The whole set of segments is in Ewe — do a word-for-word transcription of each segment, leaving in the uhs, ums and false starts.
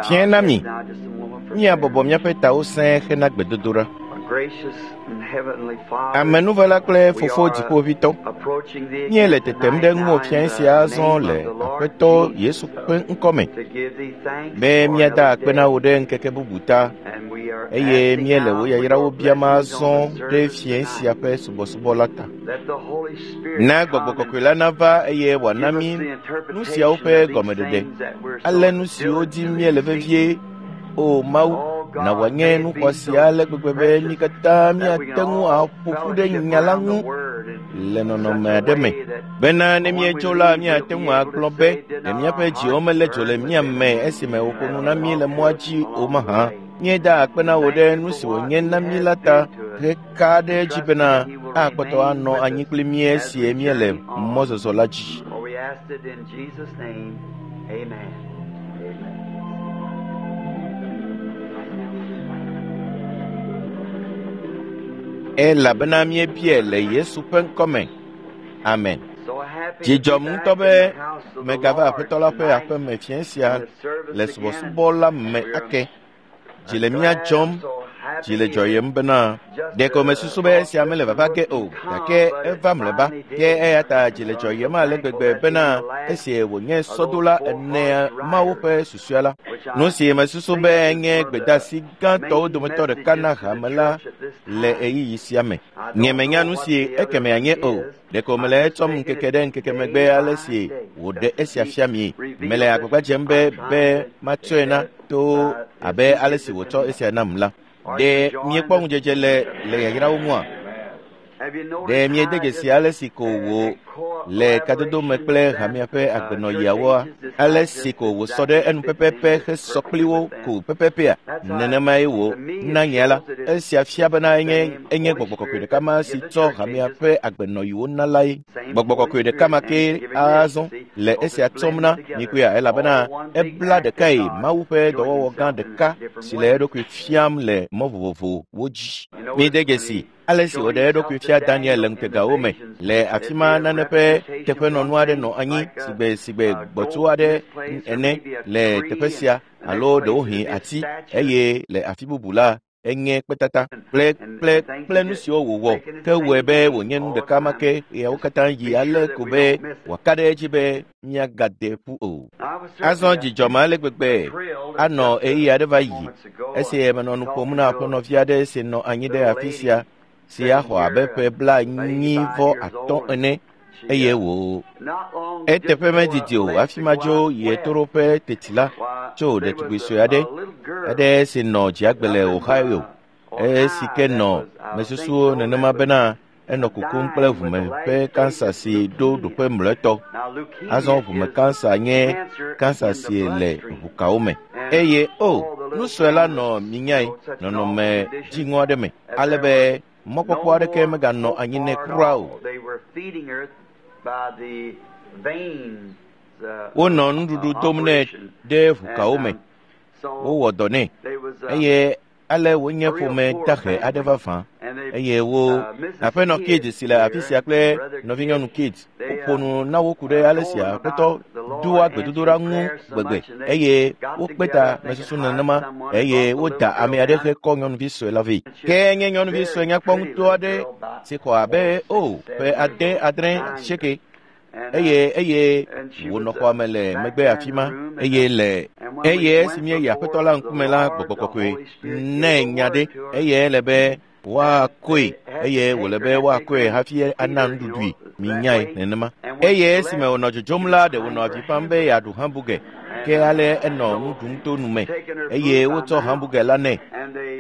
Fiẽ na mi, míabɔbɔ míaƒe tawo sẽe hena gbedodoɖa. Amenuvela kple Fofo Dziƒoʋĩtɔ, míele tetem ɖe ŋuwò fiẽ sia azɔ le Aƒetɔ Yesu ƒe ŋkɔme be míada akpe na wò ɖe ŋkeke bubu ta eye míele wò yayrawo biam azɔ ɖe fiẽ sia ƒe subɔsubɔ la ta. Na Gbɔgbɔ Kɔkɔe la nava eye wòana mí nu siawo ƒe gɔmeɖeɖe, ale nu siwo dim míele vevie. O Mawu, na wòanye nu xɔasi ale gbegbe be mí katã míate ŋu aƒo ƒu ɖe nya la ŋu le nɔnɔme aɖe me bena ne míetso la míate ŋu agblɔ be ɖe míaƒe dziwo melé dzo le mía me esime wòƒo nu na mí le mɔa dzi o mahã. Míeda akpe na wò ɖe nu si wònye na mí la ta heka ɖe edzi bena akpɔtɔ anɔ anyi kpli mí esi míele mɔzɔzɔ la dzi. Elabena míebiae le Yesu ƒe ŋkɔme. Amen. Dzi dzɔm ŋutɔ be megava Aƒetɔ la ƒe aƒeme fiẽ sia le subɔsubɔ la me ake. Dzi le mía dzɔm, dzi le dzɔyem bena ɖeko mesusu be esia mele vava ge o, gake eva mlɔeba. Ke eya ta dzi le dzɔyem ale gbegbe bena esi wònye sɔdola enea Mawu ƒe susɔea la, nu si mesusu be nye gbedeasi gãtɔwo dometɔ ɖeka na hame la le ɣeyiɣi sia me. Nye menya nu si ekeme anye o. Ɖeko mele etsɔm ŋkeke ɖe ŋkeke megbe ale si wòɖe esia fia mie. Mele agbagba dzem be be matsɔe na to abe ale si wòtsɔ esia nam la. Ɖe miekpɔ ŋudzedze le le yayrawo ŋua? Ɖe miede dzesi ale si ko wò le kadodo me kple hamea ƒe agbenɔɣiawoa? Ale si ko wòsɔ ɖe enu pɛpɛpɛ hesɔ kpli wo ko pɛpɛpɛa? Nenemae wò na nye la. Esia fia bena enye enye Gbɔgbɔ Kɔkɔe ɖeka ma si tsɔ hamea ƒe agbenɔɣiwo na lae. Gbɔgbɔ Kɔkɔe ɖeka ma ke azɔ le esia tsɔm na mi koea elabena ebla ɖekae Mawu ƒe dɔwɔwɔ gã ɖeka si le eɖokui fiam le mɔ vovovowo dzi. Míede dzesi ale si wòɖe eɖokui fia Daniel le ŋutegawo me le afi ma nane ƒe teƒenɔnu aɖe nɔ anyi sigbe sigbe gbɔtsu aɖe ene le teƒe sia alo ɖewohĩ ati eye le afi bubu la enye kpetata kple kple kple nu siwo wòwɔ ke wɔe be wònye nu ɖeka ma ke ɣeawo katã yi ale ko be wòaka ɖe edzi be míagade ƒu o. Azɔ dzidzɔ ma ale gbegbe anɔ ɣeyiɣi aɖe va yi esi menɔ nu ƒom na aƒenɔvi aɖe si nɔ anyi ɖe afi sia si axɔ abe ƒe blaenyi vɔ atɔ̃ ene eye wò eteƒe medidi o hafi madzo yi ɣetoɖoƒe teti la tso ɖetugbui sue aɖe aɖe si nɔ dziagbe le Ohio esi ke nɔ mesusu nenema bena enɔ kukum kple ʋume ƒe kansa si ɖo ɖoƒe mlɔetɔ. Azɔ ʋume kansa nye kansa si le ʋukawo me eye o nu sue la nɔ minyae nɔnɔme dziŋɔ aɖe me ale be mɔkpɔkpɔ aɖeke meganɔ anyi nɛ kura o. Wonɔ nuɖuɖu dom nɛ ɖe ʋukawo me. Wowɔ dɔ nɛ eye ale wònye ƒome dahe aɖe vavã eye wo aƒenɔ Kid si le afi sia kple nɔvinyɔnu Kid woƒo nu na wo ku ɖe ale si Aƒetɔ doa gbedodoɖa ŋu gbegbe eye wokpe ta mesusu nenema eye woda ame aɖe hekɔ nyɔnuvi sue la vɛ. Ke nye nyɔnuvi sue nyakpɔ ŋutɔ aɖe si xɔ abe o ƒe ade adre asieke eye eye wònɔ xɔa me le megbe afi ma eye le eye esi míeyi Aƒetɔ la ŋkume la Gbɔgbɔ Kɔkɔe nɛ nya ɖe eye ele be woakɔe eye wòle be woakɔe hafi ana nuɖuɖui minyae nenema. Eye esime wònɔ dzodzom la ɖe wònɔ avi fam be yeaɖu hamburger ke ale enɔ nu ɖum to nu me eye wotsɔ hamburger la nɛ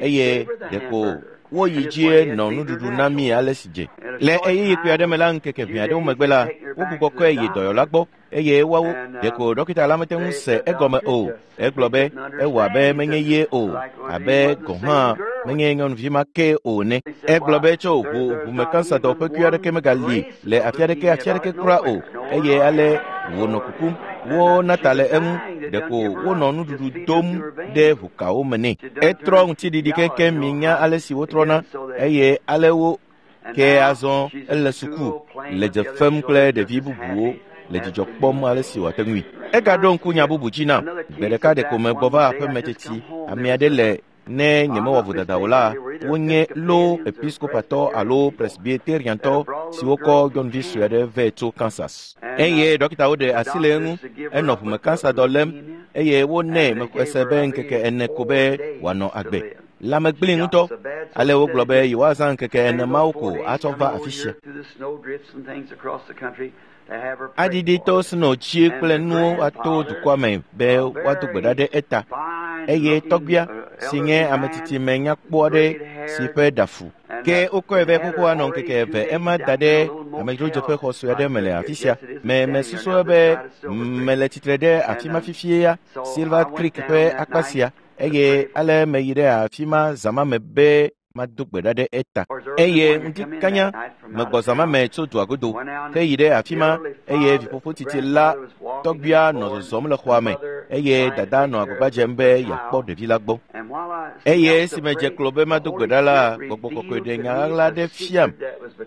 eye ɖeko woyi dzie nɔ nuɖuɖu na mí ale si dze. Le ɣeyiɣi kpui aɖe me la ŋkeke ʋɛ aɖewo megbe la wogbugbɔ kɔe yi dɔyɔla gbɔ eye woawo ɖeko ɖɔkita la mete ŋu se egɔme o. Egblɔ be ewɔ abe menye ye o abe gɔ̃ hã menye nyɔnuvi ma ke o ene. Egblɔ be tso ʋu ʋume kansa dɔ ƒe kui aɖeke megali le afi aɖeke afi aɖeke kura o eye ale wònɔ kukum. Wona ta le eŋu ɖeko wonɔ nuɖuɖu dom ɖe ʋukawo me nɛ. Etrɔ ŋutiɖiɖi keŋkeŋ minya ale si wotrɔna eye ale wo ke azɔ ele suku le dze fem kple ɖevi bubuwo le dzidzɔ kpɔm ale si wòate ŋui. Egaɖo ŋku nya bubu dzi nam. Gbe ɖeka ɖeko megbɔ va aƒeme teti. Ame aɖe le ne nyemewɔ vodada o la, wonye lo episkopatɔ alo presbyteriantɔ siwo kɔ nyɔnuvi sue aɖe vɛ tso Kansas. Eye dɔkitawo ɖe asi le eŋu, enɔ ʋume kansa dɔ lém eye wonɛ mexɔe se be ŋkeke ene ko be wòanɔ agbe. Lãme gblẽ ŋutɔ. Ale wogblɔ be yewoazã ŋkeke ene mawo ko atsɔ va afi sia. Aɖiɖi to sno tsi kple nuwo ato dukɔa me be woado gbe ɖa ɖe eta. Eye tɔgbuia si nye ame tsitsi me nyakpɔ aɖe si ƒe ɖa fu. Ke wokɔe vɛ xoxo anɔ ŋkeke eve ema da ɖe amedzrodzeƒe xɔ sue aɖe me le afi sia. Me mesusue be mele tsitre ɖe afi ma fifie ya, Silver Creek ƒe akpa sia. Eye ale meyi ɖe afi ma zã ma me be mado gbe ɖa ɖe eta. Eye ŋdi kanya megbɔ zã ma me tso dua godo heyi ɖe afi ma eye viƒoƒo tsitsi la tɔgbuia nɔ zɔzɔm le xɔa me eye dada nɔ agbagba dzem be yeakpɔ ɖevi la gbɔ. Eye esime dze klo be mado gbe ɖa la, gbɔgbɔ kɔkɔe ɖe nya ɣaɣla aɖe fiam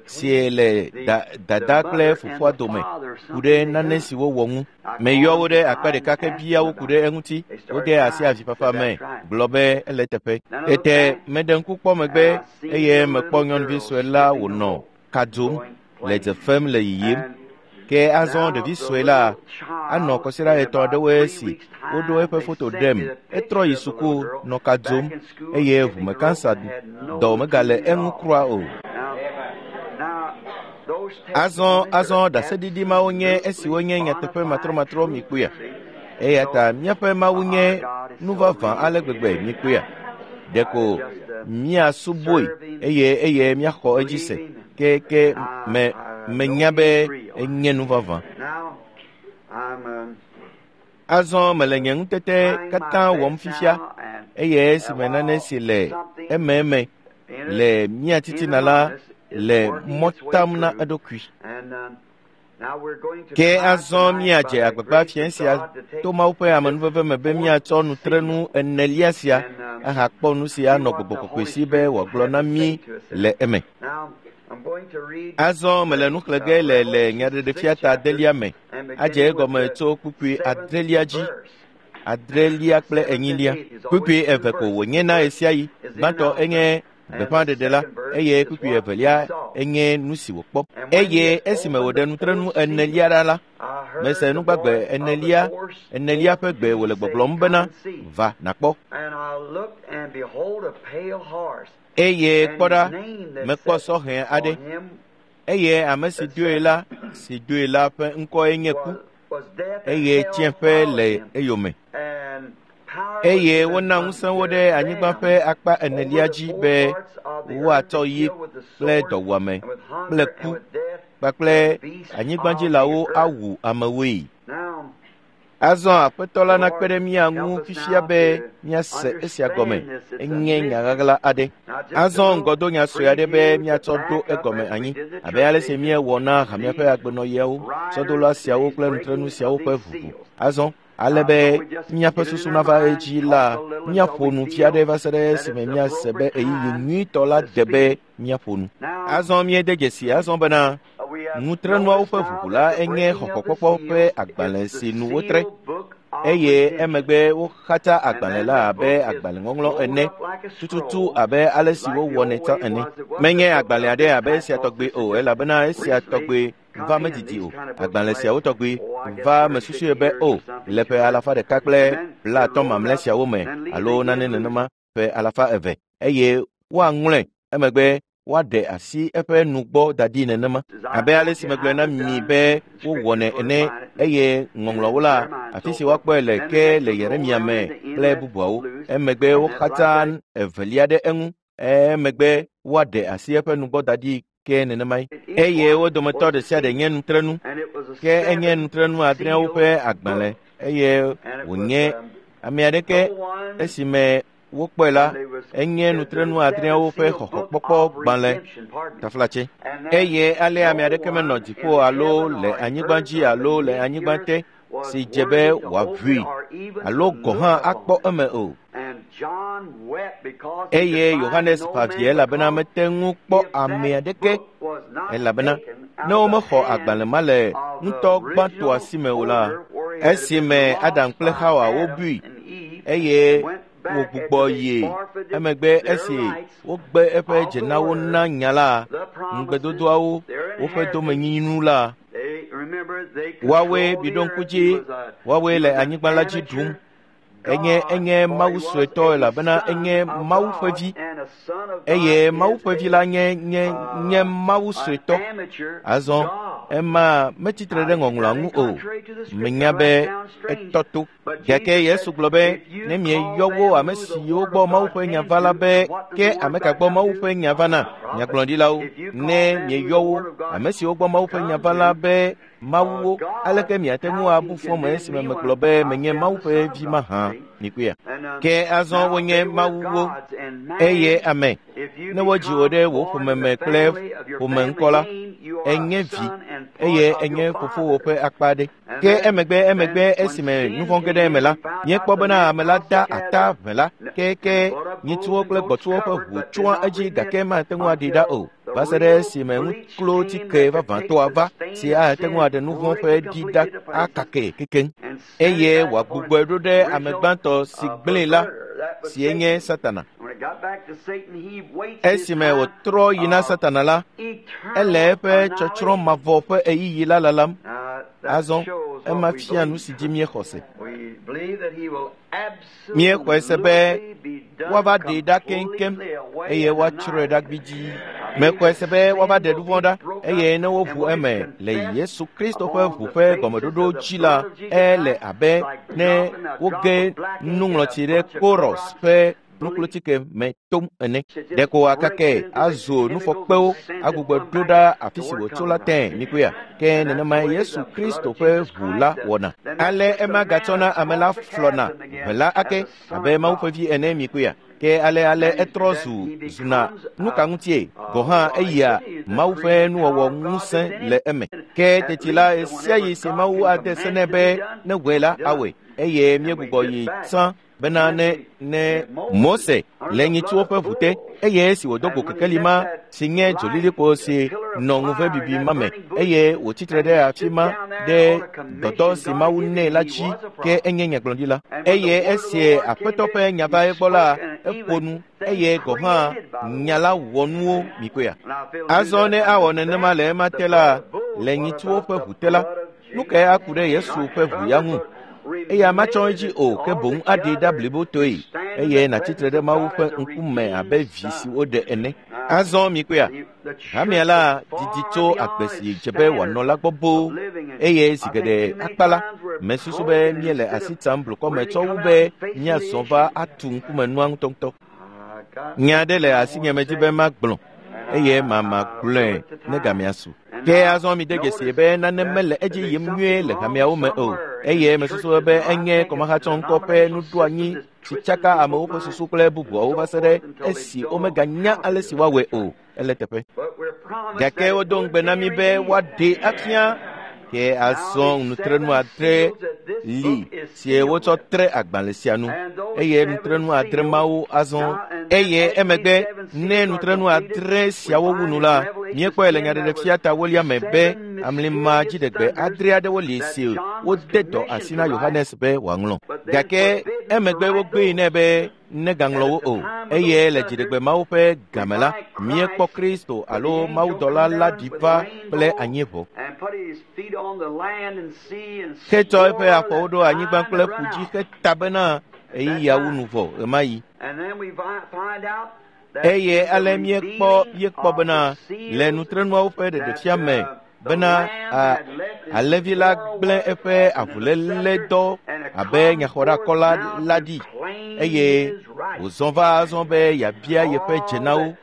si le da, dada kple fofoa dome ku ɖe nane si wowɔ ŋu. Meyɔ wo ɖe akpa ɖeka ke bia wo ku ɖe eŋuti. Wode asi avifafa me gblɔ be ele teƒe. Tete meɖe ŋku kpɔ megbe eye mekpɔ nyɔnuvi sue la wònɔ ka dzom le dze fem le yiyim. Ke azɔ ɖevi sue la anɔ kɔsiɖa etɔ̃ aɖewoe si woɖo eƒe foto ɖem. Etrɔ yi suku nɔ ka dzom eye ʋume kansa dɔ megale eŋu kura o. Azɔ azɔ ɖaseɖiɖi mawo nye esiwo nye nyateƒe matrɔmatrɔ mikpɔea. Eya ta míaƒe Mawu nye nu vavã ale gbegbe mikpɔea. Ɖeko míasubɔe eye eye míaxɔ edzi se. Ke ke me menya be enye nu vavã. Azɔ mele nye ŋutete katã wɔm fifia eye esime nane si le ememe le mía titina la le mɔ tam na eɖokui. Ke azɔ míadze agbagba fiẽ sia to Mawu ƒe amenuveve me be míatsɔ nutrenu enelia sia ahakpɔ nu si anɔ gbɔgbɔ kɔkɔe si be wòagblɔ na mí le eme. Azɔ mele nu xlẽ ge le le nyaɖeɖefia ta adelia me adze egɔme tso kpukpui adrelia dzi. Adrelia kple enyilia. Kpukpui eve ko wònye na ɣesiaɣi. Gbãtɔ enye gbeƒãɖeɖe la eye kpukpui evelia enye nu si wòkpɔ. Eye esime wòɖe nutrenu enelia ɖa la, mese nugbagbe enelia enelia ƒe gbe wòle gbɔgblɔm bena, va nàkpɔ. Eye kpɔ ɖa, mekpɔ sɔhɛ aɖe. Eye ame si doe la, si doe la ƒe ŋkɔe nye ku, eye tsiẽƒe le eyome. Eye wona ŋusẽ wo ɖe anyigba ƒe akpa enelia dzi be woatsɔ yi kple dɔwuame kple ku kpakple anyigbadzilawo awu amewoe. Azɔ Aƒetɔ la nakpe ɖe mía ŋu fifia be míase esia gɔme. Enye nya ɣaɣla aɖe. Azɔ ŋgɔdonya sue aɖe be míatsɔ ɖo egɔme anyi abe ale si míewɔ na hamea ƒe agbenɔɣiawo, sɔdola siawo kple nutrenu siawo ƒe ʋuʋu. Azɔ ale be míaƒe susu nava edzi la, míaƒo nu fia ɖe va se ɖe esime míase be ɣeyiɣi nyuitɔ la de be míaƒo nu. Azɔ míede dzesi azɔ bena nutrenuawo ƒe ʋuʋu la enye xɔxɔkpɔkpɔ ƒe agbalẽ si nu wotre eye emegbe woxatsa agbalẽ la abe agbalẽŋɔŋlɔ ene tututu abe ale si wowɔnɛ tsã ene. Menye agbalẽ aɖe abe esia tɔgbe o elabena esia tɔgbe va medidi o. Agbalẽ siawo tɔgbe va mesusue be o le ƒe alafa ɖeka kple blaatɔ̃ mamlɛ siawo me alo nane nenema ƒe alafa eve eye woaŋlɔe emegbe woaɖe asi eƒe nugbɔ da ɖi nenema abe ale si megblɔe na mi be wowɔnɛ ene eye ŋɔŋlɔwo la afi si woakpɔe le ke le Yeremia me kple bubuawo. Emegbe woxatsa evelia ɖe eŋu emegbe woaɖe asi eƒe nugbɔ da ɖi ke nenemae. Eye wo dometɔ ɖe sia ɖe nye nutrenu ke enye nutrenu adreawo ƒe agbalẽ eye wònye ame aɖeke esime wokpɔe la enye nutrenu adreawo ƒe xɔxɔkpɔkpɔ gbalẽ taflatse. Eye ale ame aɖeke menɔ dziƒo alo le anyigba dzi alo le anyigba te si dze be wòaʋui alo gɔ̃ hã akpɔ eme o. Eye Yohanes ƒã vi elabena mete ŋu kpɔ ame aɖeke elabena ne womexɔ agbalẽ ma le ŋutɔ gbãtɔa si me o la, esime Adam kple Hawa wobui eye wògbugbɔ yi emegbe esi wogbe eƒe dzenawo na nya la, ŋugbedodoawo, woƒe domenyinu la, woawoe miɖo ŋku dzi, woawoe le anyigba la dzi ɖum. Enye enye Mawu suetɔ elabena enye Mawu ƒe vi eye Mawu ƒe vi la nye nye nye Mawu suetɔ. Azɔ ema metsitre ɖe ŋɔŋlɔa ŋu o. Menya be etɔ to. Gake Yesu gblɔ be ne mieyɔ wo ame siwo gbɔ Mawu ƒe nya va la be ke ame ka gbɔ Mawu ƒe nya va na nyagblɔɖilawo ne mieyɔ wo ame siwo gbɔ Mawu ƒe nya va la be Mawuwo, aleke miate ŋu abu fɔme esime megblɔ be menye Mawu ƒe vi mahã mikpɔea? Ke azɔ wonye Mawuwo eye ame ne wodzi wò ɖe wò ƒome me kple ƒome ŋkɔ la, enye vi eye enye fofowò ƒe akpa aɖe. Ke emegbe emegbe esime nu vɔ̃ ge ɖe eme la, míekpɔ bena ame la da ata ʋe la, ke ke nyitsuwo kple gbɔtsuwo ƒe ʋu tsyɔa edzi gake mate ŋu aɖi ɖa o. Va se ɖe esime ŋuklotike vavãtɔa va si ate ŋu aɖe nu vɔ̃ ƒe ɖi ɖa akake kekeŋ eye wòagbugbɔe ɖo ɖe ame gbãtɔ si gblẽe la si nye Satana. Esime wòtrɔ yi na Satana la, ele eƒe tsɔtsrɔ̃ mavɔ ƒe ɣeyiɣi la lalam. Azɔ ema fia nu si dzi míexɔ se. Míexɔe se be woava ɖee ɖa keŋkeŋ eye woatsrɔ̃e ɖa gbidii. Mexɔe se be woava ɖe nu vɔ̃ ɖa eye ne woʋu eme le Yesu Kristo ƒe ʋu ƒe gɔmeɖoɖo dzi la, ele abe ne woge nuŋlɔtsi ɖe Koros ƒe nuklotike me tom ene. Ɖeko wòakake azu nufɔkpewo agbugbɔ ɖo ɖa afi si wòtso la tẽe mikpɔea? Ke nenemae Yesu Kristo ƒe ʋu la wɔna. Ale ema gatsɔna ame la flɔna ʋe la ake abe Mawu ƒe vi ene mikpɔea? Ke ale ale etrɔ zu zuna nu ka ŋutie gɔ̃ hã eyia Mawu ƒe nuwɔwɔ ŋusẽ le eme. Ke teti la ɣe sia ɣi si Mawu ade se nɛ be ne wɔe la awɔe eye míegbugbɔ yi tsã bena ne ne Mose le nyitsuwo ƒe ʋu te eye esi wòdo go kekeli ma si nye dzolilikpo si nɔ ŋuvebibi ma me eye wòtsitre ɖe afi ma ɖe dɔdɔ si Mawu nɛ la dzi ke enye nyagblɔɖila. Eye esi Aƒetɔ ƒe nya va egbɔ la, eƒo nu eye gɔ̃ hã nya la wɔ nuwo mikpɔea? Azɔ ne awɔ nenema le ema te la, le nyitsuwo ƒe ʋu te la, nu kae aku ɖe Yesu ƒe ʋu ya ŋu? Eya matsɔ edzi o ke boŋ aɖee ɖa blibotoe eye nàtsitre ɖe Mawu ƒe ŋkume abe vi si woɖe ene. Azɔ mikpɔea? Hamea la didi tso agbe si dze be wòanɔ la gbɔ boo eye zi geɖe akpa la, mesusu be míele asi tsam blukɔme tsɔ wu be míazɔ va atu ŋkumenua ŋutɔŋutɔ. Nya aɖe le asinye medzi be magblɔ eye mamagblɔe ne gamea su. Ke azɔ mide dzesi be nane mele edzi yim nyuie le hameawo me o eye mesusu be enye kɔmahatsɔŋkɔ ƒe nuɖoanyi si tsaka amewo ƒe susu kple bubuawo va se ɖe esi womeganya ale si woawɔe o. Ele teƒe. Gake wodo ŋugbe na mí be woaɖee afia ke azɔ nutrenu adre li si wotsɔ tre agbalẽ sia nu eye nutrenu adre mawo azɔ eye emegbe ne nutrenu adre siawo wu nu la, míekpɔe le nyaɖeɖefia ta wolia me be amlima dziɖegbe adre aɖewo li si wode dɔ asi na Yohanes be wòaŋlɔ. Gake emegbe wogbee nɛ be negaŋlɔ wo o eye le dziɖegbe mawo ƒe game la, míekpɔ Kristo alo mawudɔla la ɖi va kple anyieʋɔ. Hetsɔ eƒe afɔwo ɖo anyigba kple ƒu dzi heta bena ɣeyiɣiawo nu vɔ ɣemaɣi. Eye ale míekpɔ míekpɔ bena le nutrenuawo ƒe ɖeɖefia me bena a, alẽvi la gblẽ eƒe avuléledɔ abe nyaxɔɖakɔla la ɖi eye wòzɔ va azɔ be yeabia yeƒe dzenawo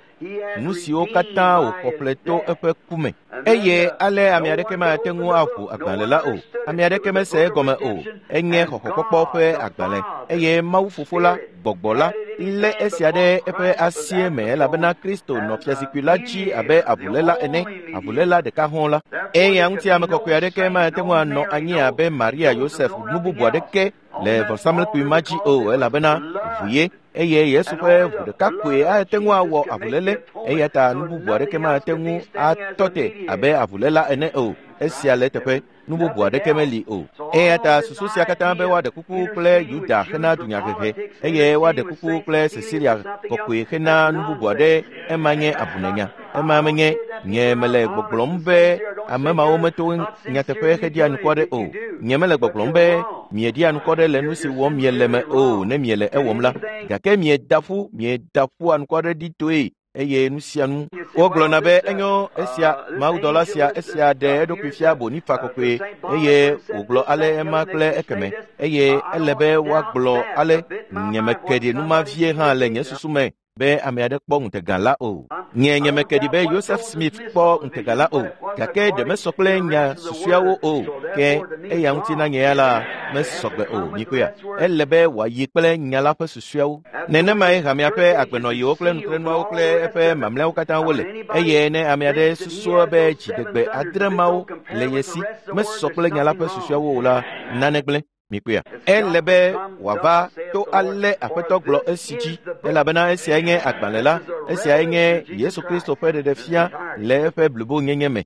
nu siwo katã wòxɔ ƒle to eƒe ku me. Eye ale ame aɖeke mate ŋu aʋu agbalẽ la o. Ame aɖeke mese egɔme o. Enye xɔxɔkpɔkpɔ ƒe agbalẽ eye Mawu Fofo la, Gbɔgbɔ la, lé esia ɖe eƒe asie me elabena Kristo nɔ fiazikpui la dzi abe avuléla ene, avuléla ɖeka hɔ̃ la. Eya ŋuti ame kɔkɔe aɖeke mate ŋu anɔ anyi abe Maria, Yosef, nu bubu aɖeke le vɔsamlekpui ma dzi o elabena ʋu ye eye Yesu ƒe ʋu ɖeka koe ate ŋu awɔ avuléle eya ta nu bubu aɖeke mate ŋu atɔ te abe avuléla ene o. Esia le eteƒe, nu bubu aɖeke meli o. Eya ta susu sia katã be woaɖe kuku kple Yuda hena dunyahehe eye woaɖe kuku kple Cecilia kɔkɔe hena nu bubu aɖe, ema nye abunenya. Ema menye nye mele gbɔgblɔm be ame mawo meto nyateƒe heɖia nukɔ ɖe o. Nye mele gbɔgblɔm be mieɖia nukɔ ɖe le nu si wɔm miele me o ne miele ewɔm la. Gake mieda ƒu, mieda ƒu anukɔ ɖe ɖi toe eye nu sia nu. Wogblɔna be enyo esia mawudɔla sia esia ɖe eɖokui fia Bonifa kɔkɔe eye wògblɔ ale ema kple ekeme eye ele be woagblɔ ale nyemeke ɖi numa vie hã le nye susu me be ame aɖe kpɔ ŋutega la o. Nye nyemeke ɖi be Joseph Smith kpɔ ŋutega la o, gake ɖe mesɔ kple nya susuawo o, ke eya ŋuti na nye ya la mesɔgbe o. Mikpɔea, ele be wòayi kple nya la ƒe susuawo. Nenemae hamea ƒe agbenɔyiwo kple nutrenuawo kple eƒe mamlɛawo katã wole. Eye ne ame aɖe susua be dziɖegbe adre mawo le ye si mesɔ kple nya la ƒe susuawo o la, nane gblẽ. Mikpɔea, ele be wòava to ale Aƒetɔ gblɔ esi dzi, elabena esiae nye agbalẽ la, esiae nye Yesu Kristo ƒe ɖeɖefia le eƒe blibonyenye me.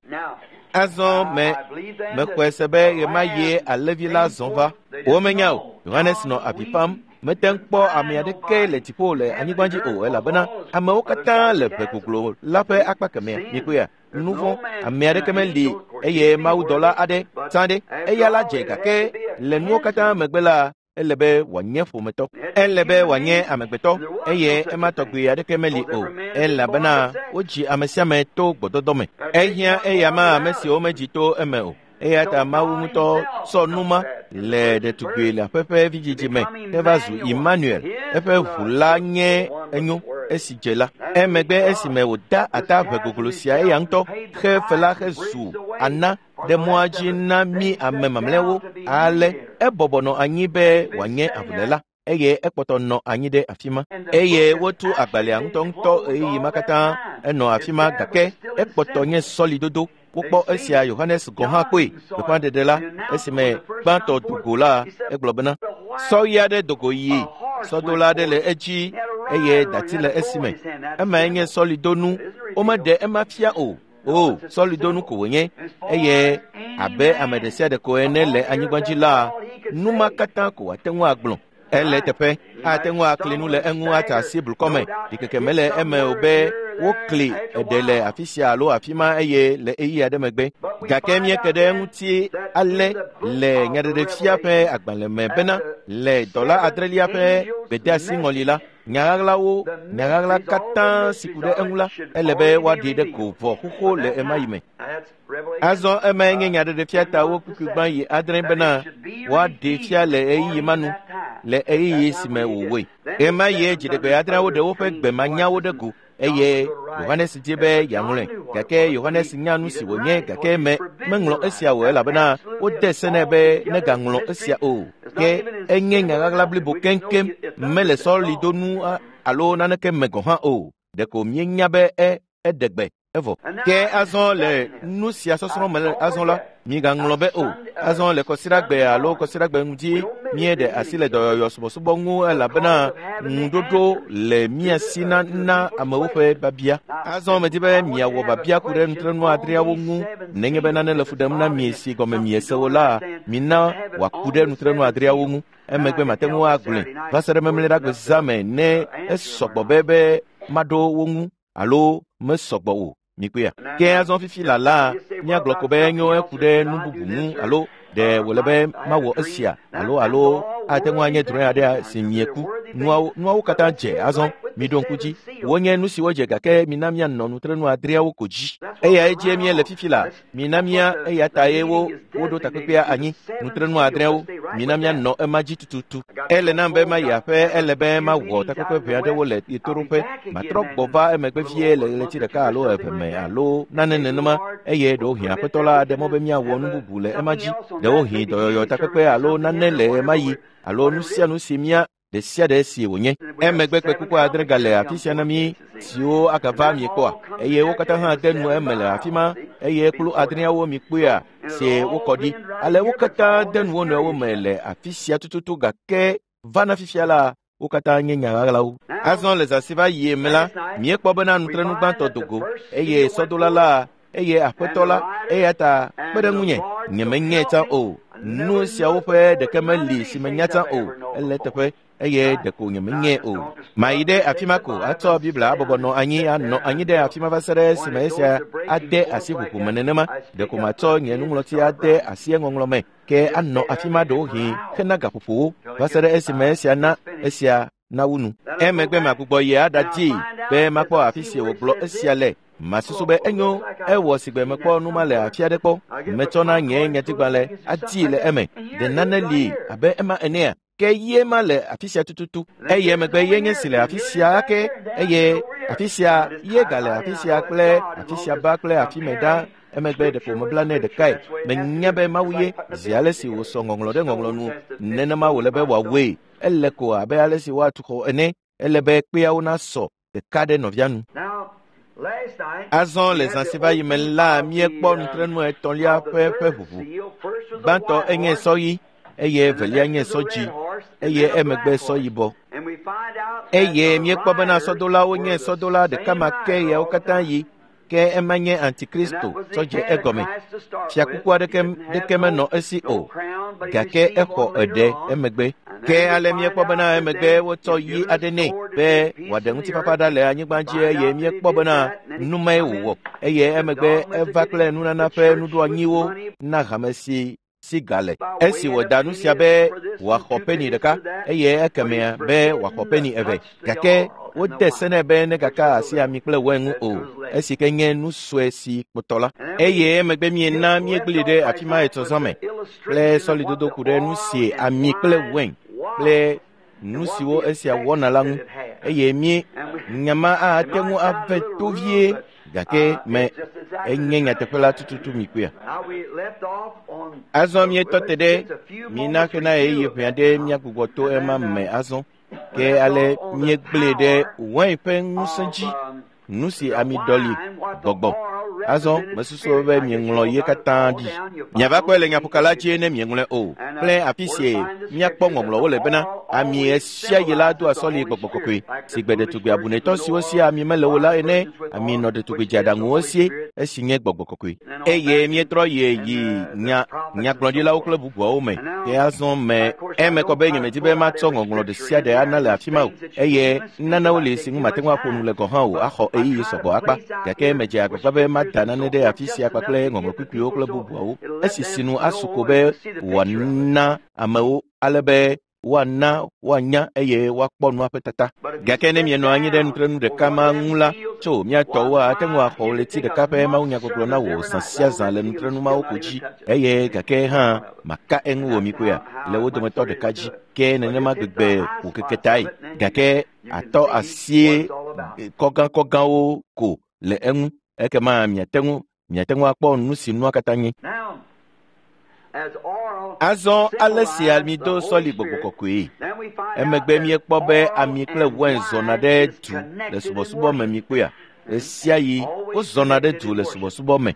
Azɔ me mexɔe se be ɣemaɣie alẽvi la zɔ va. Womenya o. Yohanes nɔ avi fam. Mete ŋu kpɔ ame aɖeke le dziƒo le anyigba dzi o, elabena amewo katã le ʋe goglo la ƒe akpa kemɛa. Mikpɔea, nu vɔ̃ ame aɖeke meli eye mawudɔla aɖe tsã ɖe eya la dze, gake le nuwo katã megbe la ele be wòanye ƒometɔ, ele be wòanye amegbetɔ eye ema tɔgbi aɖeke meli o, elabena wodzi ame sia ame to gbɔdɔdɔ me. Ehiã eya ma ame siwo medzi to eme o. Eya ta Mawu ŋutɔ sɔ numa le ɖetugbui le aƒe ƒe vidzidzi me heva zu Emmanuel. Eƒe ʋu la nye enyo esi dze la. Emegbe esime wòda ata ʋe goglo sia eya ŋutɔ xe fe la hezu ana ɖe mɔa dzi na mí ame mamlɛawo, ale ebɔbɔ nɔ anyi be wòanye avuléla eye ekpɔtɔ nɔ anyi ɖe afi ma. Eye wotu agbalẽa ŋutɔŋutɔ ɣeyiɣi ma katã enɔ afi ma, gake ekpɔtɔ nye sɔlidodo. Wokpɔ esia Yohanes gɔ̃ hã kpɔe. Gbeƒãɖeɖe la, esime gbãtɔ do go la, egblɔ bena sɔɣi aɖe do go yi, sɔdola aɖe le edzi eye dati le esime. Emae nye sɔlidonu. Womeɖe ema fia o. O, sɔlidonu ko wònye. Eye abe ame ɖe sia ɖe ko ene le anyigba dzi la, nu ma katã ko wòate ŋu agblɔ. Ele teƒe, ate ŋu akli nu le eŋu ata asi blukɔ me. Ɖikeke mele eme o be wokli eɖe le afi sia alo afi ma eye le ɣeyiɣi aɖe megbe. Gake míeke ɖe eŋuti ale le nyaɖeɖefia ƒe agbalẽ me bena le dɔla adrelia ƒe gbedeasi ŋɔli la, nyaɣaɣlawo, nyaɣaɣla katã si ku ɖe eŋu la, ele be woaɖee ɖe go vɔ xoxo le ema yi me. Azɔ emae nye nyaɖeɖefia tawo kpukpui gbã yi adre bena woaɖee fia le ɣeyiɣi ma nu, le ɣeyiɣi si me wòwɔe. Ɣema yie dziɖegbe adreawo ɖe woƒe gbemanyawo ɖe go eye Yohanes di be yeaŋlɔe, gake Yohanes nya nu si wònye, gake me meŋlɔ esia o elabena wode se nɛ be negaŋlɔ esia o. Ke enye nyaɣaɣla blibo keŋkeŋ, mele sɔlidonu alo naneke me gɔ̃ hã o. Ɖeko míenya be e eɖe gbe evɔ. Ke azɔ le nu sia sɔsrɔ̃ me azɔ la, migaŋlɔ be o. Azɔ le kɔsiɖagbe alo kɔsiɖagbe ŋuti míeɖe asi le dɔyɔyɔ subɔsubɔ ŋu elabena ŋuɖoɖo le mía si na na amewo ƒe babia. Azɔ medi be miawɔ babia ku ɖe nutrenu adreawo ŋu. Nenye be nane le fu ɖem na mi si gɔme miese o la, mina wòaku ɖe nutrenu adreawo ŋu. Emegbe mate ŋu agblɔe va se ɖe memleɖagbe zã me ne esɔgbɔ be be maɖo wo ŋu alo mesɔgbɔ o. Mikpɔea. Ke azɔ fifi la la, míagblɔ ko be enyo eku ɖe nu bubu ŋu alo ɖe wòle be mawɔ esia alo alo ate ŋu anye drɔ̃e aɖe si mieku. Nuawo nuawo katã dze azɔ. Miɖo ŋku dzi. Wonye nu siwo dze, gake mina míanɔ nutrenu adreawo ko dzi. Eyae dzie míele fifi la. Mina mía eya tae wo woɖo takpekpea anyi. Nutrenu adreawo. Mina míanɔ ema dzi tututu. Ele nam be mayi aƒe, ele be mawɔ takpekpe ʋɛ aɖewo le ɣetoɖoƒe. Matrɔ gbɔ va emegbe vie le ɣleti ɖeka alo eve me alo nane nenema, eye ɖewohĩ Aƒetɔ la aɖe mɔ be míawɔ nu bubu le ema dzi. Ɖewohĩ dɔyɔyɔ takpekpe alo nane le ema yi alo nu sia nu si mía ɖe sia ɖe si wònye. Emegbe kpekpekpe adre gale afi sia na mí siwo agava miekpɔa, eye wo katã hã de nu eme le afi ma, eye kplu adreawo mikpɔea si wokɔ ɖi. Ale wo katã de nu wo nɔewo me le afi sia tututu, gake vana fifia la, wo katã nye nyaɣaɣlawo. Azɔ le zã si va yie me la, míekpɔ bena nutrenu gbãtɔ do go eye sɔdola la eye aƒetɔ la eya ta kpe ɖe ŋunye nyemenyae tsã o nu siawo ƒe ɖeke meli si menya tsã o ele teƒe eye ɖeko nyemenyae o mayi ɖe afi ma ko atsɔ Biblia abɔbɔ nɔ anyi anɔ anyi ɖe afi ma va se ɖe esime esia ade asi ʋuʋu me nenema ɖeko matsɔ nye nuŋlɔti ade asi eŋɔŋlɔ me ke anɔ afi ma ɖewohĩ hena gaƒoƒowo va se ɖe esime esia na esia nawu nu emegbe magbugbɔ yi aɖadii be makpɔ afi si wògblɔ esia le masusu be enyo ewɔ sigbe mekpɔ nu ma le afi aɖe kpɔ metsɔna nye nyatigbalẽ adii le eme ɖe nane li abe ema enea ke ye ma le afi sia tututu eye emegbe ye nye si le afi sia ake eye afi sia ye gale afi sia kple afi sia ba kple afi me ɖa emegbe ɖeko mebla nɛ ɖekae menya be Mawu ye zi ale si wòsɔ ŋɔŋlɔ ɖe ŋɔŋlɔ nu nenema wòle be wòawɔe ele ko abe ale si woatu xɔ ene ele be kpeawo nasɔ ɖeka ɖe nɔvia nu azɔ le zã si va yi me la míekpɔ nutrenu etɔ̃lia ƒe ƒe ʋuʋu gbãtɔ enye sɔ ɣi eye evelia nye sɔ dzi eye emegbe sɔ yibɔ eye míekpɔ bena sɔdolawo nye sɔdola ɖeka ma ke yawo katã yi ke ema nye antikristo tsɔ dze egɔme fiakuku aɖeke ɖeke menɔ esi o gake exɔ eɖe emegbe ke ale míekpɔ bena emegbe wotsɔ yi aɖe nɛ be wòaɖe ŋutifafa ɖa le anyigba dzi eye míekpɔ bena nu mae wòwɔ eye emegbe eva kple nunana ƒe nuɖoanyiwo na hame si si gale esi wòda nu sia be wòaxɔ peni ɖeka eye ekemea be wòaxɔ peni eve gake wode se nɛ be negaka asi ami kple wain ŋu o esi ke nye nu sue si kpɔtɔ la eye emegbe miena míegblẽ ɖe afi ma etɔ̃ me kple sɔlidodo ku ɖe nu si ami kple wain kple nu siwo esia wɔna la ŋu eye mí nyama ate ŋu ave to vie gake me enye nyateƒe la tututu mi kpea azɔ míetɔ te ɖe mina hena ɣeyiɣi ʋɛ aɖe míagbugbɔ to ema me azɔ ke ale míegblẽ ɖe wain ƒe ŋusẽ dzi nu si ami ɖɔli gbɔgbɔ azɔ mesusu be mieŋlɔ ye katã ɖi miava kpɔe le nyaƒokala dzi ne mieŋlɔe o kple afi si míakpɔ ŋɔŋlɔwo le bena ami esia yi la doa sɔli gbɔgbɔ kɔkɔe si gbe ɖetugbi abunetɔ siwo si ami mele o la ene ami nɔ ɖetugbi dzeaɖaŋuwo sie esi nye gbɔgbɔ kɔkɔe eye míetrɔ yi yi nya nyagblɔɖilawo kple bubuawo me ke azɔ me eme kɔ be nyemedi be matsɔ ŋɔŋlɔ ɖe sia ɖe ana le afi ma o eye nanewo li si ŋu mate ŋu aƒo nu le gɔ̃ hã o axɔ ɣeyiɣi sɔgbɔ akpa gake medze agbagba be mada nane ɖe afi sia kpakple ŋɔŋlɔ kpukpuiwo kple bubuawo esi sinu asu ko be wòana amewo ale be woana woanya eye woakpɔ nua ƒe tata gake ne mienɔ anyi ɖe nutrenu ɖeka ma ŋu la tso mía tɔwo ate ŋu axɔ ɣleti ɖeka ƒe mawunyagbɔgblɔ na wò zã sia zã le nutrenu mawo ko dzi eye gake hã maka eŋu wò mikpɔea le wo dometɔ ɖeka dzi ke nenema gbegbe wò keke tae gake atɔ asie kɔgãkɔgãwo ko le eŋu ekema miate ŋu miate ŋu akpɔ nu si nua katã nye azɔ ale si ami do sɔli gbɔgbɔ kɔkɔe emegbe míekpɔ be ami kple wain zɔna ɖe du le subɔsubɔ me mikpɔea ɣesia ɣi wozɔna ɖe du le subɔsubɔ me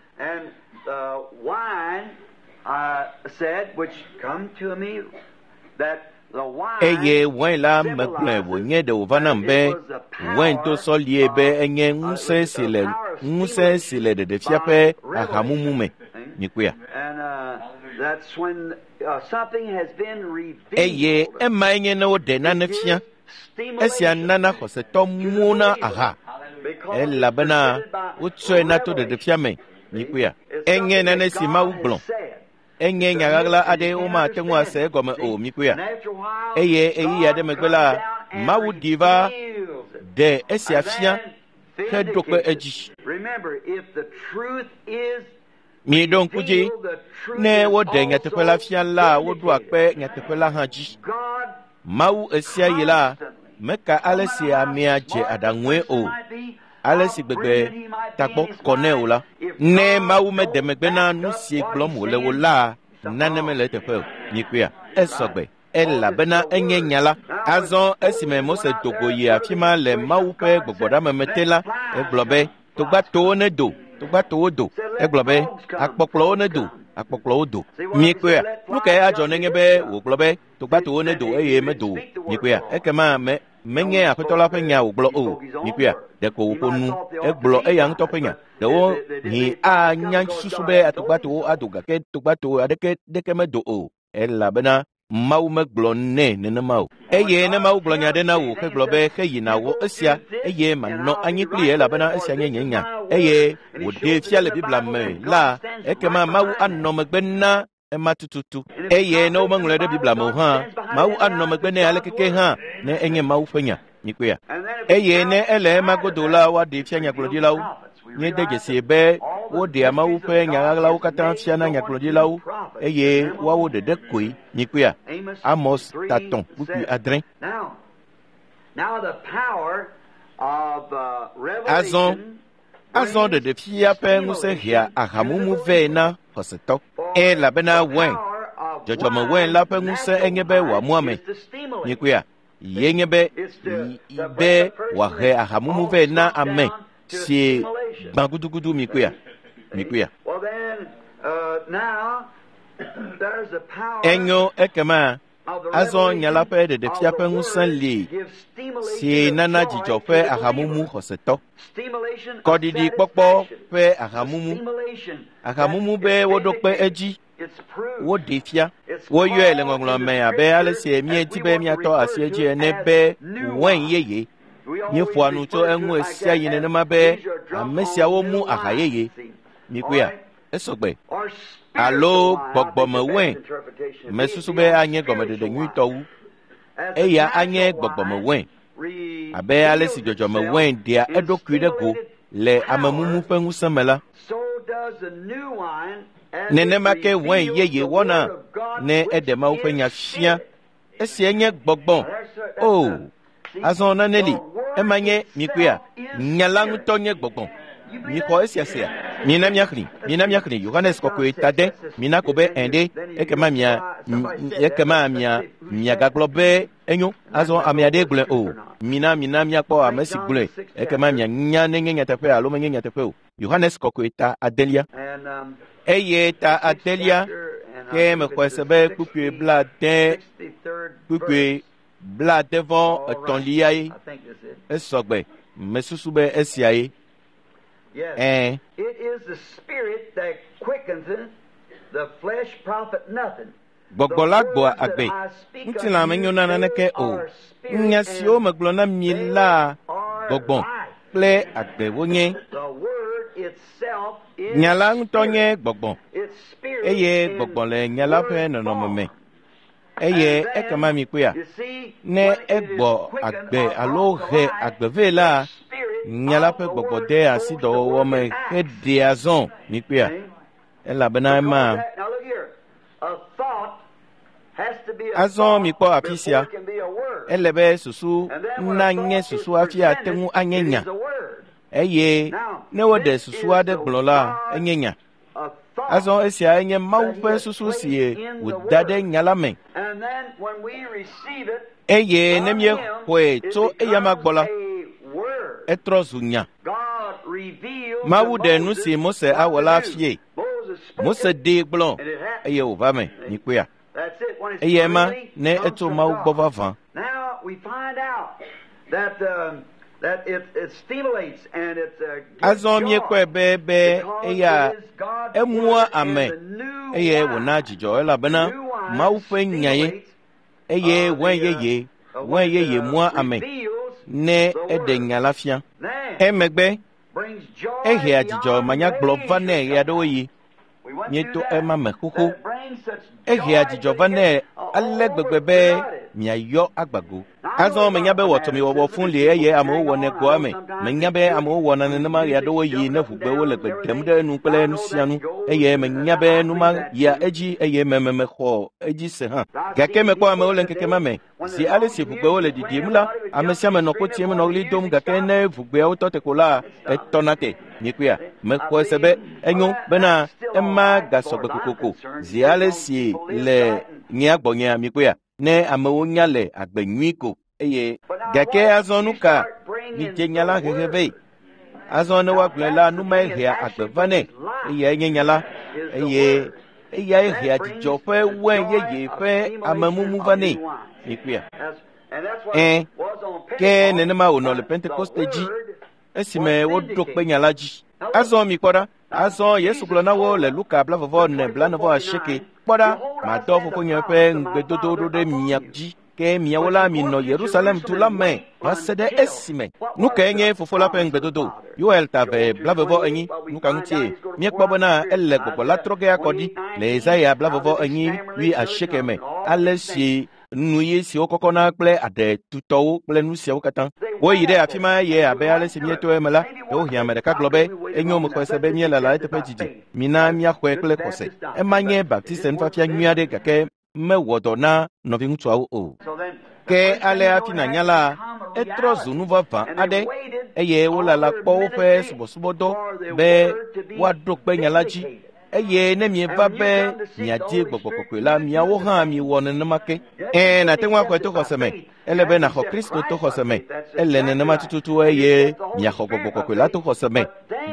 eye wain la megblɔe wònye ɖe wòva nam be wain do sɔlie be enye ŋusẽ si le ŋusẽ si le ɖeɖefia ƒe ahamumu me mikpɔea eye emae nye ne woɖe nane fia esia nana xɔsetɔ muwo aha elabena wotsɔe na to ɖeɖefia me mikpɔea enye nane si Mawu gblɔ enye nya ɣaɣla aɖe womate ŋu ase egɔme o mikpɔea eye ɣeyiɣi aɖe megbe la Mawu ɖi va ɖe esia fia heɖo kpe edzi Mieɖo ŋku dzi ne woɖe nyateƒe la fia la woɖoa kpe nyateƒe la hã dzi Mawu esia yi la meka ale si amea dze aɖaŋue o ale si gbegbe tagbɔ kɔ nɛ o la ne Mawu mede megbe na nu si gblɔm wòle o la nane mele eteƒe o mikpɔea esɔgbe elabena enye nya la azɔ esime Mose do go yi afi ma le Mawu ƒe gbɔgbɔɖameme te la egblɔ be togbatowo nedo togbatowo do egblɔ be akpɔkplɔwo nedo akpɔkplɔwo do mikpɔea nu kae adzɔ nenye be wògblɔ be togbatowo nedo eye medo o mikpɔea ekema me Menye Aƒetɔ la ƒe nya wògblɔ o. Mikpɔea, ɖeko wòƒo nu, egblɔ eya ŋutɔ ƒe nya. Ɖewo hĩ anya susu be atogbatowo ado gake togbato aɖeke ɖeke medo o, elabena Mawu megblɔ nɛ nenema o. Eye ne Mawu gblɔ nya ɖe na wò hegblɔ be heyi nàwɔ esia eye manɔ anyi kpli elabena esia nye nye nya eye wòɖee fia le Biblia me la, ekema Mawu anɔ megbe na ema tututu. Eye ne womeŋlɔe ɖe Biblia me o hã, Mawu anɔ megbe nɛ alekeke hã ne enye Mawu ƒe nya. Mikpɔea? Eye ne ele ema godo la, woaɖee fia nyagblɔɖilawo. Míede dzesi be woɖea Mawu ƒe nya ɣaɣlawo katã fiana nyagblɔɖilawo eye woawo ɖeɖe koe. Mikpɔea? Amos tatɔ̃ kpukpui adre. Azɔ, azɔ ɖeɖefia ƒe ŋusẽ hea ahamumu vɛ na xɔsetɔ. Elabena wɛn, dzɔdzɔme wɛn la ƒe ŋusẽ enye be wòamu ame. Mikpɔea? Ye nye be be wòahe ahamumu vɛ na ame si gbã gudugudu. Mikpɔea? Mikpɔea? Enyo ekema azɔ nya la ƒe ɖeɖefia ƒe ŋusẽ li si nana dzidzɔ ƒe ahamumu xɔsetɔ. Kɔɖiɖi kpɔkpɔ ƒe ahamumu. Ahamumu be woɖo kpe edzi, woɖee fia. Woyɔe le ŋɔŋlɔ me abe ale si míedi be míatɔ asi edzi ene be wɛn yeye. Míeƒoa nu tso eŋu ɣe yi nenema be ame siawo mu aha yeye. Mikpɔea? Esɔgbe. Alo gbɔgbɔme wɛn. Mesusu be anye gɔmeɖeɖe nyuitɔ wu. Eya anye gbɔgbɔme wɛn. Abe ale si dzɔdzɔme wɛn ɖea eɖokui ɖe go le amemumu ƒe ŋusẽ me la, nenema ke wɛn yeye wɔna ne eɖe Mawu ƒe nya fia. Esia nye gbɔgbɔ. O, azɔ nane li. Ema nye mikpɔea? Nya la ŋutɔ nye gbɔgbɔ. Mixɔ esia sea? Mina míaxlẽ, mina míaxlẽ Yohanes kɔkɔe tade. Mina ko be ẽ ɖe, ekema mia, ekema mia, miagagblɔ be enyo. Azɔ ame aɖe gblɔe o. Mina, mina míakpɔ ame si gblɔe. Ekema mianya nenye nyateƒe alo menye nyateƒe o. Yohanes kɔkɔe ta adelia. Eye ta adelia ke mexɔe se be kpukpui blaade, kpukpui blaade vɔ etɔ̃liae. Esɔgbe. Mesusu be esiae. Ɛ̃. Gbɔgbɔ la gbɔa agbe. Ŋutilã menyo na naneke o. Nya siwo megblɔ na mi la gbɔgbɔ kple agbe wonye. Nya la ŋutɔ nye gbɔgbɔ eye gbɔgbɔ le nya la ƒe nɔnɔme me. Eye ekema mikpɔea, ne egbɔ agbe alo he agbe vɛ la, nya la ƒe gbɔgbɔ de asi dɔwɔwɔ me heɖea zɔ. Mikpɔea? Elabena ema. Azɔ mikpɔ afi sia. Ele be susu nanye susu hafi ate ŋu anye nya. Eye ne woɖe susu aɖe gblɔ la, enye nya. Azɔ esia enye Mawu ƒe susu si wòda ɖe nya la me. Eye ne míexɔe tso eyama gbɔ la, etrɔ zu nya. Mawu ɖe nu si Mose awɔ la fie. Mose ɖee gblɔ eye wòva me. Mikpɔea? Eye ema ne etso Mawu gbɔ vavã. Azɔ míekpɔe be be eya emua ame eye wòna dzidzɔ elabena Mawu ƒe nya ye eye wɛn yeye, wɛn yeye mua ame ne eɖe nya la fia. Emegbe ehea dzidzɔ manyagblɔ vanɛ ɣeaɖewoɣi. Míeto ema me xoxo. Ehea dzidzɔ vanɛ ale gbegbe be miayɔ agbago. Azɔ menya be wɔtɔmiwɔwɔ fũ li eye amewo wɔnɛ goa me. Menya be amewo wɔna nenema ɣeaɖewoɣi ne ʋugbewo le gbe ɖem ɖe enu kple nu sia nu eye menya be nu ma yia edzi eye mememexɔ edzi se hã. Gake mekpɔ amewo le ŋkeke ma me. Zi ale si ʋugbewo le ɖiɖim la, ame sia ame nɔ kotiem nɔ ɣli dom gake ne ʋugbeawo tɔ te ko la, etɔna te. Mikpɔea? Mexɔe se be enyo bena ema gasɔgbe kokoko. Zi ale si le nyea gbɔnyea, mikpɔea? Ne amewo nya le agbe nyui ko eye gake azɔ nu ka midze nya la hehe vɛ. Azɔ ne woagblɔe la, nu mae hea agbe vanɛ. Eyae nye nya la eye eyae hea dzidzɔ ƒe wɛn yeye ƒe amemumu vanɛ. Mikpɔea? Ẽ, ke nenema wònɔ le Pentekoste dzi esime woɖo kpe nya la dzi. Azɔ mikpɔ ɖa. Azɔ Yesu gblɔ na wo le Luka blavɔvɔ ene blanevɔ asieke. Kpɔ ɖa, madɔ fofonye ƒe ŋugbedodo ɖo ɖe mia dzi. Ke miawo la minɔ Yerusalem du la me va se ɖe esime. Nu kae nye fofo la ƒe ŋugbedodo? Yoel ta eve blavevɔ enyi. Nu ka ŋutie? Míekpɔ bena ele gbɔgbɔ la trɔ ge akɔ ɖi le Yesaya blavevɔ enyi wui asieke me. Ale si nu ɣi siwo kɔkɔna kple aɖe tutɔwo kple nu siawo katã. Woyi ɖe afi ma eye abe ale si míeto eme la, ɖewohĩ ame ɖeka gblɔ be enyo mexɔe se be míelala eteƒe didi. Mina míaxɔe kple xɔse. Ema nye Baptiste nufiafia nyui aɖe gake mewɔ dɔ na nɔviŋutsuawo o. Ke ale hafi nànya la, etrɔ zu nu vavã aɖe eye wolala kpɔ woƒe subɔsubɔdɔ be woaɖo kpe nya la dzi. Eye ne mieva be miadi gbɔgbɔ kɔkɔe la, miawo hã miwɔ nenema ke. Ẽ, nàte ŋu axɔe to xɔse me. Ele be nàxɔ Kristo to xɔse me. Ele nenema tututu eye miaxɔ gbɔgbɔ kɔkɔe la to xɔse me.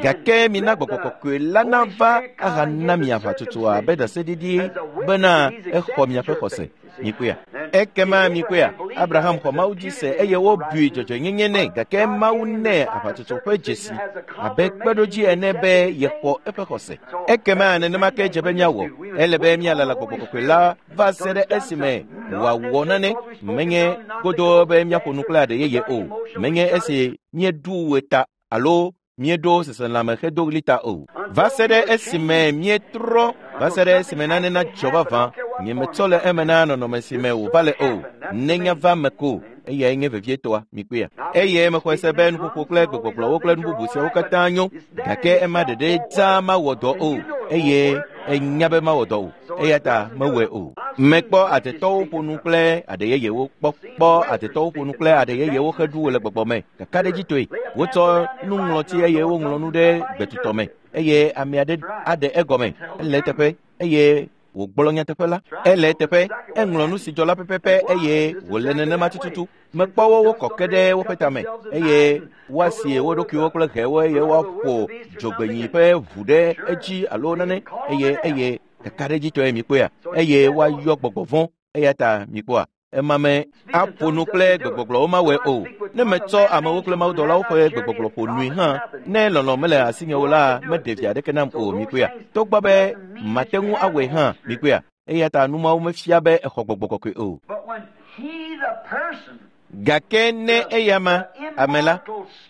Gake mina gbɔgbɔ kɔkɔe la nava ahana mi aʋatsotsoa abe ɖaseɖiɖi bena exɔ miaƒe xɔse. Mikpɔea? Ekema mikpɔea? Abraham xɔ Mawu dzi se eye wobui dzɔdzɔenyenye nɛ gake Mawu nɛ aʋatsotso ƒe dzesi abe kpeɖodzi ene be yexɔ eƒe xɔse. Ekema nenema ke dze be míawɔ. Ele be míalala gbɔgbɔ kɔkɔe la va se ɖe esime wòawɔ nane. Menye godoo be míaƒo nu kple aɖe yeye o. Menye esi míeɖu wɔ ta alo míeɖo seselãme hedo ɣli ta o. Va se ɖe esime míetrɔ, va se ɖe esime nane nadzɔ vavã. Nyemetsɔ le eme na nɔnɔme si me wòva le o. Nenya va me ko. Eyae nye vevietɔa, mikpɔea. Eye mexɔe se be nuƒoƒo kple gbegbɔgblɔwo kple nu bubu siawo katã nyo, gake ema ɖeɖe dzaa mawɔ dɔ o, eye enya be mawɔ dɔ o, eya ta mewɔe o. Mekpɔ adetɔwo ƒo nu kple aɖe yeyewo kpɔ kpɔ adetɔwo ƒo nu kple aɖe yeyewo heɖu le gbɔgbɔ me kakaɖedzitɔe. Wotsɔ nuŋlɔti eye woŋlɔ nu ɖe gbetutɔ me eye ame aɖe aɖe egɔme. Ele eteƒe eye wògblɔ nyateƒe la. Ele eteƒe, eŋlɔ nu si dzɔ la pɛpɛpɛ eye wòle nenema tututu. Mekpɔ wo wokɔ ke ɖe woƒe tame eye woasie wo ɖokuiwo kple ʋewo eye woaƒo dzogbenyi ƒe ʋu ɖe edzi alo nane eye eye kakaɖedzitɔe mikpɔea eye woayɔ gbɔgbɔ vɔ̃ eya ta mikpɔa. Ema me aƒo nu kple gbegbɔgblɔwo mawɔe o. Ne metsɔ amewo kple mawudɔlawo ƒe gbegbɔgblɔ ƒo nui hã, ne lɔlɔ̃ mele asinye o la, meɖe vi aɖeke nam o mikpɔea. Togbɔ be mate ŋu awɔe hã mikpɔea. Eya ta nu mawo mefia be exɔ gbɔgbɔ kɔkɔe o. Gake ne eyama, ame la,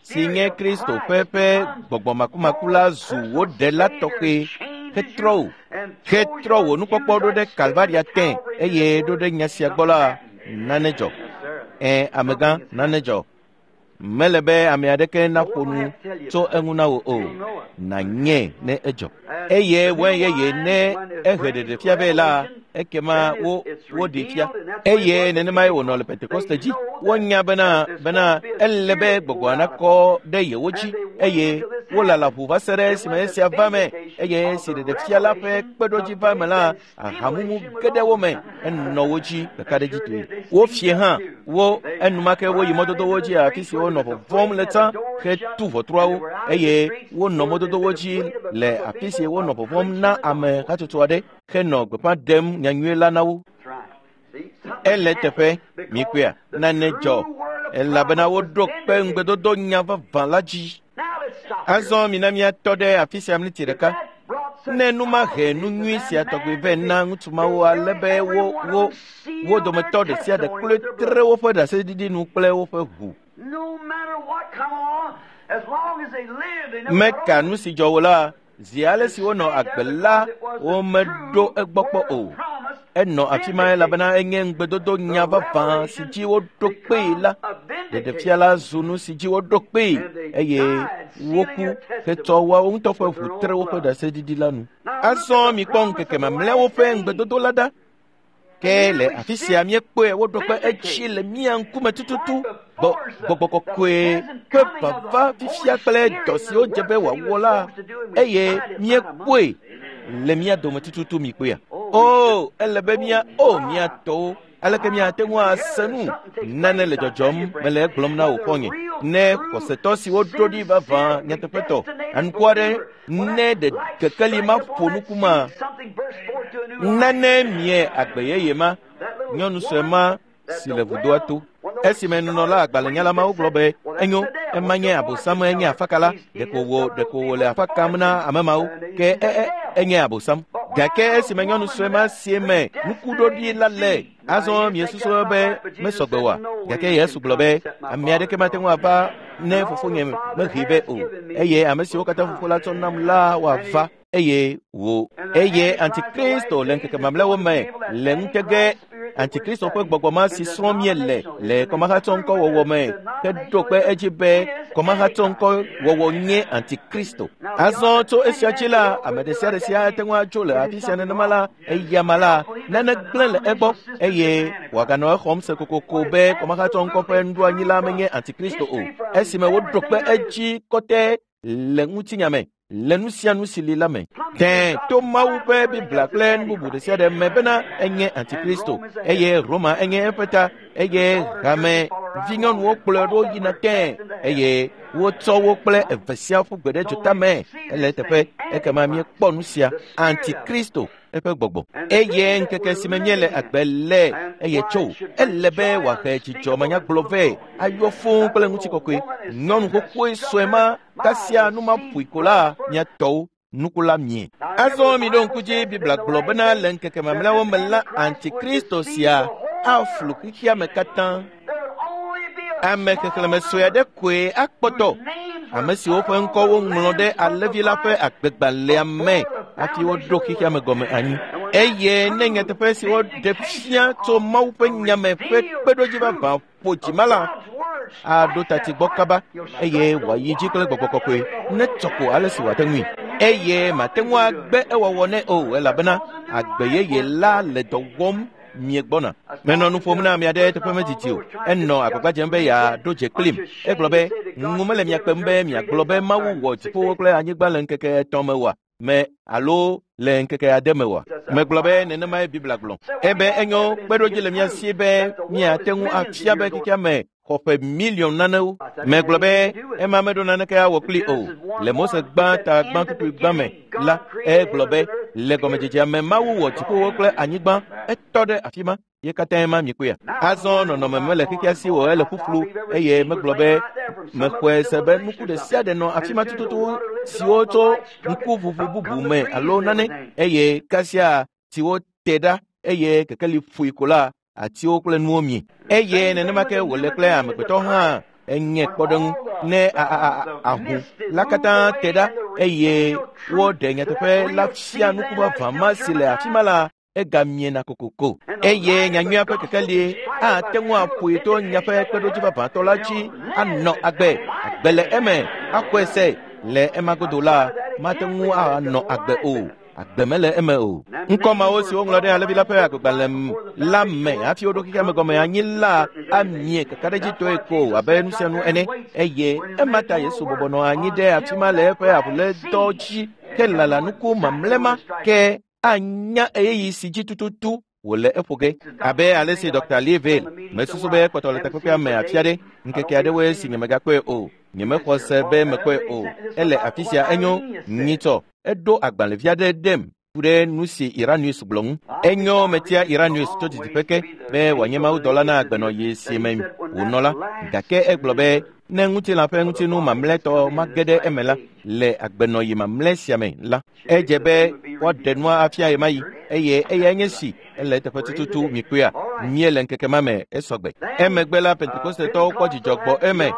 si nye Kristo ƒe ƒe gbɔgbɔ makumaku la zu wo ɖela tɔxɛ hetrɔ wò, hetrɔ wò nukpɔkpɔ ɖo ɖe Kalvaria tẽ eye ɖo ɖe nya sia gbɔ la, nane dzɔ. Ẽ, amegã, nane dzɔ. Mele be ame aɖeke naƒo nu tso eŋu na wò o. Nànyɛ ne edzɔ. Eye wɔe yeye ne ehe ɖeɖe fia vɛ la, ekema wo woɖee fia. Eye nenemae wònɔ le Pentekoste dzi. Wonya bena bena ele be gbɔgbɔa nakɔ ɖe yewo dzi eye wolala ʋu va se ɖe esime esia va me eye esi ɖeɖefia la ƒe kpeɖodzi va me la, ahamumu ge ɖe wo me enɔ wo dzi kakaɖedzitɔe. Wofie hã wo enumake woyi mɔdodowo dzi afi si wonɔ vɔvɔ̃m le tsã hetu ʋɔtruawo eye wonɔ mɔdodowo dzi le afi si wonɔ vɔvɔ̃m na ame hatsotso aɖe henɔ gbeƒã ɖem nyanyui la na wo. Ele teƒe mikpɔea nane dzɔ elabena woɖo kpe ŋugbedodo nya vavã la dzi. Azɔ mina míatɔ ɖe afi sia miniti ɖeka. Ne nu ma he nu nyui sia tɔgbi vɛ na ŋutsu mawo ale be wo wo wo dometɔ ɖe sia ɖe kloe tre woƒe ɖaseɖiɖi nu kple woƒe ʋu. Meka nu si dzɔ wo la, zi ale si wonɔ agbe la, womeɖo egbɔ kpɔ o. Enɔ afi ma elabena enye ŋugbedodo nya vavã si dzi woɖo kpee la. Ɖeɖefia la zu nu si dzi woɖo kpee eye woku hetsɔ woawo ŋutɔ ƒe ʋu tre woƒe ɖaseɖiɖi la nu. Azɔ mikpɔ ŋkeke mamlɛawo ƒe ŋugbedodo la ɖa. Ke le afi sia míekpɔe woɖo kpe edzi le mía ŋkume tututu. Gbɔgbɔ kɔkɔe ƒe vava fifia kple dɔ siwo dze be wòawɔ la eye míekpɔe le mía dome tututu mikpɔea. O, ele be mía o mía tɔwo aleke míate ŋu ase nu nane le dzɔdzɔm mele egblɔm na wò xɔ̃nye. Ne xɔsetɔ siwo ɖo ɖi vavã nyateƒetɔ anuku aɖe ne ɖe kekeli ma ƒo nuku ma nane mie agbe yeye ma nyɔnu sue ma si le vudoa to. Esime nunɔla agbalẽnyala mawo gblɔ be enyo, ema nye abosam, enye afakala, ɖeko wò ɖeko wòle afa kam na ame mawo, ke e e enye abosam. Gake esime nyɔnu sue ma si me nukuɖoɖi la le, azɔ miesusu be mesɔgbe oa? Gake Yesu gblɔ be ame aɖeke mate ŋu ava ne fofonye mehee vɛ o, eye ame siwo katã fofo la tsɔ nam la woava eye wò. Eye Antikristo le ŋkeke mamlɛawo me le ŋutege Antikristo ƒe gbɔgbɔ ma si srɔ̃m míele le kɔmahatsɔŋkɔwɔwɔ me heɖo kpe edzi be kɔmahatsɔŋkɔwɔwɔ nye Antikristo. Azɔ tso esia dzi la, ame ɖe sia ɖe sia ate ŋu atso le afi sia nenema la, eyama la, nane gblẽ le egbɔ eye wòaganɔ exɔm se kokoko be kɔmahatsɔŋkɔ ƒe nuɖoanyi la menye Antikristo o. Esime woɖo kpe edzi kɔtɛ le ŋutinya me, le nu sia nu si li la me. Tẽ to Mawu ƒe Biblia kple nu bubu ɖe sia ɖe me bena enye Antikristo, eye Roma enye eƒe ta, eye hame vinyɔnuwo kplɔe ɖo yina tẽ, eye wotsɔ wo kple eve sia ƒu gbe ɖe dzota me. Ele teƒe ekema míekpɔ nu sia, Antikristo eƒe gbɔgbɔ. Eye ŋkeke si me míele agbe le eye tso, ele be wòahe dzidzɔ manyagblɔ vɛ, ayɔ fũu kple ŋutikɔkɔe. Nyɔnu xoxoe sue ma kasia nu ma ƒoe ko la, mía tɔwo nuku la mie. Azɔ miɖo ŋku dzi, Biblia gblɔ bena le ŋkeke mamlɛawo me la, Antikristo sia aflu xexea me katã. Ame xexlẽme sue aɖe koe akpɔtɔ, ame siwo ƒe ŋkɔ woŋlɔ ɖe Alẽvi la ƒe agbegbalẽa me hafi woɖo xexea me gɔme anyi. Eye ne nyateƒe si woɖe fia tso Mawu ƒe nyame ƒe kpeɖodzi vavã ƒo dzima la, aɖo tati gbɔ kaba eye wòayi dzi kple gbɔgbɔ kɔkɔe ne tsɔ ko ale si wòate ŋui. Eye mate ŋu agbe ewɔwɔ nɛ o, elabena agbe yeye la le dɔ wɔm miegbɔna. Menɔ nu ƒom na ame aɖe teƒe medidi o. Enɔ agbagba dzem be yeaɖo dze kplim. Egblɔ be, ŋu mele mia kpem be miagblɔ be Mawu wɔ dziƒowo kple anyigba le ŋkeke etɔ̃ me oa? Me alo le ŋkeke ade me oa? Megblɔ be nenemae Biblia gblɔ. Ebe enyo, kpeɖodzi le mía si be míate ŋu afia be xexea me xɔ ƒe miliɔn nanewo. Megblɔ be ema meɖo naneke awɔ kpli o. Le Mose gbã ta gbã kpukpui gbã me la, egblɔ be le gɔmedzedzea me Mawu wɔ dziƒowo kple anyigba, etɔ ɖe afi ma. Ye katãe ma miekpɔea? Azɔ nɔnɔme mele xexea si o, ele ƒuƒlu eye megblɔ be mexɔe se be nuku ɖe sia ɖe nɔ afi ma tututu siwo tso ŋkuʋuʋu bubu me alo nane, eye kasia siwo te ɖa eye kekeli ƒoe ko la, atiwo kple nuwo mie. Eye nenema ke wòle kple amegbetɔ hã enye kpɔɖeŋu ne ahu la katã te ɖa eye woɖe nyateƒe la fia nuku vavã ma si le afi ma la, egamiena kokoko. Eye nyanyuia ƒe kekeli ate ŋu aƒoe to nyaƒe kpeɖodzi vavãtɔ la dzi anɔ agbe, agbe le eme, axɔe se. Le ema godo la, mate ŋu anɔ agbe o. Agbe mele eme o. Ŋkɔ mawo si woŋlɔ ɖe Alẽvi la ƒe agbegbalẽ la me hafi woɖo xexea me gɔme anyi la amie kakaɖedzitɔe ko abe nu sia nu ene. Eye ema ta Yesu bɔbɔ nɔ anyi ɖe afi ma le eƒe avulédɔ dzi ke lala nuku mamlɛ ma ke anya ɣeyiɣi si dzi tututu wòle eƒo ge. Abe ale si Dɔkta Lee mesusu be ekpɔtɔ le takpekpea me afia ɖe, ŋkeke aɖewoe si nyemegakpɔe o. Nyemexɔ se be mekpɔe o. Ele afi sia enyo nyitsɔ. Eɖo agbalẽvi aɖe ɖem ku ɖe nu si Iranius gblɔ ŋu. Enyo metia Iranius tso didiƒe ke be wòanye mawudɔla na agbenɔɣi si me wònɔ la. Gake egblɔ be ne ŋutilã ƒe ŋutinu mamlɛtɔ mage ɖe eme la, le agbenɔɣi mamlɛ sia me la, edze be woaɖe nua afia ɣemaɣi eye eyae nye si ele eteƒe tututu mikpɔea, míele ŋkeke ma me esɔgbe. Emegbe la, Pentekostetɔwo kpɔ dzidzɔ gbɔ eme.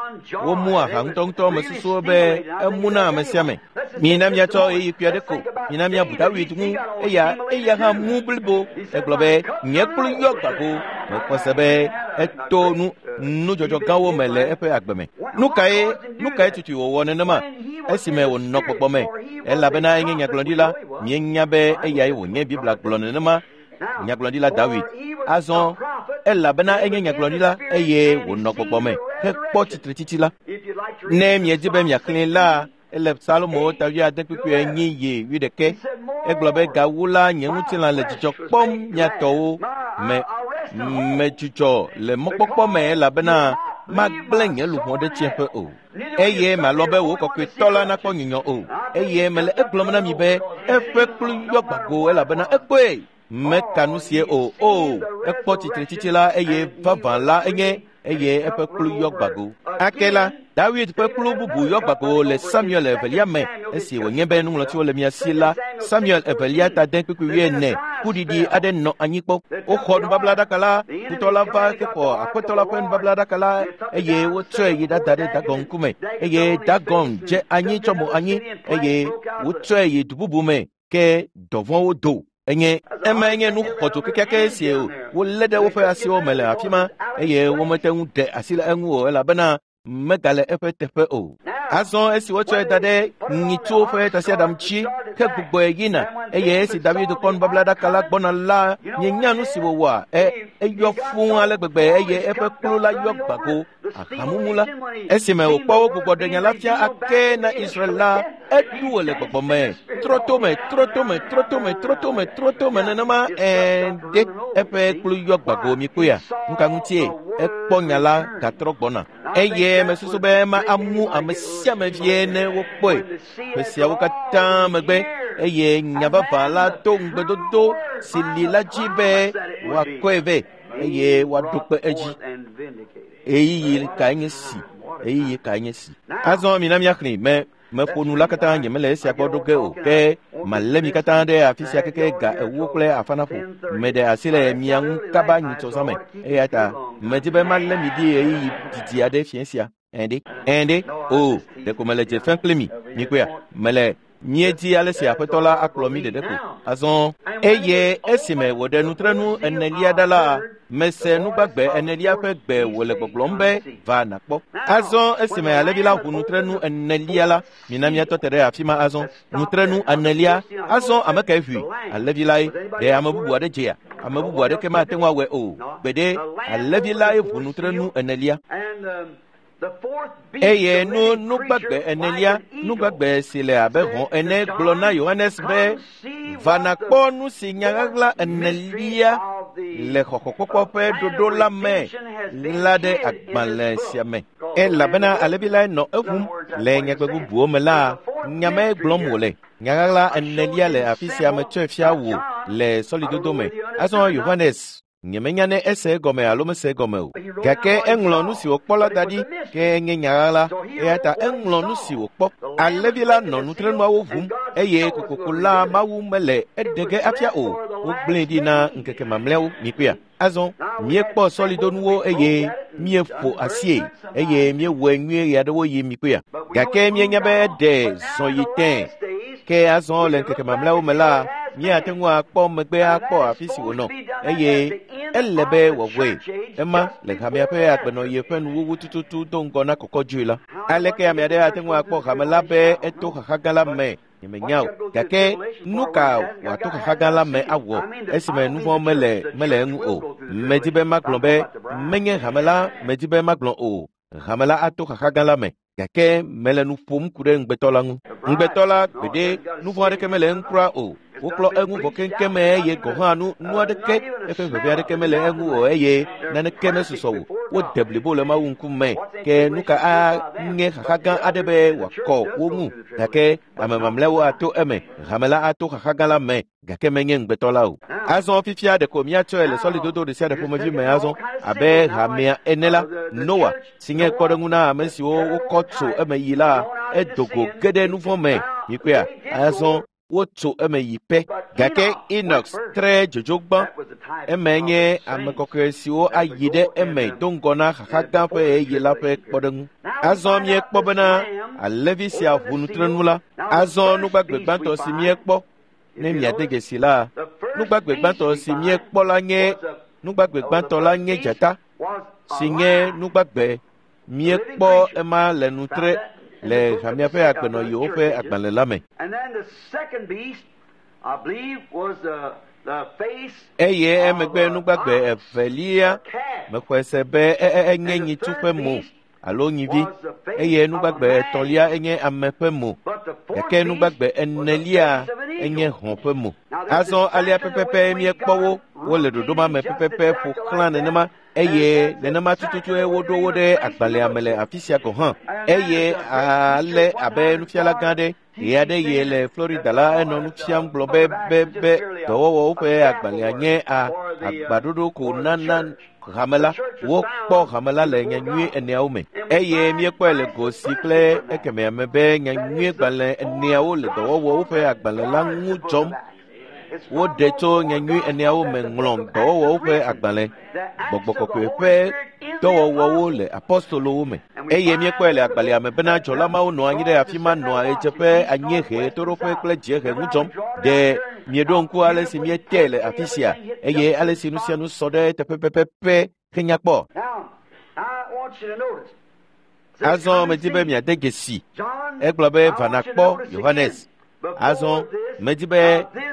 Womu aha ŋutɔŋutɔ mesusuwo be emu na ame sia ame. Mina míatsɔ ɣeyiɣi kpui aɖe ko, mina míabu Dawid ŋu, eya eya hã mu blibo. Egblɔ be nye kplu yɔ gbago. Mexɔ se be eto nu nudzɔdzɔ gãwo me le eƒe agbe me. Nu kae nu kae tutui wòwɔ nenema esime wònɔ gbɔgbɔ me? Elabena enye nyagblɔɖila. Míenya be eyae wònye Biblia gblɔ nenema. Nyagblɔɖila Dawid. Azɔ elabena enye nyagblɔɖila eye wònɔ gbɔgbɔ me hekpɔ tsitretsitsi la. Ne miedi be miaxlẽe la, ele Salomo ta wuiade kpukpui enyi yi wuiɖekɛ. Egblɔ be gawu la, nye ŋutilã le dzidzɔ kpɔm mia tɔwo me medzudzɔ le mɔkpɔkpɔ me elabena magblẽ nye luʋɔ ɖe tsiẽƒe o. Eye malɔ̃ be wò kɔkɔetɔ la nakpɔ nyunyɔ o. Eye mele egblɔm na mi be eƒe kplu yɔ gbago elabena ekpɔe. Meka nu sie o. O, ekpɔ tsitretsitsi la eye vavã la enye eye eƒe kplu yɔ gbago. Ake la, David ƒe kplu bubu yɔ gbago le Samuel evelia me esi wònye be nuŋlɔtiwo le mia si la, Samuel evelia ta de kpukpui wuiene kuɖiɖi aɖe nɔ anyi kpɔ. Woxɔ nubablaɖaka la, futɔ la va hexɔ Aƒetɔ la ƒe nubablaɖaka la eye wotsɔe yi ɖada ɖe Dagon ŋkume eye Dagon dze anyi tsɔ mo anyi eye wotsɔe yi du bubu me ke dɔvɔ̃wo do. Enye ema nye nu xɔdzo kekeake si wolé ɖe woƒe asiwo me le afi ma eye womete ŋu ɖe asi le eŋu o elabena megale eƒe teƒe o. Azɔ esi wotsɔe da ɖe nyitsuwo ƒe tasiaɖam dzi ke gbugbɔe yina eye esi David kpɔ nubablaɖaka la gbɔna la, mienya nu si wòwɔa? E eyɔ fũu ale gbegbe eye eƒe kplu la yɔ gbago ahamumu la. Esime wòkpɔ wo gbugbɔ ɖe nya la fia ake na Israel la, eɖu wò le gbɔgbɔ me, trɔ to me, trɔ to me, trɔ to me, trɔ to me, trɔ to me nenema ɛɛ ɖe eƒe kplu yɔ gbago mikpɔea? Nu ka ŋutie? Ekpɔ nya la gatrɔ gbɔna. Eye mesusu be ema amu ame sia ame vie ne wokpɔe. Ƒe siawo katã megbe eye nya vavã la to ŋugbedodo si li la dzi be woakɔe vɛ eye woaɖo kpe edzi. Ɣeyiɣi kae nye si? Ɣeyiɣi kae nye si? Azɔ mina míaxlẽ me meƒo nu la katã nyemele esia gbɔ ɖo ge o ke malé mi katã ɖe afi sia keke ga ewo kple afã naƒo. Meɖe asi le mia ŋu kaba nyitsɔ zã me eya ta medi be malé mi ɖi ɣeyiɣi didi aɖe fiẽ sia. Ɛ̃ ɖe? Ɛ̃ ɖe? O, ɖeko mele dze fem kpli mi. Mikpɔea? Mele míedi ale si Aƒetɔ la akplɔ mí ɖeɖe ko. Azɔ eye esime wòɖe nutrenu enelia ɖa la, mese nugbagbe enelia ƒe gbe wòle gbɔgblɔm be va nàkpɔ. Azɔ esime alẽvi la ʋu nutrenu enelia la, mina míatɔ te ɖe afi ma azɔ. Nutrenu enelia, azɔ ame kae ʋui? Alẽvi lae. Ɖe ame bubu aɖe dzea? Ame bubu aɖeke mate ŋu awɔe o. Gbeɖe, alẽvi lae ʋu nutrenu enelia. Eye nu nugbagbe enelia, nugbagbe si le abe hɔ̃ ene gblɔ na Yohanes be va nàkpɔ nu si nya ɣaɣla enelia le xɔxɔkpɔkpɔ ƒe ɖoɖo la me la ɖe agbalẽ sia me. Elabena alẽvi lae nɔ eʋum. Le nyagbe bubuwo me la, nya mae gblɔm wòle. Nya ɣaɣla enelia le afi sia metsɔe fia wò le sɔlidodo me. Azɔ Yohanes nyemenya ne ese egɔme alo mese egɔme o. Gake eŋlɔ nu si wòkpɔ la da ɖi ke nye nya ɣaɣla eya ta eŋlɔ nu si wòkpɔ. Alẽvi la nɔ nutrenuawo ʋum eye kokoko la Mawu mele eɖe ge afia o. Wogblẽe ɖi na ŋkeke mamlɛawo. Mikpɔea? Azɔ míekpɔ sɔlidonuwo eye míeƒo asie eye míewɔe nyuie ɣeaɖewoɣi. Mikpɔea? Gake míenya be eɖe zɔ yi tẽe. Ke azɔ le ŋkeke mamlɛawo me la, míate ŋu akpɔ megbe akpɔ afi si wònɔ eye ele be wòawɔe ema le hamea ƒe agbenɔɣi ƒe nuwuwu tututu do ŋgɔ na kɔkɔdzoe la. Aleke ame aɖe ate ŋu akpɔ hame la be eto xaxa gã la me? Nyemenya o. Gake nu ka wòato xaxa gã la me awɔ esime nu vɔ̃ mele mele eŋu o? Medi be magblɔ be menye hame la medi be magblɔ o. Hame la ato xaxa gã la me. Gake mele nu ƒom ku ɖe ŋugbetɔ la ŋu. Ŋugbetɔ la gbeɖe nu vɔ̃ aɖeke mele eŋu kura o. Woklɔ eŋu vɔ keŋkeŋ eye gɔ̃ hã nu nu aɖeke eƒe ʋeʋẽ aɖeke mele eŋu o eye naneke mesusɔ o. Wode blibo le Mawu ŋkume. Ke nu ka anye xaxa gã aɖe be wòakɔ wo ŋu? Gake ame mamlɛawo ato eme. Hame la ato xaxa gã la me gake menye ŋugbetɔ la o. Azɔ fifia ɖeko míatsɔe le sɔlidodo ɖe sia ɖe ƒomevi me azɔ abe hamea ene la, Noa si nye kpɔɖeŋu na ame siwo wokɔ tso eme yi la, edo go ge ɖe nu vɔ̃ me. Mikpɔea? Azɔ wotso eme yi pɛ. Gake Enoch tre dzodzo gbã. Eme nye ame kɔkɔe siwo ayi ɖe eme do ŋgɔ na xaxa gã ƒe ɣeyiɣi la ƒe kpɔɖeŋu. Azɔ míekpɔ bena alẽvi sia ʋu nutrenu la. Azɔ nugbagbe gbãtɔ si míekpɔ ne miade dzesi la, nugbagbe gbãtɔ si míekpɔ la nye nugbagbe gbãtɔ la nye dzata si nye nugbagbe míekpɔ ema le nutre le hamea ƒe agbenɔɣiwo ƒe agbalẽ la me. Eye emegbe nugbagbe evelia mexɔe se be enye nyitsu ƒe mo alo nyivi eye nugbagbe etɔ̃lia enye ame ƒe mo gake nugbagbe enelia enye hɔ̃ ƒe mo. Azɔ alea pɛpɛpɛ míekpɔ wo wole ɖoɖo ma me pɛpɛpɛ ƒo xlã nenema eye nenema tututue woɖo wo ɖe agbalẽa me le afi sia gɔ̃ hã. Eye ale abe nufiala gã aɖe ɣe aɖe ɣi le Florida la enɔ nu fiam gblɔ be be be dɔwɔwɔwo ƒe agbalẽa nye a agbaɖoɖo ko nana hame la wokpɔ hame la le nyanyui eneawo me eye míekpɔe le go si kple ekemea me be nyanyui gbalẽ eneawo le dɔwɔwɔwo ƒe agbalẽ la ŋu dzɔm woɖe tso nyanyui eneawo me ŋlɔ dɔwɔwɔwo ƒe agbalẽ gbɔgbɔ kɔkɔe ƒe dɔwɔwɔwo le apɔstolowo me eye míekpɔe le agbalẽa me bena dzɔla mawo nɔ anyi ɖe afi ma nɔa ɣedzeƒe anyiehe toɖoƒe kple dziehe ŋu dzɔm ɖe mieɖo ŋku ale si míetee le afi sia eye ale si nu sia nu sɔ ɖe teƒe pɛpɛpɛ henya kpɔ azɔ medi be miade dzesi egblɔ be va nakpɔ Yohanes azɔ medi be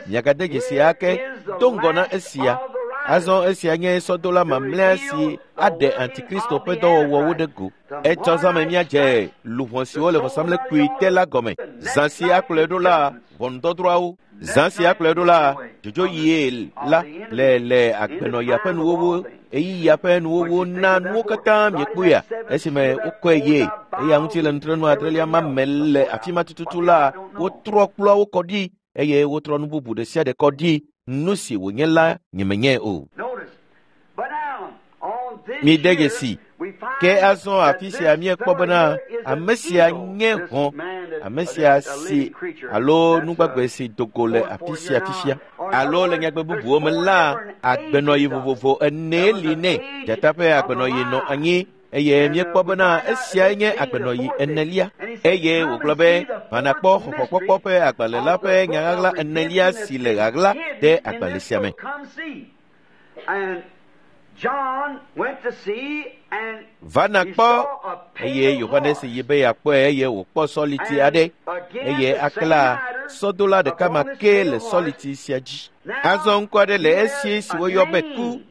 miagade dzesi ake do ŋgɔ na esia azɔ esia nye sɔdola mamlɛa si aɖe antikristo ƒe dɔwɔwɔwo ɖe go etsɔ zãme míadze luʋɔ siwo le vɔsamlekpui te la gɔme zã si akplɔe ɖo la ʋɔnudɔdrɔ̃awo zã si akplɔe ɖo la dzodzo yie la le le agbenɔɣia ƒe nuwɔwɔ eyiya ƒe nuwɔwɔ na nuwo katã miekpɔea esime wokɔe ye eya ŋuti le nutrenu adrelia ma me le afi ma tututu la wotrɔ kplɔawo kɔ ɖi eye wotrɔ nu bubu ɖe sia ɖe kɔ ɖi nu si wònye la nyemenyae o mide dzesi ke azɔ afi sia míekpɔ bena ame sia nye hɔ̃ ame sia si alo nugbagbe si dogo le afi sia fifia alo le nyagbe bubuwo me la agbenɔyi vovovo enee li nɛ dzata ƒe agbenɔyi nɔ anyi eye míekpɔ bena esiae nye agbenɔyi enelia eye wògblɔ be vanakpɔ xɔxɔkpɔkpɔ ƒe agbalẽ la ƒe nyaɣaɣla enelia si le ɣaɣla ɖe agbalẽ sia me va nakpɔ eye Yohanes yi be yeakpɔe eye wòkpɔ sɔliti aɖe eye akela sɔdola ɖeka ma ke le sɔliti sia dzi azɔ ŋkɔ aɖe le esi si woyɔ be ku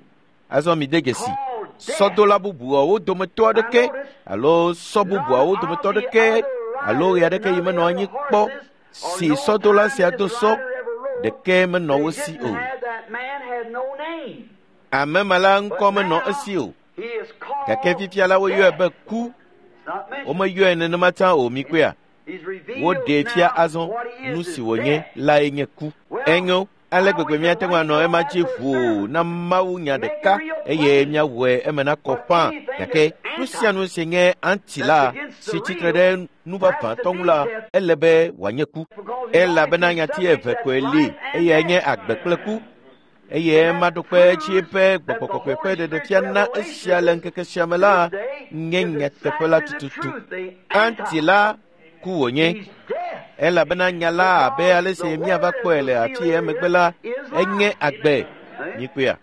azɔ mide dzesi sɔdola bubuawo dometɔ aɖeke alo sɔ bubuawo dometɔ aɖeke alo ɣe aɖeke yi menɔ anyi kpɔ si sɔdola sia do sɔ ɖeke menɔ wo si o ame ma la ŋkɔ menɔ esi o gake fifia la woyɔe be ku womeyɔe nenema tsã o mikpɔea woɖee fia azɔ nu si wònye lae nye ku enyo ale gbegbe míate ŋu anɔ ema dzi ʋuu na Mawu nya ɖeka eye míawɔe eme nakɔ ƒã gake nu sia nu si nye anti la si tsitre ɖe nu vavãtɔ ŋu la ele be wòanye ku elabena nyati eve koe li eyae nye agbe kple ku eye ema ɖo kpe edzi be gbɔgbɔ kɔkɔe ƒe ɖeɖefia na esia le ŋkeke sia me la nye nyateƒe la tututu anti la ku wònye elabena nya la abe ale si míava kpɔe le afi emegbe la enye agbe mikpɔea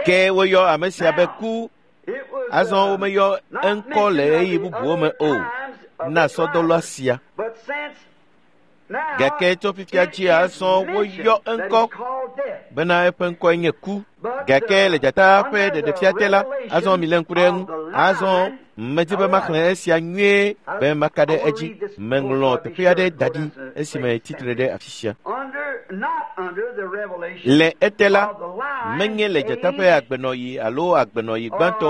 ke woyɔ ame sia be ku azɔ womeyɔ eŋkɔ le ɣeyiɣi bubuwo me o na sɔdɔla sia gake tso fifia dzi azɔ woyɔ eŋkɔ bena eƒe ŋkɔe nye ku gake le dzata ƒe ɖeɖefia te la azɔ milé ŋku ɖe eŋu azɔ medi be maxlẽ esia nyuie be maka ɖe edzi meŋlɔ teƒe aɖe da ɖi esime tsitre ɖe afi sia le ete la menye le dzata ƒe agbenɔyi alo agbenɔyi gbãtɔ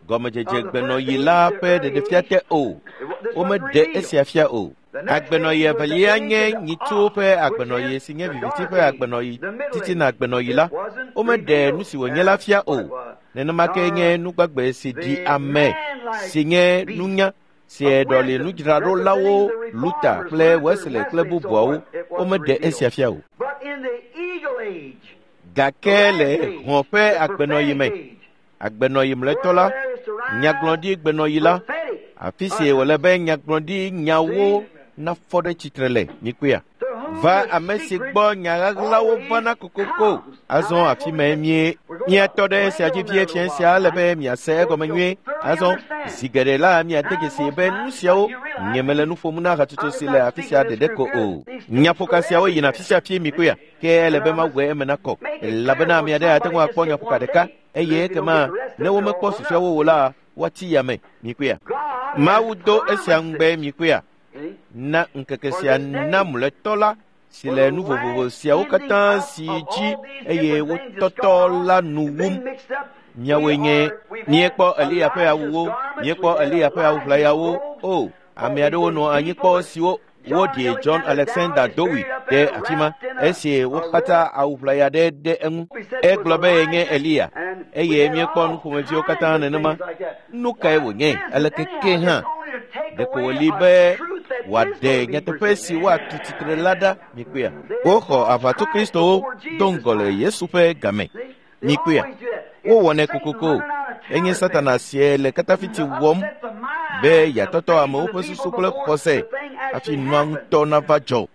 gɔmedzedze gbenɔyi la ƒe ɖeɖefia te o womeɖe esia fia o agbenɔyi evelia nye nyitsuwo ƒe agbenɔyi si nye viviti ƒe agbenɔyi titina agbenɔyi la womeɖe nu si wònye la fia o nenema ke nye nugbagbe si ɖi ame si nye nunya si ɖɔli nudzraɖolawo Luther kple Wesley kple bubuawo womeɖe esia fia o gake le hɔ̃ ƒe agbenɔyi me agbenɔyi mlɔetɔ la nyagblɔɖi gbenɔyi la afi si wòle be nyagblɔɖi nyawo nafɔ ɖe tsitre le mikpɔea va ame si gbɔ nya ɣaɣlawo vana kokoko azɔ afi mae mie míatɔ ɖe esia dzi vie fia sia ale be miase egɔme nyuie azɔ zi geɖe la miade dzesi be nu siawo nyemele nu ƒom na hatsotso si le afi sia ɖeɖe ko o nyaƒoka siawo yina afi sia fie mikpɔea ke ele be mawɔe eme nakɔ elabena ame aɖe ate ŋu akpɔ nyaƒoka ɖeka eye ekema ne womekpɔ susuawo o la woatsi yame mikpɔea Mawu do esia ŋugbe mikpɔea na ŋkeke sia na mlɔetɔ la si le nu vovovo siawo katã si dzi eye wotɔtɔ la nu wum miawoe nye míekpɔ Eliya ƒe awuwo míekpɔ Eliya ƒe awu ʋlayawo o ame aɖewo nɔ anyi kpɔ siwo Woɖi John Alexander Dowie ɖe afi ma esi wokpata awu ʋlaya ɖe ɖe eŋu. Egblɔ be yenye Eliya eye míekpɔ nuƒomeviwo katã nenema. Nu kae wònye aleke ke hã? Ɖeko wòli be wòaɖe nyateƒe si woatu tsitre la ɖa mikpea. Woxɔ aʋatso Kristowo do ŋgɔ le Yesu ƒe game mikpea. Wowɔnɛ kokoko. Enye Satana sie le katafiti wɔm be yeatɔtɔ amewo ƒe susu kple xɔse hafi nua ŋutɔ nava dzɔ.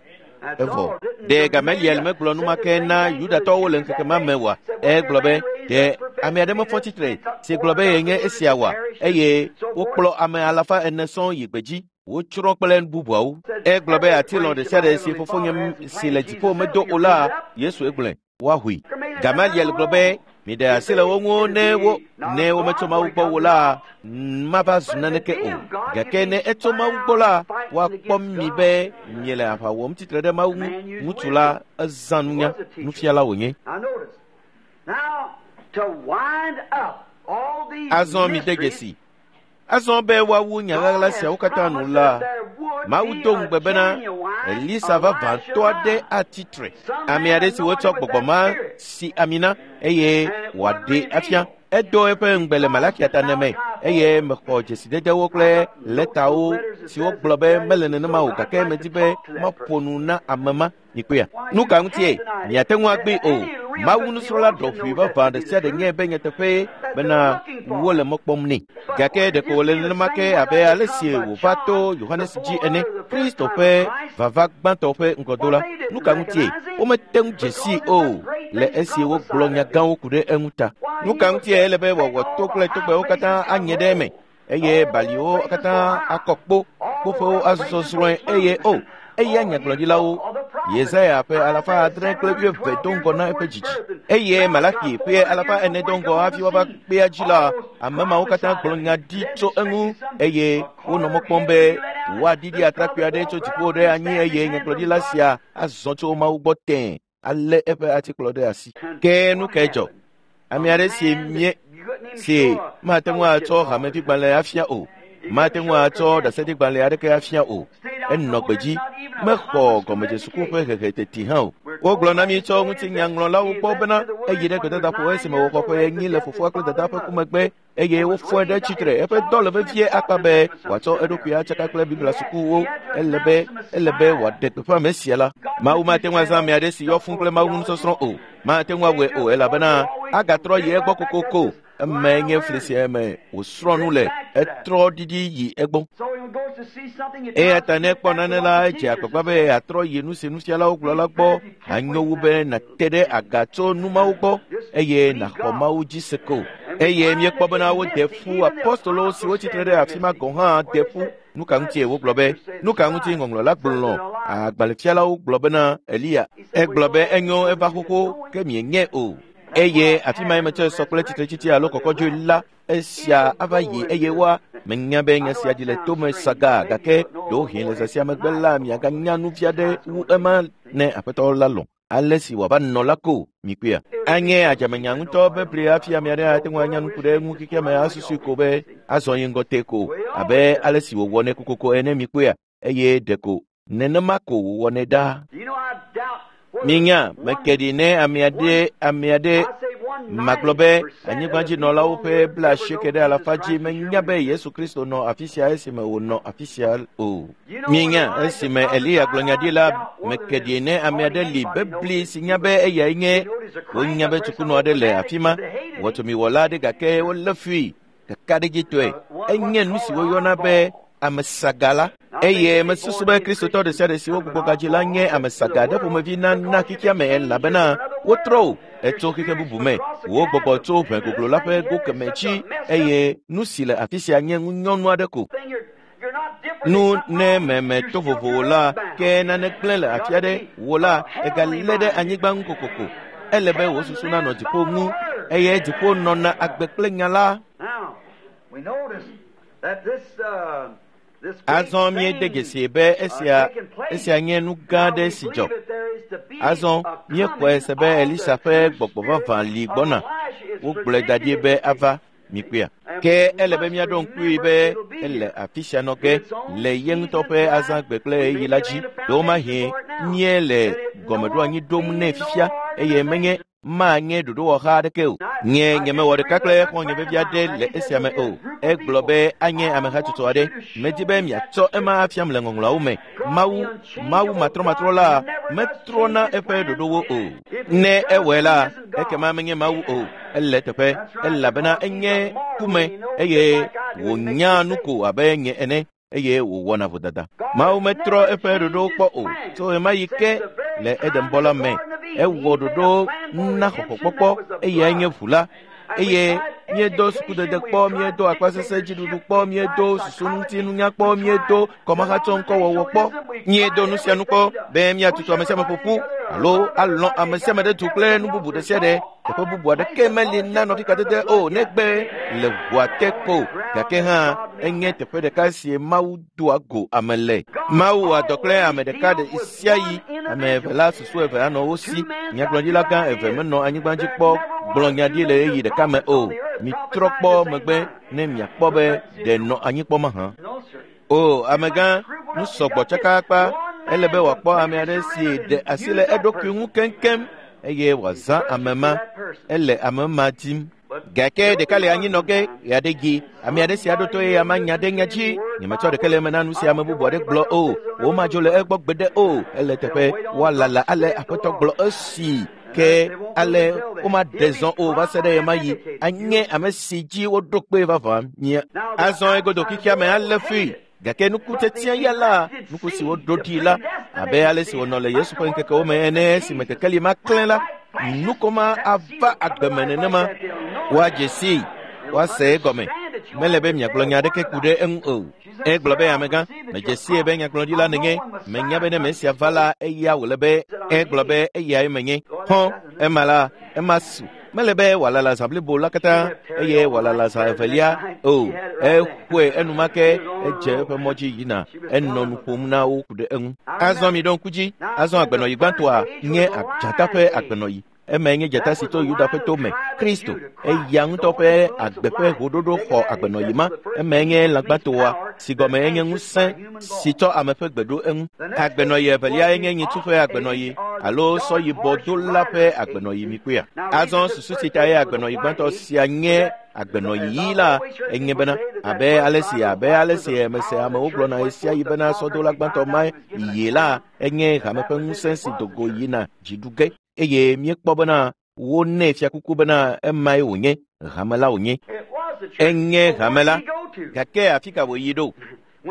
Evɔ ɖe Gamaliel megblɔ numake na Yudatɔwo le ŋkeke ma me oa? Egblɔ be ɖe ame aɖe mefɔ tsitre si gblɔ be yenye esia oa? Eye wokplɔ ame alafa ene sɔŋ yi gbedzi. Wotsrɔ̃ kple nu bubuawo. Egblɔ be atilɔ ɖe sia ɖe si fofonye si le dziƒo medo o la, Yesu egblɔe woahoe. Gamaliel gblɔ be miɖe asi le wo ŋu ne wo ne wometso Mawu gbɔ o la, mava zu naneke o. Gake ne etso Mawu gbɔ la, woakpɔ mi be miele aʋa wɔm tsitre ɖe Mawu ŋu. Ŋutsu la ezã nunya, nufiala wònye. Azɔ mide dzesi. Azɔ be woawu nya ɣaɣla siawo katã nu la, Mawu do ŋugbe bena Elisa vavãtɔ aɖe atsi tre. Ame aɖe si wotsɔ gbɔgbɔ ma si ami na eye wòaɖee afia. Edo eƒe ŋugbe le Malakia ta ne me eye mexɔ dzesidedewo kple lɛtawo siwo gblɔ be mele nenema o gake medi be maƒo nu na ame ma. Mikpɔea? Nu ka ŋutie? Miate ŋu agbee o. Mawu nusrɔ̃la ɖɔʋui vavã ɖe sia ɖe nye be nyateƒee bena wole mɔ kpɔm nɛ. Gake ɖeko wòle nenema ke abe ale si wòva to Yohanes dzi ene, Kristo ƒe vava gbãtɔ ƒe ŋgɔdola. Nu ka ŋutie? Womete ŋu dze sii o le esi wogblɔ nya gãwo ku ɖe eŋu ta. Nu ka ŋutie ele be wòawɔ to kple togbɛwo katã anye ɖe eme eye baliwo katã akɔ kpo, kpoƒewo azɔzrɔ̃e eye o eya nyagblɔɖilawo Yesaya ƒe alafa adre kple wuieve do ŋgɔ na eƒe dzidzi eye Malaki ƒe alafa ene do ŋgɔ hafi woava kpea dzi la, ame mawo katã gblɔ nya ɖi tso eŋu eye wonɔ mɔ kpɔm be woaɖiɖi atrakpui aɖe tso dziƒo ɖe anyi eye nyagblɔɖila sia azɔ tso Mawu gbɔ tẽe alé eƒe atikplɔ ɖe asi. Ke nu kae dzɔ? Ame aɖe si mie si mate ŋu atsɔ hamevigbalẽ afia o, mate ŋu atsɔ ɖaseɖigbalẽ aɖeke afia o. Enɔ gbedzi, mexɔ gɔmedzesuku ƒe hehe teti hã o. Wogblɔ na mi tso ŋutinyaŋlɔlawo gbɔ bena eyi ɖe gbedadaƒo esime wòxɔ ƒe enyi le fofoa kple dadaa ƒe ku megbe eye wofɔe ɖe tsitre. Eƒe dɔ le vevie akpa be wòatsɔ eɖokui atsaka kple Biblia sukuwo. Ele be ele be wòaɖe gbeƒã ame sia la. Mawu mate ŋu azã ame aɖe si yɔ fũu kple Mawu nusɔsrɔ̃ o. Mate ŋu awɔe o elabena agatrɔ yi egbɔ kokoko. Emae nye fli sia me wòsrɔ̃ nu le etrɔ ɖiɖi yi egbɔ. Eya ta ne ekpɔ nane la, edze agbagba be yeatrɔ yi nu si nufialawo gblɔ la gbɔ. Anyo wu be nàte ɖe aga tso nu mawo gbɔ eye nàxɔ Mawu dzi se ko. Eye míekpɔ bena wode ƒu apostolowo siwo tsitre ɖe afi ma gɔ̃ hã de ƒu. Nu ka ŋutie wogblɔ be? Nu ka ŋuti ŋɔŋlɔ la gblɔ? Agbalẽfialawo gblɔ bena Eliya. Egblɔ be enyo eva xoxo ke mienyae o. Eye afi mae metsɔe sɔ kple tsitretsitsi alo kɔkɔdzoe la, esia ava yi eye woa menya be nya sia dzi le tome saga gake ɖewohĩ le zã sia megbe la miaganya nu fia ɖe wu ema ne aƒetɔ la lɔ̃. Ale si wòava nɔ la ko mikpɔea. Anye adzamenya ŋutɔ be bli hafi ame aɖe ate ŋu anya nu ku ɖe eŋu xexea me asusui ko be azɔ yi ŋgɔ te ko abe ale si wòwɔnɛ kokoko ene mikpɔea eye ɖeko nenema ko wòwɔnɛ ɖaa. Minya meke ɖi ne ame aɖe ame aɖe magblɔ be anyigbadzinɔlawo ƒe blaasieke ɖe alafa dzi menya be Yesu Kristo nɔ afi sia esime wònɔ afi sia o. Minya esime Eliya gblɔ nya ɖi la meke ɖi ne ame aɖe li bebli si nya be eyae nye wonya be tsukunɔ aɖe le afi ma wɔtomiwɔla aɖe gake wolé fui kakaɖedzitɔe. Enye nu si woyɔna be ame saga la. Eye mesusu be Kristotɔ ɖe sia ɖe si wogbugbɔ gadzi la nye ame saga ɖe ƒomevi na na xexea me elabena wotrɔ o etso xexe bubu me. Wo gbɔgbɔ tso ʋe goglo la ƒe go keme dzi eye nu si le afi sia nye ŋunyɔnu aɖe ko. Nu ne meme to vovo la ke nane gblẽ le afi aɖe wò la egalé ɖe anyigba ŋu kokoko. Ele be wò susu nanɔ dziƒo ŋu eye dziƒo nɔna agbe kple nya la. Azɔ míede dzesi be esia esia nye nu gã aɖe si dzɔ. Azɔ míexɔe se be Elisa ƒe gbɔgbɔ vavã li gbɔna. Wogblɔe da ɖi be ava mikpɔea. Ke ele be míaɖo ŋkui be ele afi sia nɔ ge le ye ŋutɔ ƒe azãgbe kple ɣeyiɣi la dzi. Ɖewomahi míele gɔmeɖoanyi ɖom nɛ fifia eye menye manye ɖoɖowɔha aɖeke o. Nye nyemewɔ ɖeka kple xɔ̃nye vevi aɖe le esia me o. Egblɔ be anye amehatsotso aɖe. Medi be miatsɔ ema afiam le ŋɔŋlɔawo me. Mawu, Mawu matrɔmatrɔ la metrɔna eƒe ɖoɖowo o. Ne ewɔe la, ekema menye Mawu o. Ele teƒe elabena enye kume eye wònya nu ko abe nye ene eye wòwɔna vodada. Mawu metrɔ eƒe ɖoɖowo kpɔ o. Tso ɣemaɣi ke le Edenbɔ la me, ewɔ ɖoɖo na xɔxɔkpɔkpɔ eyae nye ʋu la. Eye míedo sukudede kpɔ, míedo akpasese dziɖuɖu kpɔ, míedo susuŋutinunya kpɔ, míedo kɔmahatsɔŋkɔwɔwɔ kpɔ, míedo nu sia nu kpɔ be míatutu ame sia ame ƒoƒu alo alɔ̃ ame sia ame ɖe du kple nu bubu ɖe sia ɖe. Teƒe bubu aɖeke meli na nɔvikadede o negbe le ʋua te ko. Gake hã enye teƒe ɖeka si Mawu doa go ame le. Mawu wɔa dɔ kple ame ɖeka ɖe sia ɣi. Ame eve la susu eve anɔ wo si. Nyagblɔɖila gã eve menɔ anyigba dzi kpɔ gblɔ nya ɖi le ɣeyiɣi ɖeka me o. Mitrɔ kpɔ megbe ne miakpɔ be ɖe nɔ anyi kpɔ mahã. O amegã, nu sɔgbɔ tsakaakpa. Ele be wòakpɔ ame aɖe si ɖe asi le eɖokui ŋu keŋkeŋ eye wòazã ame ma. Ele ame ma dim. Gake ɖeka le anyi nɔ ge ɣeaɖe dzi. Ame aɖe si aɖo to eye ama nya ɖe nya dzi. Nyemetsɔ ɖeke le eme na nu si ame bubu aɖe gblɔ o. Womadzo le egbɔ gbeɖe o. Ele teƒe woalala ale Aƒetɔ gblɔ esi ke ale womaɖe zɔ o va se ɖe ɣemaɣi. Anye ame si dzi woɖo kpe vavã mía. Azɔ egodo xexea me alé fui. Gake nukutsetsea ya la, nuku si woɖo ɖi la, abe ale si wònɔ le Yesu ƒe ŋkekewo me ene esime kekeli ma klẽ la, nuko ma ava agbe me nenema. Woadze sii, woase egɔme. Mele be miagblɔ nya aɖeke ku ɖe eŋu o. Egblɔ be amegã, medze sie be nyagblɔɖila nenye. Menya be ne Mesia va la, eya wòle be. Egblɔ be eyae menye. Hɔn, ema la, ema su. Mele be wòalala zã blibo la katã eye wòalala zã evelia o. Exɔe enumake edze eƒe mɔ dzi yina. Enɔ nu ƒom na wo ku ɖe eŋu. Azɔ mi ɖo ŋku dzi. Azɔ agbenɔyi gbãtɔa nye dzata ƒe agbenɔyi. Emae nye dzata si tso Yuda ƒe to me, Kristo. Eya ŋutɔ ƒe agbe ƒe hoɖoɖo xɔ agbenɔyi ma. Emae nye lãgbãtoa si gɔme enye ŋusẽ si tsɔ ame ƒe gbe ɖo eŋu. Agbenɔyi evelia enye nyitsu ƒe agbenɔyi alo sɔyibɔdola ƒe agbenɔyi mikpɔea. Azɔ susu si ta ye agbenɔyi gbãtɔ sia nye agbenɔyi ɣi la enye bena abe ale si abe ale si mese amewo gblɔna ɣesiaɣi bena sɔdola gbãtɔ ma yie la enye hame ƒe ŋusẽ si do go yina dziɖu ge. Eye míekpɔ bena wonɛ fiakuku bena emae wònye, hame la wònye. Enye hame la, gake afi ka wòyi ɖo?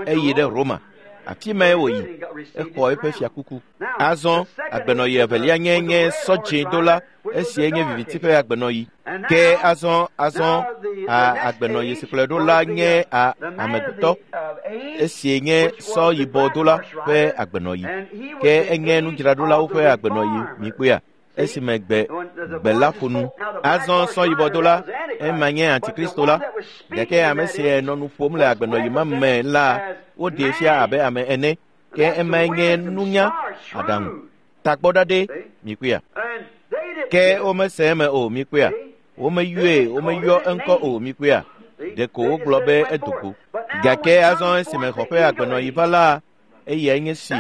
Eyi ɖe Roma. Afi mae wòyi. Exɔ eƒe fiakuku. Azɔ agbenɔyi evelia nye nye sɔdzĩdola, esie nye viviti ƒe agbenɔyi. Ke azɔ azɔ a agbenɔyi si kplɔe ɖo la nye a amegbetɔ, esie nye sɔyibɔdola ƒe agbenɔyi. Ke enye nudzraɖolawo ƒe agbenɔyi mikpɔea. Esime gbe gbe la ƒo nu. Azɔ sɔyibɔdola, ema nye Antikristo la. Gake ame si nɔ nu ƒom le agbenɔyi ma me la, woɖee fia abe ame ene. Ke emae nye nunya, aɖaŋu, tagbɔɖaɖɛ mikpɔea. Ke womese eme o mikpɔea. Womeyɔe, womeyɔ eŋkɔ o mikpɔea. Ɖeko wogblɔ be edo go. Gake azɔ esime xɔ ƒe agbenɔyi va la, eyae nye si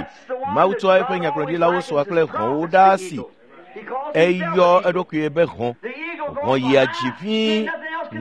Mawu tsɔa eƒe nyagblɔɖilawo sɔa kple hɔ̃wo ɖaa si. Eyɔ eɖokui be hɔ̃. Hɔ̃ yia dzi ʋĩi,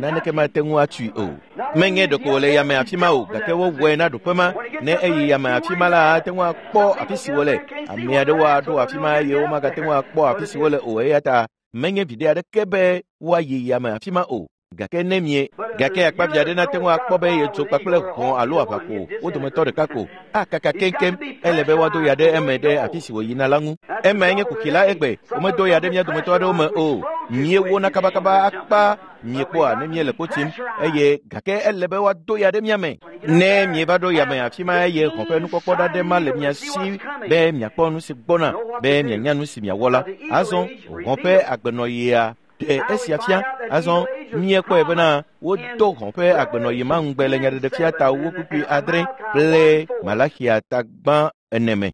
naneke mate ŋu atui o. Menye ɖeko wòle yame afi ma o, gake wowɔe na ɖoƒe ma. Ne eyi yame afi ma la, ate ŋu akpɔ afi si wòle. Ame aɖewo aɖo afi ma eye womagate ŋu akpɔ afi si wòle o eya ta menye viɖe aɖeke be woayi yame afi ma o. Gake ne mie, gake akpavi aɖe nate ŋu akpɔ be yedzo kpakple hɔ̃ alo aʋako wo dometɔ ɖeka ko akaka keŋkeŋ. Ele be woado ya ɖe eme ɖe afi si wòyina la ŋu. Emae nye kuxi la egbe. Womedo ya ɖe mía dometɔ aɖewo me o. Míewona kabakaba akpa miekpɔa ne míele kpo tim eye gake ele be woado ya ɖe mía me. Ne mieva ɖo yame afi ma eye hɔ̃ ƒe nukpɔkpɔ ɖaɖɛ ma le mia si be miakpɔ nu si gbɔna be mianya nu si miawɔ la. Azɔ hɔ̃ ƒe agbenɔyia ɖe esia fia. Azɔ míekpɔe bena wodo hɔ̃ ƒe agbenɔyi ma ŋugbe le nyaɖeɖefia ta wo kpukpui adre kple Malaxia ta gbã ene me.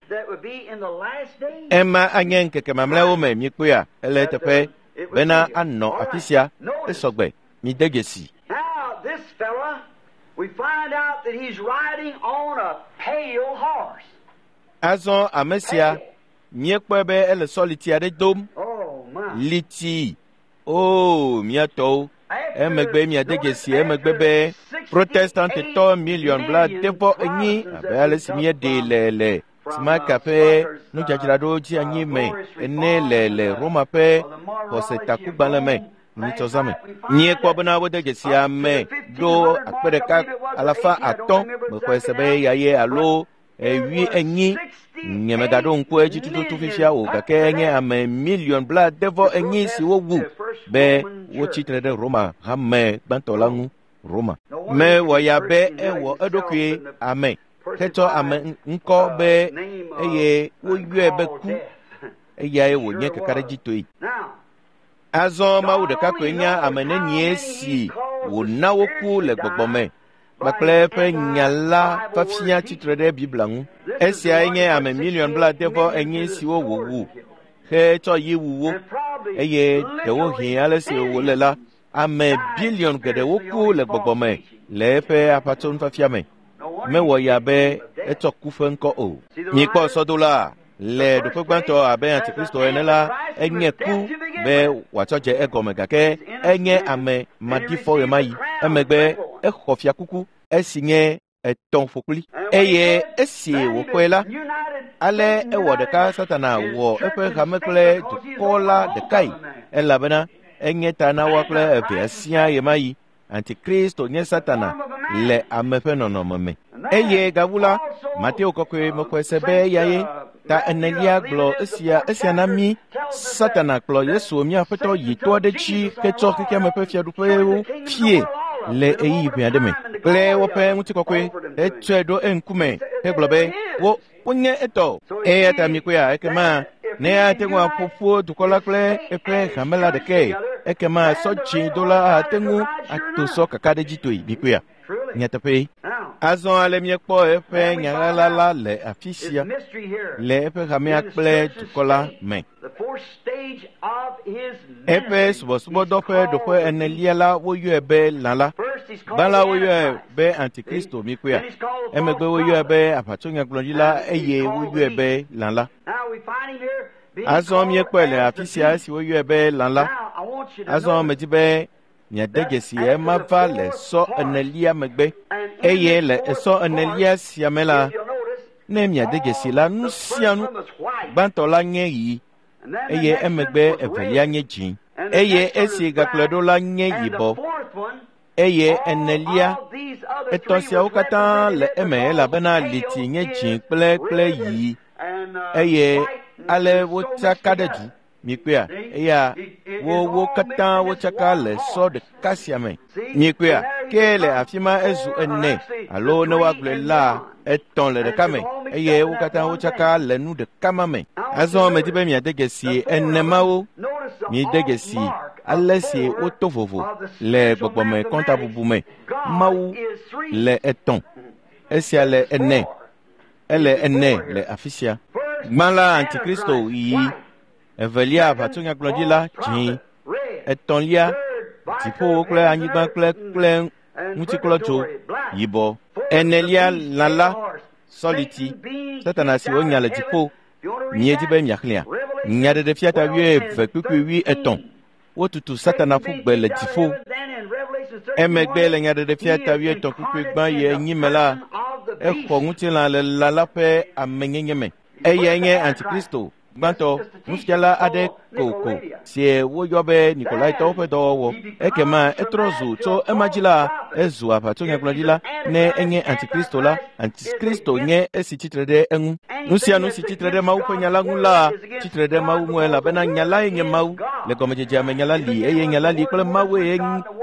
Ema anye ŋkeke mamlɛawo me míekpɔea ele eteƒe bena anɔ afi sia esɔgbe mide dzesi. Azɔ ame sia míekpɔe be ele sɔliti aɖe dom. Liti, oo mía tɔwo. Emegbe miade dzesi emegbe be Protestantetɔ miliɔn blaadevɔ enyi abe ale si míeɖee le le Smaka ƒe nudzadzraɖo dzi anyi me ene le le Roma ƒe xɔsetakugbalẽ me nyitsɔzãme. Míekpɔ bena wode dzesi ame ɖo akpe ɖeka alafa atɔ̃ mexɔe se be eyae alo ewui enyi. Nyemegaɖo ŋku edzi tututu fifia o gake enye ame miliɔn blaadevɔ enyi si wowu be wotsi tre ɖe Roma hame gbãtɔ la ŋu. Roma mewɔ ya be ewɔ eɖokui ame hetsɔ ame ŋkɔ be eye woyɔe be ku eyae wònye kakaɖedzitɔe. Azɔ Mawu ɖeka koe nya ame nenie si wòna woku le gbɔgbɔ me kpakple eƒe nya la fafia tsitre ɖe Biblia ŋu. Esiae nye ame miliɔn blaadevɔ enyi siwo wòwu hetsɔ yi wu wo eye ɖewohĩ ale si wòle la ame biliɔn geɖewo ku le gbɔgbɔ me le eƒe aʋatsonufiafia me. Mewɔ ya be etsɔ ku ƒe ŋkɔ o. Mikpɔ sɔdola le ɖoƒe gbãtɔ abe Antikristo ene la enye ku be wòatsɔ dze egɔme gake enye ame maɖifɔ ɣemaɣi. Emegbe exɔ fiakuku esi nye etɔ̃ ƒokpli eye esi wòxɔe la ale ewɔ ɖeka Satana wɔ eƒe hame kple dukɔ la ɖekae elabena enye ta na woa kple evea siaa ɣemaɣi. Antikristo nye Satana le ame ƒe nɔnɔme me. Eye gawu la, Mateo kɔkɔe mexɔe se be eyae ta enelia gblɔ esia esia na mí. Satana kplɔ Yesu mía Aƒetɔ yi to aɖe dzi hetsɔ xexeame ƒe fiaɖuƒewo fie le ɣeyiɣi ʋɛ aɖe me kple woƒe ŋutikɔkɔe hetsɔe ɖo eŋkume hegblɔ be wo wonye etɔ. Eya ta mikpɔea ekema ne ate ŋu aƒo ƒu dukɔ la kple eƒe hame la ɖekae ekema sɔ dzĩ dola ate ŋu ato sɔ kakaɖedzitɔe. Mikpɔea nyateƒe. Azɔ ale míekpɔ eƒe nyaɣaɣla la le afi sia le eƒe hamea kple dukɔ la me. Eƒe subɔsubɔdɔ ƒe ɖoƒe enelia la woyɔe be lã la. Gbã la woyɔe be Antikristo mikpɔea. Emegbe woyɔe be aʋatsonyagblɔɖila eye woyɔe be lã la. Azɔ míekpɔe le afi sia esi woyɔe be lã la. Azɔ medi be miade dzesi ema va le sɔ enelia megbe eye le esɔ enelia sia me la ne miade dzesi la nu sia nu gbãtɔ la nye ɣi eye emegbe evelia nye dzĩ eye esi gakplɔe ɖo la nye yibɔ eye enelia etɔ̃ siawo katã le eme elabena liti nye dzĩ kple kple ɣi eye ale wotsaka ɖe du. Mikpɔea eya wo wo katã wotsaka le sɔ ɖeka sia me. Mikpɔea ke le afi ma ezu ene alo ne woagblɔe la etɔ̃ le ɖeka me eye wo katã wotsaka le nu ɖeka ma me. Azɔ medi be miade dzesi ene mawo. Miede dzesi ale si woto vovo le gbɔgbɔme kɔntabubu me. Mawu le etɔ̃, esia le ene, ele ene le afi sia. Gbã la Antikristo ɣi, evelia aʋatsonyagblɔɖila dzĩ, etɔ̃lia dziƒowo kple anyigba kple kple ŋutiklɔdzo yibɔ, enelia lã la sɔliti Satana si wonya le dziƒo. Miedi be miaxlẽa Nyaɖeɖefia ta wuieve kpukpui wuietɔ̃. Wotutu Satana ƒu gbe le dziƒo. Emegbe le Nyaɖeɖefia ta wuietɔ̃ kpukpui gbã yi enyi me la, exɔ ŋutilã le lã la ƒe amenyenye me. Eyae nye Antikristo gbãtɔ, nufiala aɖe kokoko si woyɔ be Nikolaitɔwo ƒe dɔwɔwɔ. Ekema etrɔ zu tso ema dzi la, ezu aʋatsonyagblɔɖila. Ne enye Antikristo la, Antikristo nye esi tsitre ɖe eŋu. Nu sia nu si tsitre ɖe Mawu ƒe nya la ŋu la, tsitre ɖe Mawu ŋu elabena nya lae nye Mawu. Le gɔmedzedzea me nya la li eye nya la li kple Mawu eye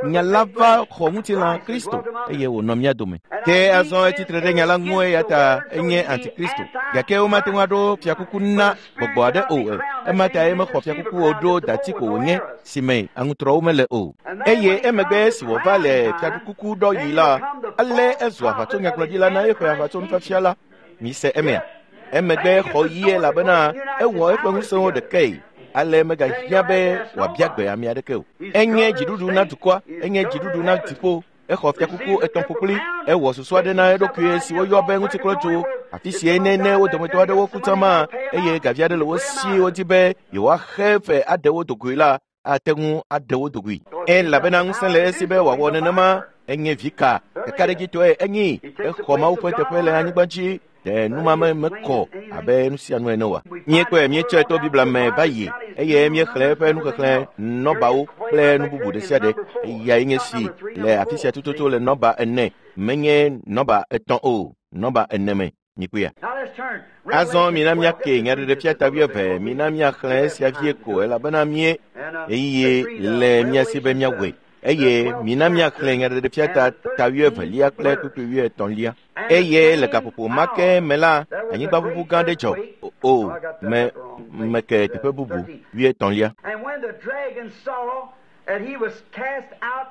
nya la va xɔ ŋutilã Kristo eye wònɔ mía dome. Ke azɔ etsitre ɖe nya la ŋu eya ta enye Antikristo. Gake womate ŋu aɖo fiakuku na gbɔgbɔ aɖe o. Ema ta ye mexɔ fiakuku o ɖo dati ko wònye si me aŋutrɔwo mele o. Eye emegbe si wòva le fiakuku ɖɔɣi la, ale ezu aʋatsonyagblɔɖila na eƒe aʋatsonufiafia la. Mise emea. Emegbe xɔ ɣi elabena ewɔ eƒe ŋusẽwo ɖekae. Ale megahiã be wòabia gbe ame aɖeke o. Enye dziɖuɖu na dukɔa, enye dziɖuɖu na dziƒo. Exɔ fiakuku etɔ̃ ƒokpli. Ewɔ susu aɖe na eɖokui si woyɔ be ŋutiklɔdzo. Afi sie ne ne wo dometɔ aɖewo ku tsã eye gavi aɖe le wo si wodi be yewoaxe fe aɖe wo dogoe la, ate ŋu aɖe wo dogoe. Elabena ŋusẽ le esi be wòawɔ nenema. Enye vi ka ɖekaɖedzitɔe enyi. Exɔ Mawu ƒe teƒe le anyigba dzi. Ɖe numame mekɔ abe nu sia nu ene oa? Míekpɔe míetsɔe to Biblia me va yi eye míexlẽ eƒe nuxexlẽ nɔbawo kple nu bubu ɖe sia ɖe. Eyae nye si le afi sia tututu le nɔba ene, menye nɔba etɔ̃ o, nɔba ene me. Mikpɔea? Azɔ mina míake nyaɖeɖefia ta wuieve. Mina míaxlẽ esia vie ko elabena mí ɣeyiɣi le mía si be míawɔe. Eye mina míaxlẽ nyaɖeɖefia ta ta wuievelia kple kpukpui wuietɔ̃lia. Eye le gaƒoƒo ma ke me la, anyigbaʋuʋu gã aɖe dzɔ. O, me meke teƒe bubu wuietɔ̃lia.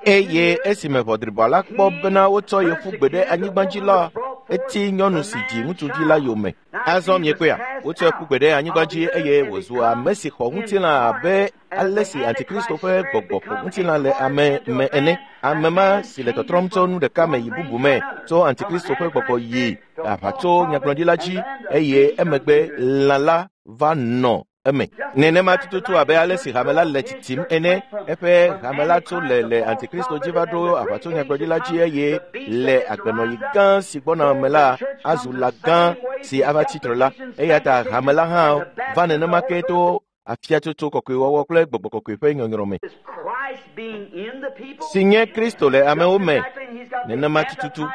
Eye esime ʋɔdribɔ la kpɔ bena wotsɔ ye ƒu gbe ɖe anyigba dzi la, eti nyɔnu si dzi ŋutsuvi la yome. Azɔ miekpɔea, wotsɔe ƒu gbe ɖe anyigba dzi eye wòzu ame si xɔ ŋutilã abe ale si Antikristo ƒe gbɔgbɔ xɔ ŋutilã le ame me ene. Ame ma si le tɔtrɔm tso nu ɖeka me yi bubu me, tso Antikristo ƒe gbɔgbɔ yi aʋatso nyagblɔɖila dzi eye emegbe lã la va nɔ eme. Nenema tututu abe ale si hame la le tsitsim ene. Eƒe hame la tso le le Antikristo dzi va ɖo aʋatso nyagblɔɖila dzi eye le agbenɔɣi gã si gbɔna me la azu lã gã si ava tsitre la. Eya ta hame la hã va nenema ke to afiatsotso kɔkɔewɔwɔ kple gbɔgbɔ kɔkɔe ƒe nyɔnyrɔ me, si nye Kristo le amewo me. Nenema tututu.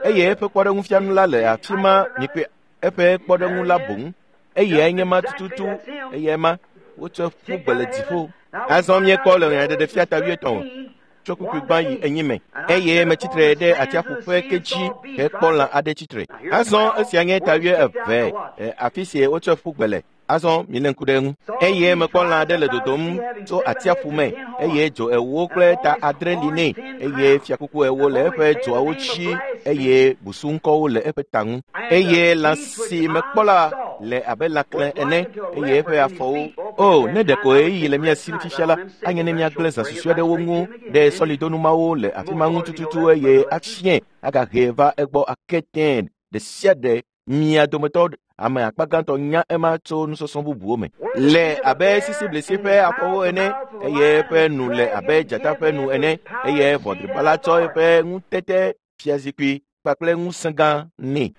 Eye eƒe kpɔɖeŋufianu la le afi ma. Mikpɔe, eƒe kpɔɖeŋu la boŋ. Eyae nye ma tututu. Eyae ma wotsɔe ƒu gbe le dziƒo. Azɔ míekpɔ le nyaɖeɖefia ta wuietɔ̃ tso kpukpui gbã yi enyi me. Eye metsitre ɖe atsiaƒu ƒe ke dzi hekpɔ lã aɖe tsitre. Azɔ esia nye ta wuieve, afi si wotsɔe ƒu gbe le. Azɔ milé ŋku ɖe eŋu. Eye mekpɔ lã aɖe le dodom tso atsiaƒu me eye dzo ewo kple ta adre li nɛ eye fiakuku ewo le eƒe dzoawo dzi eye busuŋkɔwo le eƒe ta ŋu. Eye lã si mekpɔ la le abe lãklẽ ene eye eƒe afɔwo. O, ne ɖeko ɣeyiɣi le mía si fifia la, anye ne míagblẽ zã susɔe ɖe wo ŋu ɖe sɔlidonumawo le afi ma ŋu tututu eye afiẽ agahee va egbɔ ake tẽe ɖe sia ɖe. Mia dometɔ ame akpa gãtɔ nya ema tso nusɔsrɔ̃ bubuwo me. Le abe sisiblisi ƒe afɔwo ene eye eƒe nu le abe dzata ƒe nu ene eye ʋɔdriba la tsɔ eƒe ŋutete fiazikpui kpakple ŋusẽ gã nɛ.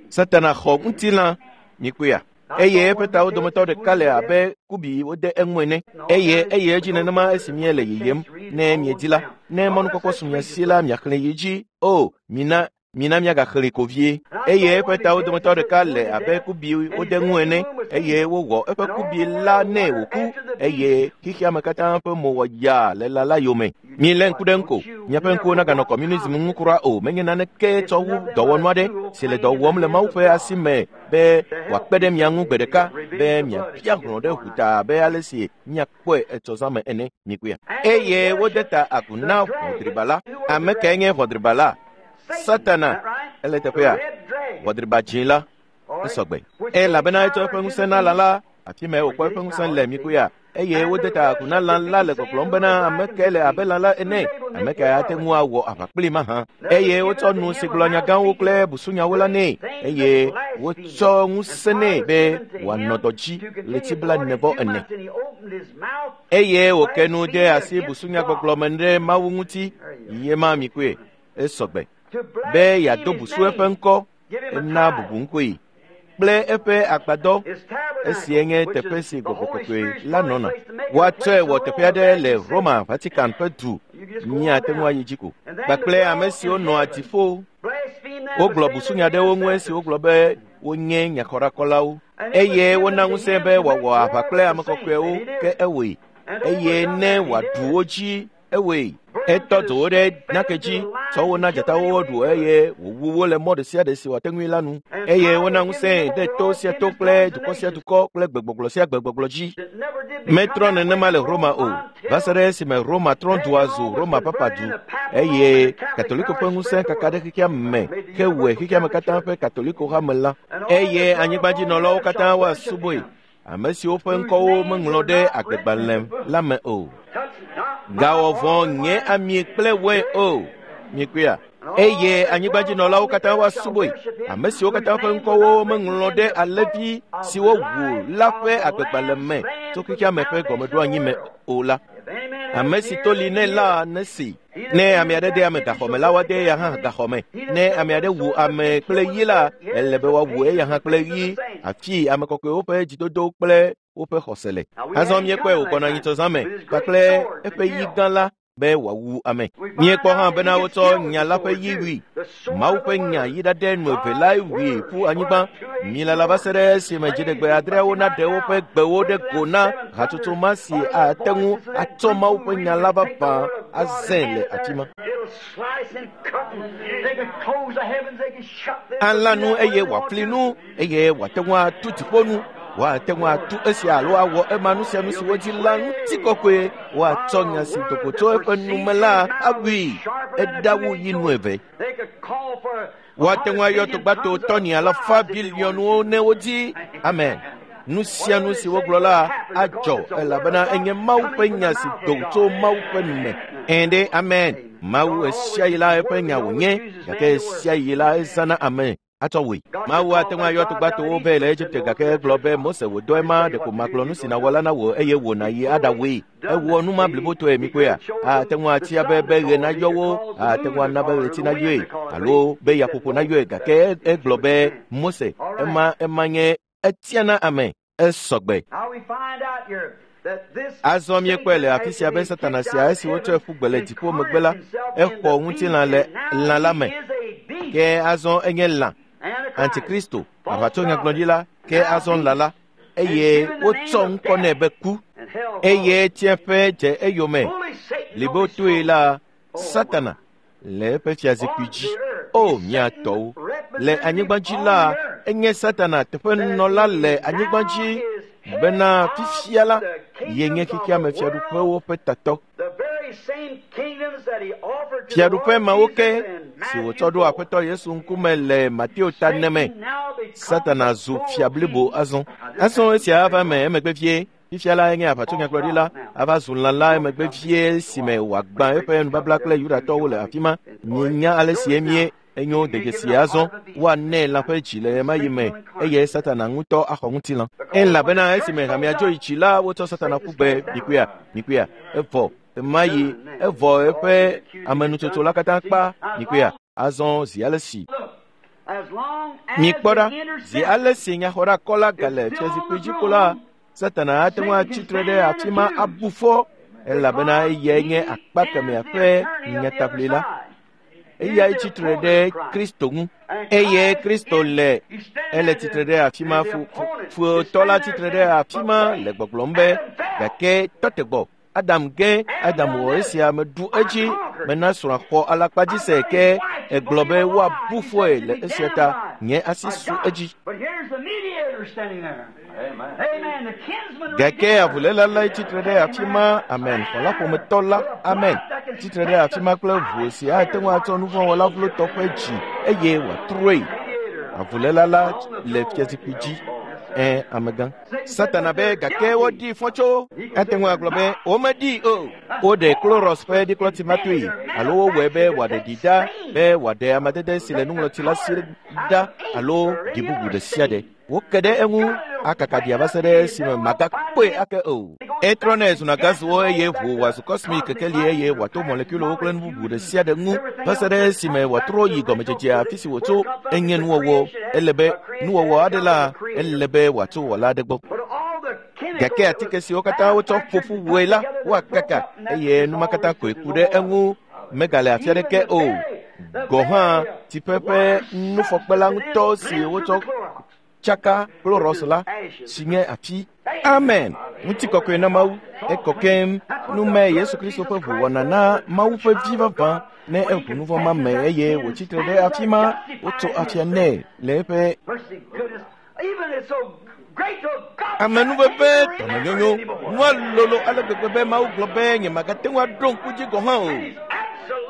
Satana xɔ ŋutilã. Mikpɔea? Eye eƒe tawo dometɔ ɖeka le abe kubi wode eŋu ene. Eye eye edzi nenema esi míele yiyim. Ne miedi la, ne mɔnukpɔkpɔ su mia si la, miaxlẽ yi dzi. O, mina mina míagaxlẽ ko vie. Eye eƒe tawo dometɔ ɖeka le abe kubi wode ŋu ene eye wowɔ eƒe kubi la nɛ wòku eye xexeame katã ƒe mo wɔ yaa le lã la yome. Milé ŋku ɖe ŋu ko. Miaƒe ŋkuwo naganɔ kɔmunism ŋu kura o. Menye naneke tsɔ wu dɔwɔnu aɖe si le dɔ wɔm le Mawu ƒe asi me be wòakpe ɖe mia ŋu gbe ɖeka be miabia hlɔ̃ ɖe ʋuta abe ale si miakpɔe etsɔzã me ene. Mikpɔea? Eye wode ta agu na ʋɔdriba la. Ame kae nye ʋɔdriba la? Satana. Ele teƒea. Ʋɔdriba dzĩ la esɔgbe. Elabena etsɔ eƒe ŋusẽ na lã la. Afi mae wòkpɔ eƒe ŋusẽ le. Mikpɔea? Eye wode ta agu na lã la le gbɔgblɔm bena ame kae le abe lã la ene, ame kae ate ŋu awɔ aʋa kpli mahã. Eye wotsɔ nu si gblɔ nya gãwo kple busunyawo la nɛ eye wotsɔ ŋusẽ nɛ be wòanɔ dɔ dzi ɣleti blaene vɔ ene. Eye wòke nu de asi busunyagbɔgblɔ me ɖe Mawu ŋuti. Ye ma mikpɔe, esɔgbe be yeado busu eƒe ŋkɔ, ena bubu ŋkɔe kple eƒe agbadɔ. Esie nye teƒe si gbɔgbɔ kɔkɔe la nɔna. Woatsɔe wɔ teƒe aɖe le Roma Vatican ƒe du. Míate ŋu ayi dzi ko. Kpakple ame siwo nɔa dziƒo. Wogblɔ busunya ɖe wo ŋu esi wogblɔ be wonye nyaxɔɖakɔlawo eye wona ŋusẽ be wòawɔ aʋa kple ame kɔkɔewo, ke ewɔe. Eye ne wòaɖu wo dzi, ewɔe. Etɔ dzo wo ɖe nake dzi, tsɔ wo na dzatawo woɖu eye wòwu wo le mɔ ɖe sia ɖe si wòate ŋui la nu. Eye wona ŋusẽ ɖe to sia to kple dukɔ sia dukɔ kple gbegbɔgblɔ sia gbegbɔgblɔ dzi. Metrɔ nenema le Roma o, va se ɖe esime Roma trɔ dua zu Roma papa du eye Katoliko ƒe ŋusẽ kaka ɖe xexea me hewɔe xexea me katã ƒe Katoliko hame la. Eye anyigbadzinɔlawo katã woasubɔe, ame siwo ƒe ŋkɔwo meŋlɔ ɖe agbegbalẽ la me o. Gawɔ vɔ̃ nye ami kple wɔe o. Mikpɔea? Eye anyigbadzinɔlawo katã woasubɔe. Ame siwo katã ƒe ŋkɔwo meŋlɔ ɖe alẽvi siwo ʋu la ƒe agbegbalẽ me tso xexeame ƒe gɔmeɖoanyi me o la. Ame si to li nɛ la nesi. Ne ame aɖe de ame gaxɔme la, woade eya hã gaxɔme. Ne ame aɖe wu ame kple ɣi la, ele be woawu eya hã kple ɣi. Afi ame kɔkɔewo ƒe dzidodo kple woƒe xɔse le. Azɔ míekpɔe wògbɔna nyitsɔzã me kpakple eƒe ɣi gã la be wòawu ame. Míekpɔ hã bena wotsɔ nya la ƒe ɣi wui. Mawu ƒe nya yi ɖaɖe nu eve lae wui ƒu anyigba. Milala va se ɖe esime dziɖegbe adreawo naɖe woƒe gbewo ɖe go na hatsotso ma si ate ŋu atsɔ Mawu ƒe nya la vavã azẽ le afi ma. Alã nu eye wòafli nu eye wòate ŋu atu dziƒo nu. Woate ŋu atu esia alo awɔ ema nu sia nu si wodzi la ŋutikɔkɔe. Woatsɔ nya si do go tso eƒe nume la awui. Eɖawu yi nu eve. Woate ŋu ayɔ togbato tɔni alafa biliɔnwo ne wodzi. Amen. Nu sia nu si wogblɔ la adzɔ elabena enye Mawu ƒe nya si do tso Mawu ƒe nume. Ɛ̃ ɖe amen. Mawu esia yi la eƒe nya wònye gake esia yi la ezãna ame atsɔ wòe. Mawu ate ŋu ayɔ togbatowo vɛ le Egipte gake egblɔ be Mose wò dɔe ma ɖeko magblɔ nu si nàwɔ la na wò eye wò nàyi aɖawɔe. Ewɔ nu ma blibotɔe mikpɔea? Ate ŋu atia be be ɣe nayɔ wo, ate ŋu ana be ɣleti nayɔe alo be yaƒoƒo nayɔe gake egblɔ be Mose ema ema nye etiana ame esɔgbe. Azɔ míekpɔe le afi sia be Satana sia esi wotsɔe ƒu gbe le dziƒo megbe la, exɔ ŋutilã le lã la me. Ke azɔ enye lã, Antikristo, aʋatsonyagblɔɖila, ke azɔ lã la, eye wotsɔ ŋkɔ nɛ be ku, eye tsiẽƒe dze eyome. Libotoe la, Satana le eƒe fiazikpui dzi. O mía tɔwo, le anyigba dzi la, enye Satana teƒenɔla le anyigba dzi bena fifia la, ye nye xexeame fiaɖuƒewo ƒe tatɔ. Fiaɖuƒe mawo ke si wòtsɔ ɖo Aƒetɔ Yesu ŋkume le Mateo ta ene me, Satana zu fia blibo azɔ. Azɔ esia ava eme emegbe vie. Fifia la enye aʋatsonyagblɔɖila ava zu lã la emegbe vie si me wòagbã eƒe nubabla kple Yudatɔwo le afi ma. Mienya ale si emie enyo dedzesi azɔ. Woanɛ lã ƒe dzi le ɣemaɣi me eye Satana ŋutɔ axɔ ŋutilã. Elabena esime hamea dzo yi tsi la, wotsɔ Satana ƒu gbe. Mikpɔea? Mikpɔea? Evɔ ɣemaɣi evɔ eƒe amenutsotso la katã kpa. Mikpɔea? Azɔ zi ale si mikpɔ ɖa, zi ale si nyaxɔɖakɔla gale fiazikpui dzi ko la, Satana ate ŋu atsi tre ɖe afi ma abu fɔ elabena eyae nye akpa kemɛa ƒe nyataʋlila. Eyae tsi tre ɖe Kristo ŋu eye Kristo le ele tsitre ɖe afi ma. Futɔ la tsitre ɖe afi ma le gbɔgblɔm be gake tɔte gbɔ. Adam ge Adam wɔ esia meɖu edzi mena srɔ̃a xɔ alakpadzi se ke egblɔ be woabu fɔe le esia ta nye asi su edzi. Gake avuléla lae tsitre ɖe afi ma. Amen. Xɔlaƒometɔ la, amen, tsitre ɖe afi ma kple ʋu si ate ŋu atsɔ nuvɔ̃wɔla vlotɔ ƒe dzi eye wòatrɔe. Avuléla la le fiazikpui dzi. Ẽ, amegã. Satana be gake woɖii fɔ tso. Ate ŋu agblɔ be womeɖii o. Woɖe Kloros ƒe ɖiklɔti ma toe alo wowɔe be wòaɖe ɖi ɖa be wòaɖe amadede si le nuŋlɔti la si ɖa alo ɖi bubu ɖe sia ɖe. Woke ɖe eŋu akaka ɖia va se ɖe esime magakpɔe ake o. Etrɔnɛ zuna gaziwo eye ʋu wòazu kɔsmik kekeli eye wòato mɔlekulowo kple nu bubu ɖe sia ɖe ŋu va se ɖe esime wòatrɔ yi gɔmedzedzea afi si wòtso. Enye nuwɔwɔ. Ele be nuwɔwɔ aɖe la, ele be wòatso wɔla aɖe gbɔ. Gake atike siwo katã wotsɔ ƒo ƒu wɔe la, woakaka eye nu ma katã koe ku ɖe eŋu megale afi aɖeke o. Gɔ̃ hã tsiƒe ƒe nufɔkpe la ŋutɔ si wotsɔ tsaka kloros la si nye afi. Amen. Ŋutikɔkɔe na Mawu. Ekɔ keŋ. Nume Yesu Kristo ƒe ʋu wɔna na Mawu ƒe vi vavã ne eʋu nuvɔ̃ ma me eye wòtsitre ɖe afi ma, wotso afia nɛ le eƒe amenuveve dɔmenyonyo. Nua lolo ale gbegbe be Mawu gblɔ be nyemagate ŋu aɖo ŋku dzi gɔ̃ hã o.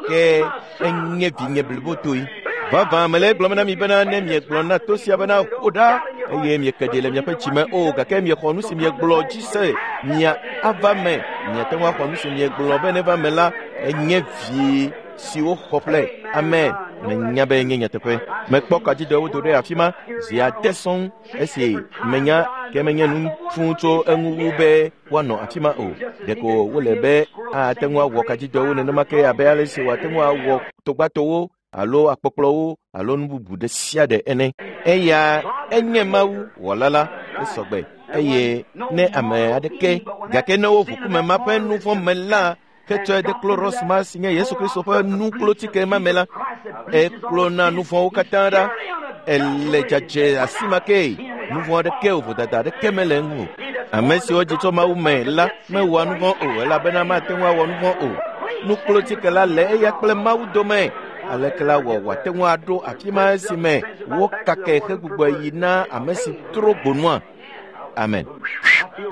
Ke enye vinye blibotoe. Vavã mele egblɔm na mi bena ne miegblɔ na to sia bena ƒo ɖa eye mieke ɖi le miaƒe dzime o, gake miexɔ nu si miegblɔ dzi se, mia ava me. Miate ŋu axɔ nu si miegblɔ be neva me la, enye vi si woxɔ ƒle. Amen. Menya be nye nyateƒe. Mekpɔ kadzidɔwo do ɖe afi ma zi ade sɔŋ esi menya ke menye nu fũu tso eŋu wu be woanɔ afi ma o. Ɖeko wole be ate ŋu awɔ kadzidɔwo nenema ke abe ale si wòate ŋu awɔ togbatowo alo akpɔkplɔwo alo nu bubu ɖe sia ɖe ene. Eya enye Mawu wɔla la esɔgbe eye ne ame aɖeke gake ne woʋu kume ma ƒe nu vɔ̃ me la ketsɔe de kloros ma si nye Yesu Kristo ƒe nuklotike ma me la, eklona nu vɔ̃wo katã ɖa. Ele dzadze asi ma ke nu vɔ̃ aɖeke o, vodada aɖeke mele eŋu o. Ame siwo dzi tso Mawu me la mewɔa nu vɔ̃ o, elabena mate ŋu awɔ nu vɔ̃ o. Nuklotike la le eya kple Mawu dome. Aleke la wɔ wòate ŋu aɖo afi ma esime wokake hegbugbɔ yi na ame si trɔ gbonua? Amen.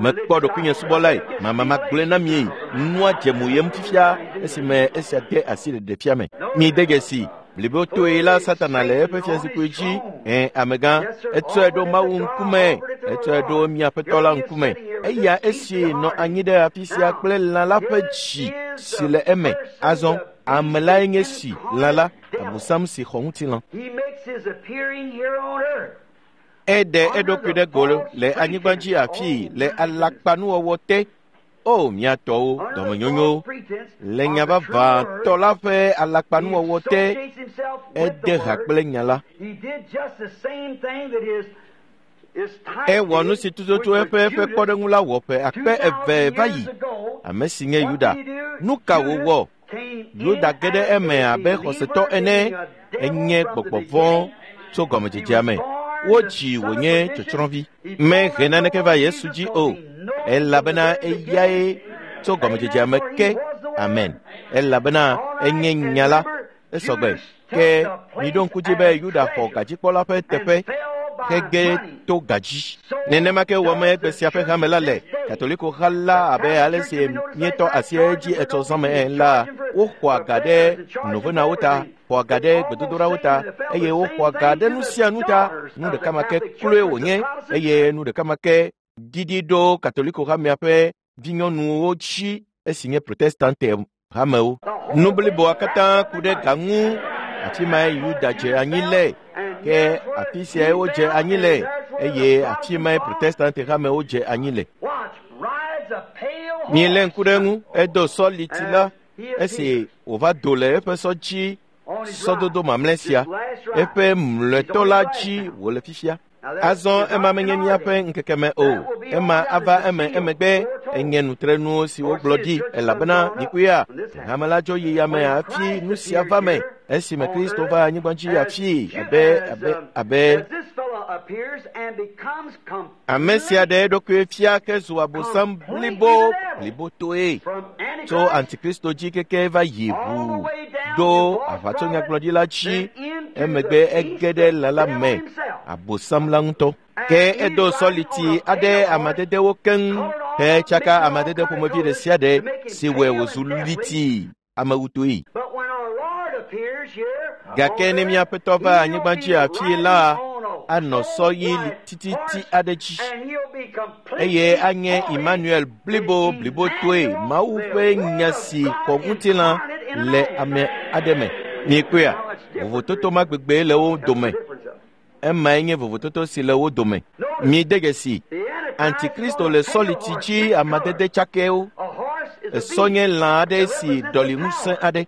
Mekpɔ ɖokuinye subɔlae, mama magblɔe na mi, nua dze mo yem fifia esime esia de asi ɖeɖefia me. Mi de dzesi blibotoe la Satana le eƒe fiazikpui dzi. Ẽ, amegã, etsɔe ɖo Mawu ŋkume, etsɔe ɖo mia Aƒetɔ la ŋkume. Eya esi nɔ anyi ɖe afi sia kple lã la ƒe dzi si le eme. Azɔ ame lae nye si lã la, Abosam si xɔ ŋutilã. Eɖe eɖokui ɖe go le anyigba dzi afii le alakpanuwɔwɔ te. O mia tɔwo, dɔmenyonyo, le nya vavãtɔ la ƒe alakpanuwɔwɔ te, ede ha kple nya la. Ewɔ nu si tututu eƒe eƒe kpɔɖeŋu la wɔ ƒe akpe eve va yi. Ame si nye Yuda. Nu ka wòwɔ? Yuda ge ɖe eme abe xɔsetɔ ene. Enye gbɔgbɔ vɔ̃ tso gɔmedzedzea me. Wodzi wònye tsɔtsrɔ̃vi. Mehe naneke va Yesu dzi o, elabena eyae tso gɔmedzedzea me ke. Amen. Elabena enye nya la. Esɔgbe. Ke miɖo ŋku dzi be Yuda xɔ gadzikpɔla ƒe teƒe hege to gadzi. Nenema ke wɔme egbe sia ƒe hame la le Katoliko ha la abe ale si míetɔ asi edzi etsɔ zãme ene la, woxɔa ga ɖe novenawo ta, xɔa ga ɖe gbedodoɖawo ta, eye woxɔa ga ɖe nu sia nu ta. Nu ɖeka ma ke kloe wònye, eye nu ɖeka ma ke didi ɖo Katoliko hamea ƒe vinyɔnuwo dzi esi nye Protestante hamewo. Nu bliboa katã ku ɖe ga ŋu. Afi mae Yuda dze anyi le, ke afi siae wodze anyi le, eye afi mae Protestante hamewo dze anyi le. Mielé ŋku ɖe eŋu, edo sɔ liti la esi wòva do le eƒe sɔ dzi sɔdodo mamlɛ sia, eƒe mlɔetɔ la dzi wòle fifia. Azɔ ema menye míaƒe ŋkeke me o, ema ava eme emegbe. Enye nutrenuwo si wogblɔ ɖi, elabena mikuya hame la dzo yi yame hafi nu sia va me. Esime Kristo va anyigba dzi afii abe abe abe ame sia ɖe eɖokui fia ke zu Abosam blibo blibotoe tso Antikristo dzi keke va yi ʋu ɖo aʋatsonyagblɔɖila dzi. Emegbe ege ɖe lã la me, Abosam la ŋutɔ. Ke edo sɔliti aɖe amadedewo keŋ hetsaka amadede ƒomevi ɖe sia ɖe si wɔe wòzu liti amewutoe. Gake ne mía Aƒetɔ va anyigba dzi afii la, anɔ sɔ ɣi tititi aɖe dzi, eye anye Emmanuel blibo blibotoe, Mawu ƒe nya si xɔ ŋutilã le ame aɖe me. Miekpɔea? Vovototo ma gbegbe le wo dome. Emae nye vovototo si le wo dome. Mide dzesi, Antikristo le sɔliti dzi amadede tsakɛwo. Esɔ nye lã aɖe si ɖɔli ŋusẽ aɖe.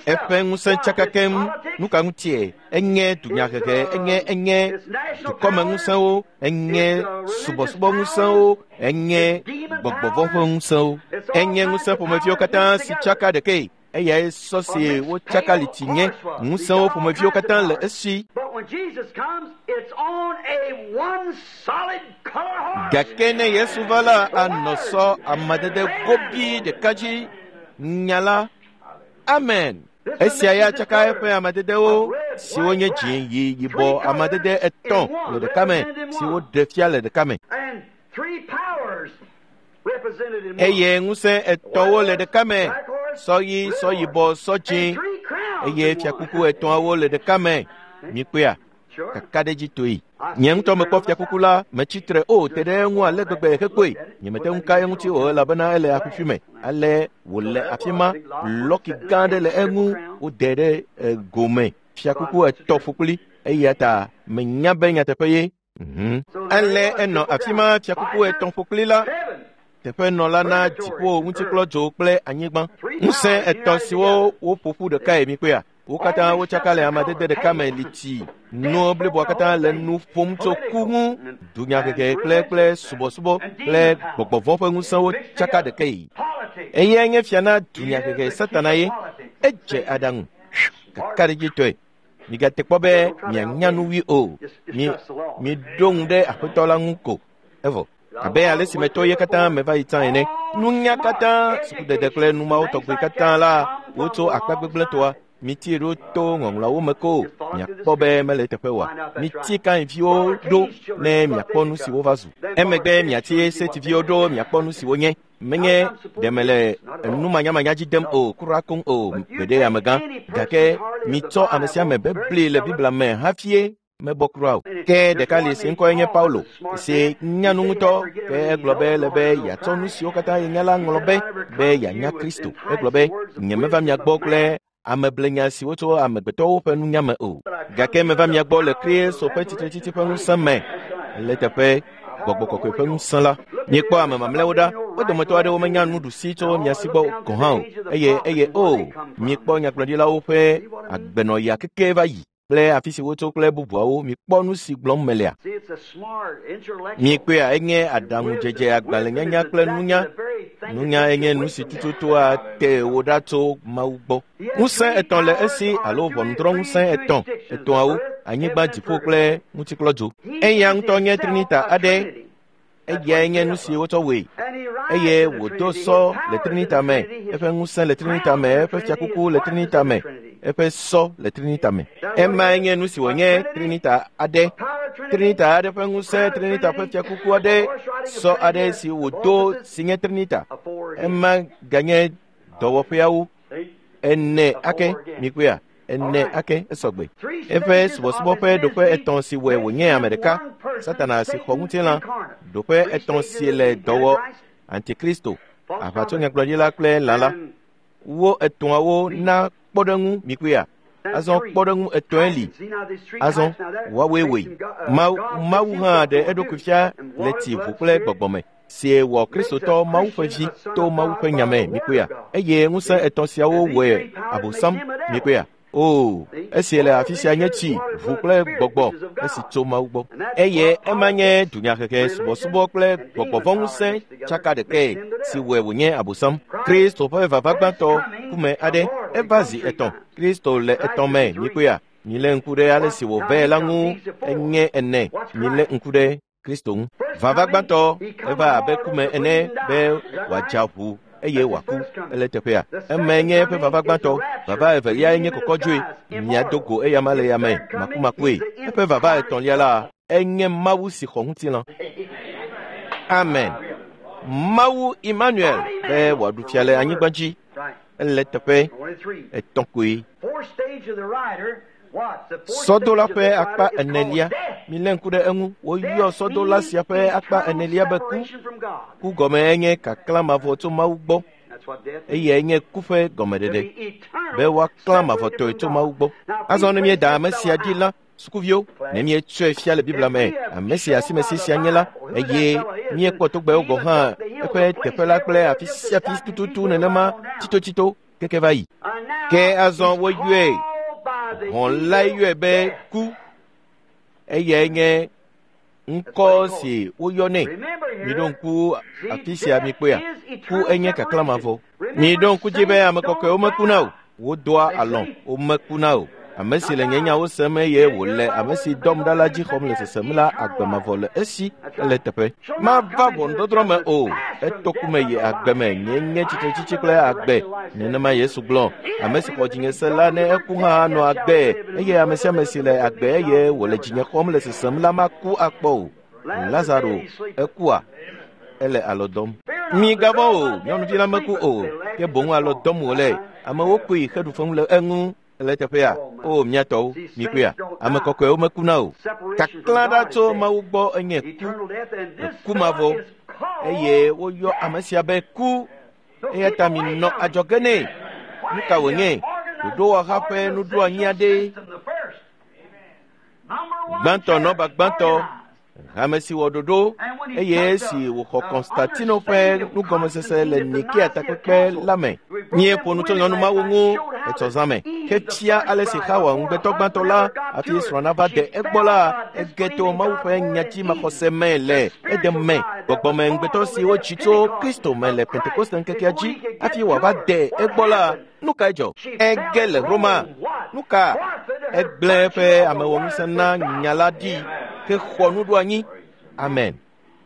Eƒe ŋusẽ tsaka keŋ. Nu ka ŋutie? Enye dunyahehe, enye enye dukɔmeŋusẽwo, enye subɔsubɔŋusẽwo, enye gbɔgbɔvɔ̃ ƒe ŋusẽwo, enye ŋusẽ ƒomeviwo katã si tsaka ɖekae. Eyae sɔ si wotsaka liti nye. Ŋusẽwo ƒomeviwo katã le esi. Gake ne Yesu va la, anɔ sɔ amadede gobi ɖeka dzi. Nya la. Amen. Esia ya tsaka eƒe amadedewo siwo nye dzĩ, ɣi, yibɔ, amadede etɔ̃ le ɖeka me si woɖe fia le ɖeka me. Eye ŋusẽ etɔ̃wo le ɖeka me, sɔ ɣi, sɔ yibɔ, sɔ dzĩ, eye fiakuku etɔ̃awo le ɖeka me. Mikpɔea? Kakaɖedzitoe. Nye ŋutɔ mekpɔ fiakuku la metsitre o te ɖe eŋu ale gbegbe hekpɔe. Nyemete ŋu ka eŋuti o elabena ele aƒiƒi me. Ale wòle afi ma, lɔki gã aɖe le eŋu wode ɖe gome. Fiakuku etɔ̃ ƒokpli eya ta menya be nyateƒe ye. Ale enɔ afi ma fiakuku etɔ̃ ƒokpli la teƒenɔla na dziƒo ŋutikplɔdzo kple anyigba. Ŋusẽ etɔ̃ siwo woƒo ƒu ɖekae mikpɔea? Wo katã wotsaka le amadede ɖeka me li tsi. Nuwo bliboa katã le nu ƒom tso ku ŋu. Dunyahehe kple kple subɔsubɔ kple gbɔgbɔvɔ̃ ƒe ŋusẽwo tsaka ɖekae. Eyae nye fia na dunyahehe Satana ye. Edze aɖaŋu kakaɖedzitɔe. Migate kpɔ be mianya nu wui o. Mi miɖo ŋu ɖe Aƒetɔ la ŋu ko. Evɔ. Abe ale si metɔ ye katã meva yi tsã ene. Nunya katã, sukudede kple numawo tɔgbi katã la, wotso akpa gbegblẽtɔa. Mitie ɖo to ŋɔŋlɔawo me ko miakpɔ be mele teƒe oa. Mitie Kainviwo ɖo ne miakpɔ nu si wova zu. Emegbe miatie Setiviwo ɖo miakpɔ nu si wonye. Menye ɖe mele numanyamanya dzi dem o, kura koŋ o, gbeɖe amegã. Gake mitsɔ ame sia ame bebli le Biblia me hafie mebɔ kura o. Ke ɖeka li si ŋkɔe nye Paulo, si nya nu ŋutɔ, ke egblɔ be ele be yeatsɔ nu siwo katã yenya la ŋlɔ be be yeanya Kristo. Egblɔ be, nyemeva mia gbɔ kple ameblenya siwo tso amegbetɔwo ƒe nunya me o. Gake meva mia gbɔ le Kristo ƒe tsitretsitsi ƒe ŋusẽ me, le teƒe gbɔgbɔ kɔkɔe ƒe ŋusẽ la. Miekpɔ ame mamlɛwo ɖa, wo dometɔ aɖewo menya nuɖusi tso mia si gbɔ gɔ̃ hã o. Eye eye o, miekpɔ nyagblɔɖilawo ƒe agbenɔɣia keke va yi kple afi si wotso kple bubuawo. Mikpɔ nu si gblɔm melea. Miekpɔea, enye aɖaŋudzedze, agbalẽnyanya kple nunya. Nunya enye nu si tututua te wò ɖa tso Mawu gbɔ. Ŋusẽ etɔ̃ le esi alo ʋɔnudrɔ̃ŋusẽ etɔ̃, etɔ̃awo, anyigba, dziƒo kple ŋutikplɔdzo. Eya ŋutɔ nye Trinita aɖe. Eyae nye nu si wotsɔ wɔe. Eye wòdo sɔ le Trinita me, eƒe ŋusẽ le Trinita me, eƒe fiakuku le Trinita me, eƒe sɔ le Trinita me. Emae nye nu si wònye Trinita aɖe. Trinita aɖe ƒe ŋusẽ, Trinita ƒe fiakuku aɖe, sɔ aɖe si wòdo si nye Trinita. Ema ganye dɔwɔƒeawo ene ake mikpɔea? Ene ake esɔgbe. Eƒe subɔsubɔ ƒe ɖoƒe etɔ̃ si wɔe wònye ame ɖeka, Satana si xɔ ŋutilã, ɖoƒe etɔ̃ si le dɔwɔ Antikristo, aʋatsonyagblɔɖila kple lã la. Wo etɔ̃awo na kpɔɖeŋu mikpɔea? Azɔ kpɔɖeŋu etɔ̃e li. Azɔ woawoe wɔe. Mawu Mawu hã ɖe eɖokui fia le tsi, ʋu kple gbɔgbɔ me, si wɔ Kristotɔ Mawu ƒe vi to Mawu ƒe nya me mikpɔea? Eye ŋusẽ etɔ̃ siawo wɔe Abosam mikpɔea? O, esi le afi sia nye tsi, ʋu kple gbɔgbɔ esi tso Mawu gbɔ. Eye ema nye dunyahehe, subɔsubɔ kple gbɔgbɔvɔ̃ŋusẽ tsaka ɖekae si wɔe wònye Abosam. Kristo ƒe vava gbãtɔ kume aɖe eva zi etɔ̃. Kristo le etɔ̃ me mikpɔea? Milé ŋku ɖe ale si wòvɛ la ŋu enye ene. Milé ŋku ɖe Kristo ŋu. Vava gbãtɔ eva abe kume ene be wòadza ʋu eye wòaku ele teƒea. Emae nye eƒe vava gbãtɔ. Vava eveliae nye kɔkɔdzoe. Miado go eyama le yame makumakue. Eƒe vava etɔ̃lia la enye Mawu si xɔ ŋutilã. Amen. Mawu Emmanuel be wòaɖu fia le anyigba dzi. Ele teƒe etɔ̃ koe. Sɔdola ƒe akpa enelia. Milé ŋku ɖe eŋu. Woyɔ sɔdola sia ƒe akpa enelia be ku. Ku gɔme enye kaklã mavɔ tso Mawu gbɔ. Eyae nye ku ƒe gɔmeɖeɖe be woaklã mavɔtɔe tso Mawu gbɔ. Azɔ ne míeda ame sia ɖi la, sukuviwo, ne míetsɔe fia le Biblia me, ame si asimesi sia nye la, eye míekpɔ togbɛwo gɔ̃ hã eƒe teƒe la kple afi sia afi tututu nenema tsitotsito keke va yi. Ke azɔ woyɔe, hɔ̃ la yɔe be ku. Eyae nye ŋkɔ si woyɔ nɛ. Miɖo ŋku afi sia mikpɔea? Ku enye kaklã mavɔ. Miɖo ŋku dzi be ame kɔkɔewo mekuna o. Wodoa alɔ̃, womekuna o. Ame si le nye nyawo sem eye wòle ame si dɔm ɖa la dzi xɔm le sesem la, agbe mavɔ le esi ele teƒe. Mava ʋɔnudɔdrɔ̃ me o. Eto ku me yi agbe me. Nye nye tsitretsitsi kple agbe. Nenema Yesu gblɔ. Ame si xɔ dzinye se la, ne eku hã anɔ agbe. Eye ame sia ame si le agbe eye wòle dzinye xɔm le sesem la maku akpɔ o. Lazaro ekua? Ele alɔ dɔm. Migavɔ̃ o, nyɔnuvi la meku o, ke boŋ alɔ dɔm wòle. Amewo koe xeɖu fem le eŋu. Ele teƒea o miatɔwo mikpɔea ame kɔkɔewo mekuna o. Kaklã ɖa tso Mawu gbɔ enye ku, ku mavɔ eye woyɔ ame sia be ku eya ta minɔ adzɔge nɛ. Nu ka wònye? Ɖoɖowɔha ƒe nuɖoanyi aɖe. Gbãtɔ nɔba gbãtɔ hame si wɔ ɖoɖo eye esi wòxɔ Konstantino ƒe nugɔmesese le Nikea takpekpe la me. Míeƒo nu tso nyɔnu mawo ŋu etsɔ zã me hefia ale si Xawa ŋugbetɔ gbãtɔ la hafi srɔ̃ nava de egbɔ la ege to Mawu ƒe nyadzimaxɔse me le edem me. Gbɔgbɔme ŋugbetɔ si wotsi tso Kristo me le Pentekoste ŋkekea dzi hafi wòava de egbɔ la nu kae dzɔ? Ege le Roma. Nu ka? Egblẽ eƒe amewɔŋusẽ na nya la ɖi ke xɔ nuɖoanyi. Amen.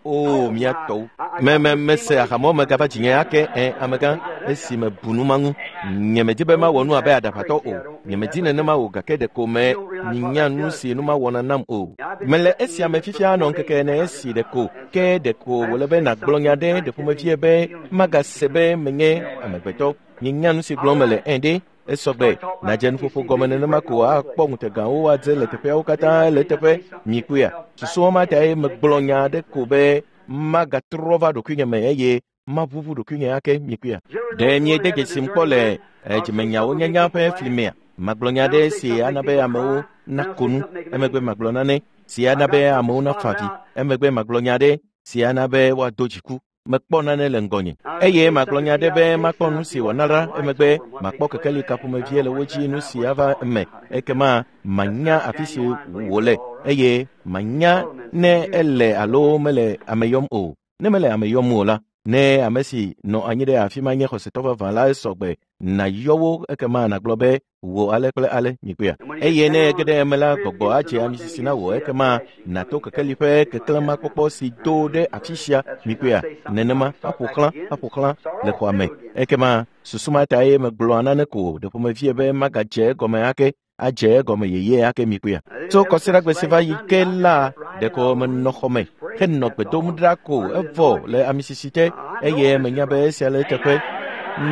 O miatɔwo. Me me mese ahamɔ megava dzinye ake ɛ amegã esi mebu nu ma ŋu. Nyemedi be mawɔ nu abe aɖaʋatɔ o. Nyemedi nenema o gake ɖeko me minya nu si nu ma wɔna nam o. Mele esia me fifia nɔ ŋkeke ene esi ɖeko ke ɖeko wòle be nàgblɔ nya ɖe ɖe ƒomevie be magase be menye amegbetɔ. Minya nu si gblɔm mele ɛ ɖe. Esɔgbe nadze nuƒoƒo gɔme nenema ko akpɔ ŋutegawo adze le teƒeawo katã le teƒe mikpɔea. Susuwo ma tae megblɔ nya aɖe ko be magatrɔ va ɖokuinye me eye maʋuʋu ɖokuinye ake mikpɔea. Ɖe miede dzesi kpɔ le dzimenyawo nyanya ƒe fli mea? Magblɔ nya aɖe si ana be amewo nako nu, emegbe magblɔ nane si ana be amewo nafa avi, emegbe magblɔ nya aɖe si ana be woado dziku. Mekpɔ nane le ŋgɔnye eye magblɔ nya ɖe be makpɔ nu si wòana ɖa emegbe makpɔ kekeli ka ƒomevie le wo dzi nu si ava eme ekema manya afi si wòle eye manya ne ele alo mele ame yɔm o. Ne mele ame yɔm o la, ne ame si nɔ anyi ɖe afi ma nye xɔsetɔ vavã la esɔgbe nàyɔ wo ekema nàgblɔ be wò ale kple ale mikpɔea. Eye ne ege ɖe eme la gbɔgbɔ adze amisisi na wò ekema nàto kekeli ƒe keklẽmakpɔkpɔ si do ɖe afi sia mikpɔea. Nenema aƒo xlã aƒo xlã le xɔa me ekema susu ma tae megblɔa nane ko ɖe ƒomevie be magadze egɔme ake adze egɔme yeye ake mikpɔea. Tso kɔsiɖagbe si va yi ke la ɖeko menɔ xɔ me henɔ gbe dom ɖa ko evɔ le amisisi te eye menya be esia le eteƒe.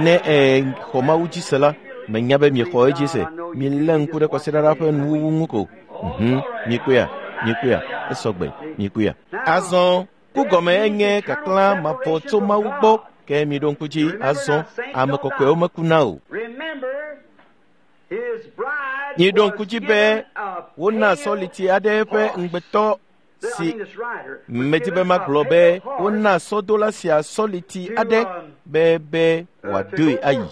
Ne exɔ Mawu dzi se la, menya be miexɔ edzi se. Milé ŋku ɖe kɔsiɖa la ƒe nuwuwu ŋu ko. Mhm, mikpɔea, mikpɔea, esɔgbe, mikpɔea. Azɔ ku gɔme enye kaklã mavɔ tso Mawu gbɔ ke miɖo ŋku dzi azɔ ame kɔkɔewo mekuna o. Miɖo ŋku dzi be wona sɔliti aɖe ƒe ŋugbetɔ si medi be magblɔ be wona sɔdola sia sɔliti aɖe be be wòadoe ayi.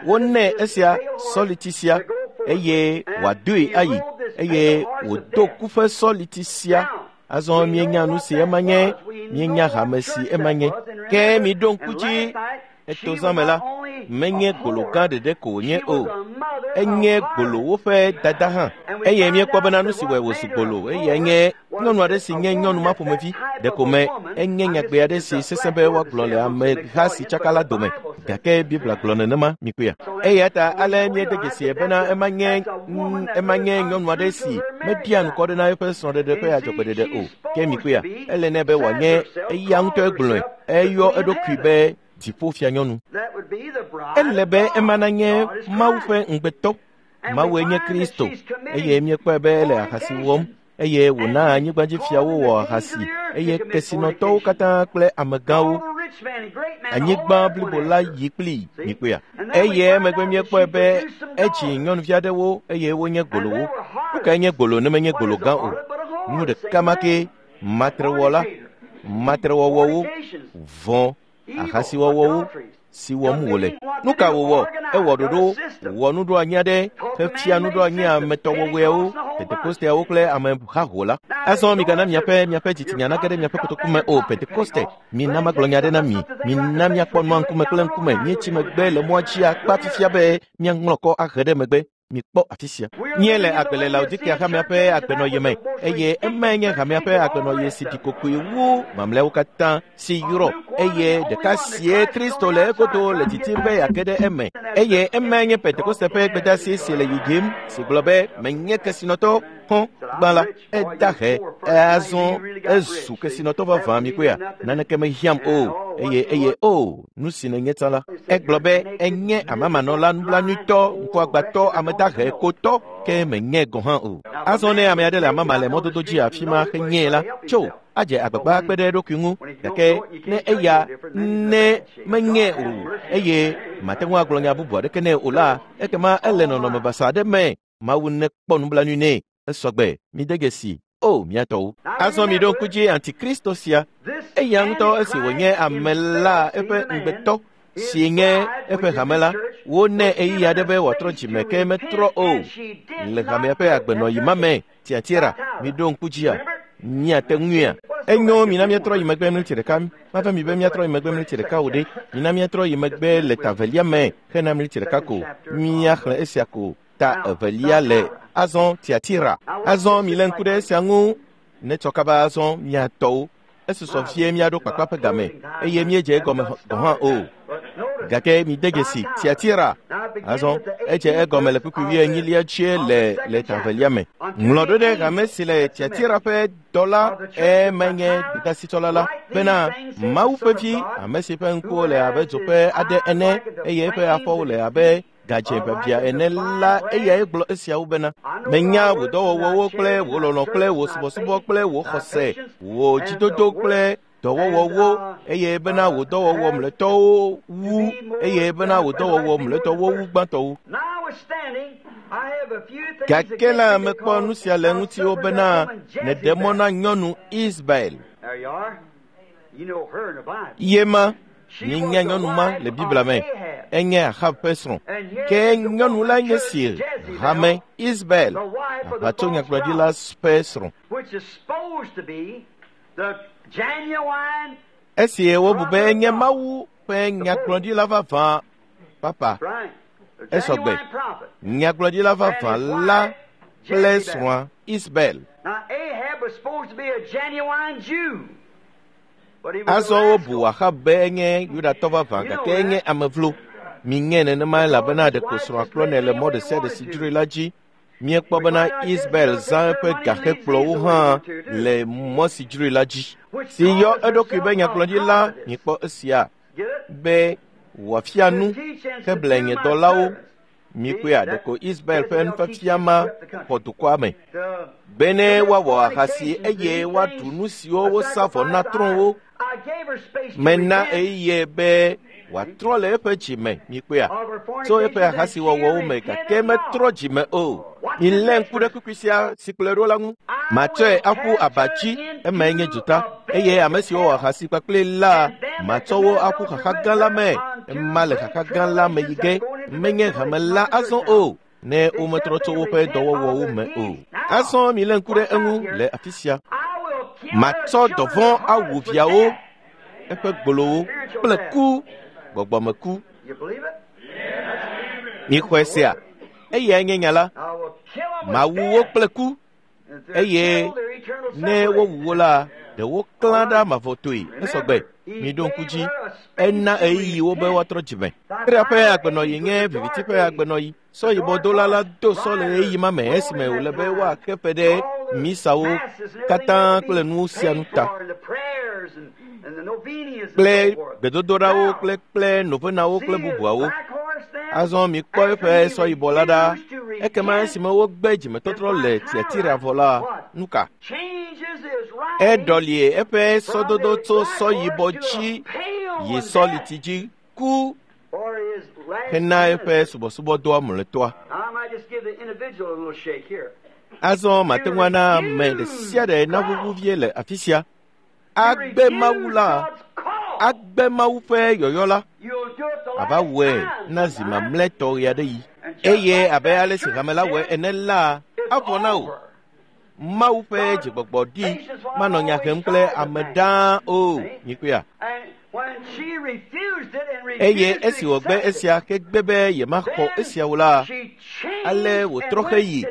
Wonɛ esia sɔliti sia eye wòadoe ayi eye wòdo ku ƒe sɔliti sia. Azɔ mienya nu si ema nye, mienya hame si ema nye. Ke miɖo ŋku dzi etozã me la, menye gbolo gã ɖeɖe ko wònye o, enye gbolowo ƒe dada hã. Eye míekpɔ bena nu si wɔe wòzu gbolo eye nye nyɔnu aɖe si nye nyɔnu ma ƒomevi ɖeko me enye nyagbe aɖe si sesẽ be woagblɔ le ameha si tsaka la dome gake Biblia gblɔ nenema mikpɔea. Eya ta ale míede dzesi bena ema nye ema nye nyɔnu aɖe si meɖia nukɔ ɖe na eƒe srɔ̃ɖeɖe ƒe adzɔgbeɖeɖe o. Ke mikpɔea, ele nɛ be wòanye eya ŋutɔe gblɔe, eyɔ eɖokui be dziƒofianyɔnu. Ele be ema nanye Mawu ƒe ŋugbetɔ. Mawue nye Kristo eye míekpɔe be ele ahasi wɔm eye wòna anyigbadzifiawo wɔ ahasi eye kesinɔtɔwo katã kple amegãwo anyigba blibo la yi kplii mikpɔea. Eye emegbe míekpɔe be edzi nyɔnuvi aɖewo eye wonye gbolowo. Nu kae nye gbolo ne menye gbolo gã o? Nu ɖeka ma ke matrewɔla, matrewɔwɔwo, vɔ̃, ahasiwɔwɔwo si wɔm wòle. Nu ka wòwɔ? Ewɔ ɖoɖo, wɔ nuɖoanyi aɖe, hefia nuɖoanyi ametɔwɔwɔewo, Pentekosteawo kple amehaho la. Azɔ migana miaƒe miaƒe dzitsinya nage ɖe miaƒe kotoku me o. Pentekoste, mina magblɔ nya aɖe na mi. Mina miakpɔ nua ŋkume kple ŋkume. Míetsi megbe le mɔa dzi akpa fifia be míaŋlɔ kɔ ahe ɖe megbe. Mikpɔ afi sia. Míele agbe le Laodikea hamea ƒe agbenɔɣi me eye emae nye hamea ƒe agbenɔɣi si ɖi kokoe wu mamlɛawo katã si yrɔ eye ɖeka sie Kristo le egodo le titim be yeage ɖe eme eye emae nye Pentekoste ƒe gbedeasi si le yiyim si gblɔ be menye kesinɔtɔ hɔ̃ gbã la eda he azɔ ezu kesinɔtɔ vavã mikpɔea naneke mehiãm o eye eye o nu si nenye tsã la egblɔ be enye amamanɔla nublanuitɔ ŋkuagbãtɔ ame dahe kotɔ ke menye gɔ̃ hã o. Azɔ ne ame aɖe le amama le mɔdodo dzi afi ma henyee la, tso adze agbagba kpe ɖe eɖokui ŋu, gake ne eya ne menye o eye mate ŋu agblɔ nya bubu aɖeke nɛ o la, ekema ele nɔnɔme basa aɖe me. Mawu nekpɔ nublanui nɛ. Esɔgbe, mide dzesi. O mía tɔwo. Azɔ mi ɖo ŋku dzi Antikristo sia. Eya ŋutɔ esi wònye ame la eƒe ŋugbetɔ si nye eƒe hame la, wonɛ ɣeyiɣi aɖe be wòatrɔ dzime ke metrɔ o. Le hamea ƒe agbenɔɣi ma me, Tiatira, mi ɖo ŋku dzia? Míate ŋuia? Enyo, mina míatrɔ yi megbe mleti ɖeka. Mava mi be míatrɔ yi megbe mleti ɖeka o ɖe. Mina míatrɔ yi megbe le ta velia me hena mleti ɖeka ko. Míaxlẽ esia ko. Ta evelia le azɔ Tiatira. Azɔ mi le ŋku ɖe esia ŋu. Netsɔ kaba azɔ mía tɔwo. Esusɔ vie míaɖo kpakpa ƒe game eye míedze egɔme gɔ̃ hã o. Gake mide dzesi Tiatira. Azɔ edze egɔme le kpukpui wuienyilia dzie le le ta velia me. Ŋlɔ ɖo ɖe hame si le Tiatira ƒe dɔla emenye gbedeasitsɔla la bena Mawu ƒe vi, ame si ƒe ŋkuwo le abe dzo ƒe aɖe ene eye eƒe afɔwo le abe gadze biabia ene la, eyae gblɔ esiawo bena, menya wò dɔwɔwɔwo kple wò lɔlɔ̃ kple wò subɔsubɔ kple wò xɔse, wò dzidodo kple dɔwɔwɔwo, eye bena wò dɔwɔwɔ mlɔetɔwo wu, eye bena wò dɔwɔwɔ mlɔetɔwo wu gbãtɔwo. Gake la mekpɔ nu sia le ŋutiwò bena nèɖe mɔ na nyɔnu Isabel. Ye ma mienya nyɔnu ma le Biblia me. Enye Ahab ƒe srɔ̃. Ke nyɔnu la nye si hame Isabel, aʋatsonyagblɔɖila ƒe srɔ̃. Esi wobu be enye Mawu ƒe nyagblɔɖila vavã papa, esɔgbe. Nyagblɔɖila vavã la kple srɔ̃a Isabel. Azɔ wobu Ahab be enye Yudatɔ vavã gake enye ame vlo. Miŋe nenema elabena ɖeko srɔ̃a kplɔnɛ le mɔ ɖe sia ɖe si dzroe la dzi. Míekpɔ bena Isabel zã eƒe gaxekplɔwo hã le mɔ si dzroe la dzi. Si yɔ eɖokui be nyagblɔɖila, mikpɔ esia be wòafia nu heble nye dɔlawo. Mikpɔea, ɖeko Isabel ƒe nufiafia ma xɔ dukɔa me bene woawɔ ahasi eye woaɖu nu siwo wosa vɔ na trɔ̃wo. Mena ɣeyiɣi be wòatrɔ le eƒe dzime, mikpɔea, tso eƒe ahasiwɔwɔwo me gake metrɔ dzime o. Milé ŋku ɖe kpukpui sia si kplɔe ɖo la ŋu. Matsɔe aƒu aba dzi, emae nye dzota, eye ame siwo wɔ ahasi kpakple la, matsɔ wo aƒu xaxa gã la me. Ema le xaxa gã la me yi ge, menye hame la azɔ o, ne wometrɔ tso woƒe dɔwɔwɔwo me o. Azɔ milé ŋku ɖe eŋu le afi sia. Matsɔ dɔvɔ̃ awu viawo, eƒe gbolowo kple ku, gbɔgbɔmeku. Mixɔe sea? Eyae nye nya la. Mawu wo kple ku, eye ne wowu wo la, ɖe woklã ɖa mavɔtoe. Esɔgbe, miɖo ŋku dzi. Ena ɣeyiɣi wo be woatrɔ dzime. Tiatira ƒe agbenɔɣi nye viviti ƒe agbenɔɣi. Sɔ yibɔdola la do sɔ le ɣeyiɣi ma me esime wòle be woaxe fe ɖe misawo katã kple nu sia nu ta, kple gbedodoɖawo kple kple novenawo kple bubuawo. Azɔ mikpɔ eƒe sɔ yibɔ la ɖa. Ekema esime wogbe dzimetɔtrɔ le Tiatira vɔ la, nu ka? Eɖɔlie eƒe sɔdodo tso sɔ yibɔ dzi yi sɔliti dzi ku hena eƒe subɔsubɔdɔa mlɔetɔa. Azɔ mate ŋu ana ame ɖe sia ɖe naʋuʋu vie le afi sia. Agbe Mawu la, agbe Mawu ƒe yɔyɔ la, ava wɔe na zi mamlɛtɔ ɣe aɖe yi. Eye abe ale si hame la wɔe ene la, avɔ na wò. Mawu ƒe dzigbɔgbɔ ɖi manɔ nya hem kple ame ɖaa o. Mikpɔea? Eye esi wògbe esia hegbe be yemaxɔ esiawo la, ale wòtrɔ heyi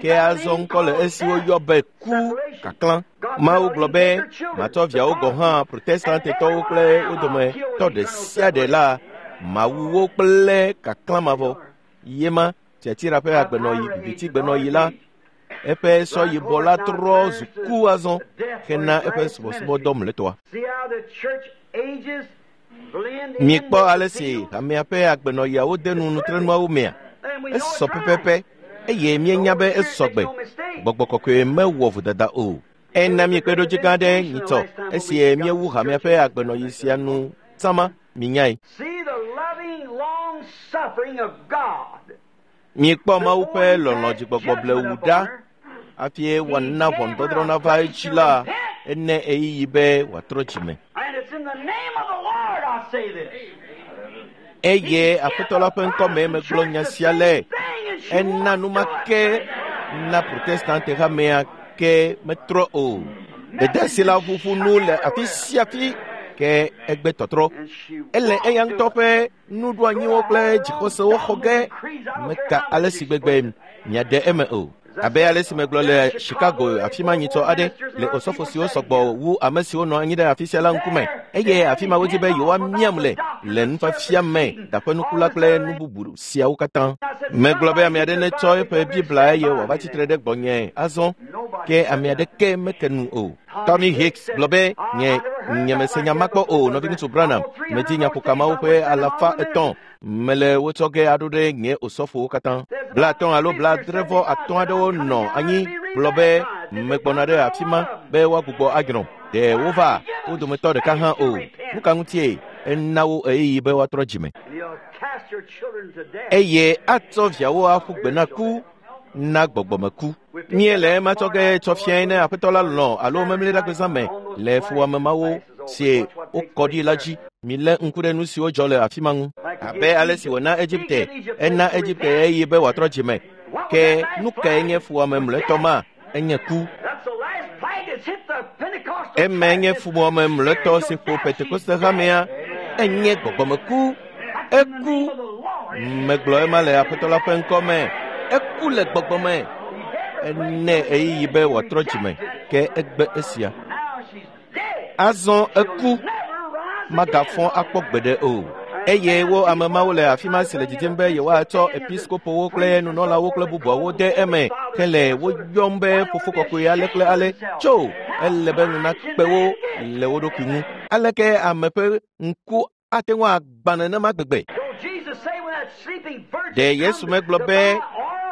ke azɔ ŋkɔ le esi woyɔ be ku kaklã. Mawu gblɔ be matsɔ viawo gɔ̃ hã protestantetɔwo kple wo dometɔ ɖe sia ɖe la, mawu wo kple kaklã mavɔ. Yema Tiatira ƒe agbenɔɣi, vivitigbenɔɣi la, eƒe sɔ yibɔ la trɔ zu ku azɔ hena eƒe subɔsubɔdɔ mlɔetɔa. Mikpɔ ale si hamea ƒe agbenɔɣiawo de nu nutrenuawo mea? Esɔ pɛpɛpɛ eye míenya be esɔ gbe. Gbɔgbɔ kɔkɔe mewɔ vodada o. Ena míekpe ɖo dzi gã ɖe nyitsɔ esi míewu hamea ƒe agbenɔɣi sia nu sama minyae. Miekpɔ Mawu ƒe lɔlɔ̃ dzigbɔgbɔ blewu ɖa hafi wòana ʋɔnudɔdrɔ̃ nava edzi la ene ɣeyiɣi be wòatrɔ dzime. Eye Aƒetɔ la ƒe ŋkɔme megblɔ nya sia le. Ena numake na Protestante hamea ke metrɔ o. Gbedeasi la ʋuʋu nu le afi sia afi ke egbe tɔtrɔ. Ele eya ŋutɔ ƒe nuɖoanyiwo kple dzixɔsewo xɔ ge meka ale si gbegbe miaɖe eme o. Abe ale si megblɔ le Chicago afi ma nyitsɔ aɖe le osɔfo siwo sɔgbɔ wu ame siwo nɔ anyi ɖe afi sia la ŋkume eye afi ma wodzi be yewoamiam le le nufiafia me daƒenukula kple nu bubu siawo katã. Megblɔ be ame aɖe netsɔ eƒe Biblia eye wòava tsitre ɖe gbɔnye azɔ ke ame aɖeke meke nu o. Tommy Hicks gblɔ be nye nyemese nya ma kpɔ o nɔviŋutsu Branham medzi nyaƒokamawo ƒe alafa etɔ̃ mele wotsɔ ge aɖo ɖe nye osɔfowo katã. Blatɔ̃ alo bladrevɔ atɔ̃ aɖewo nɔ anyi gblɔ be megbɔna ɖe afi ma be woagbugbɔ adrɔ̃. Ɖe wova wo dometɔ ɖeka hã o. Nu ka ŋutie ena wo ɣeyiɣi be woatrɔ dzime. Eye atsɔ viawo aƒu gbe na ku na gbɔgbɔmeku. Míele ema tsɔ ge tsɔ fiae ne Aƒetɔ la lɔ̃ alo memleɖagbezã me le fuwɔamemawo si wokɔ ɖi la dzi. Milé ŋku ɖe nu siwo dzɔ le afi ma ŋu. Abe ale si wòna Egipte, ena Egipte ɣeyiɣi be wòatrɔ dzime. Ke nu kae nye fuwɔame mlɔetɔ ma? Enye ku. Eme nye fuwɔame mlɔetɔ si ƒo Pentekoste hamea. Enye gbɔgbɔmeku. Eku. Megblɔ ema le Aƒetɔ la ƒe ŋkɔ me. Eku le gbɔgbɔme. Ene ɣeyiɣi be wòatrɔ dzime ke egbe esia. Azɔ eku. Magafɔ akpɔ gbeɖe o. Eye wo ame mawo le afi ma si le dzidzim be yewoatsɔ episkopowo kple nunɔlawo kple bubuawo de eme ke le wo yɔm be fofo kɔkɔe ale kple ale tso ele be nu nakpe wo le wo ɖokui ŋu. Aleke ame ƒe ŋku ate ŋu agbã nenema gbegbe? Ɖe Yesu megblɔ be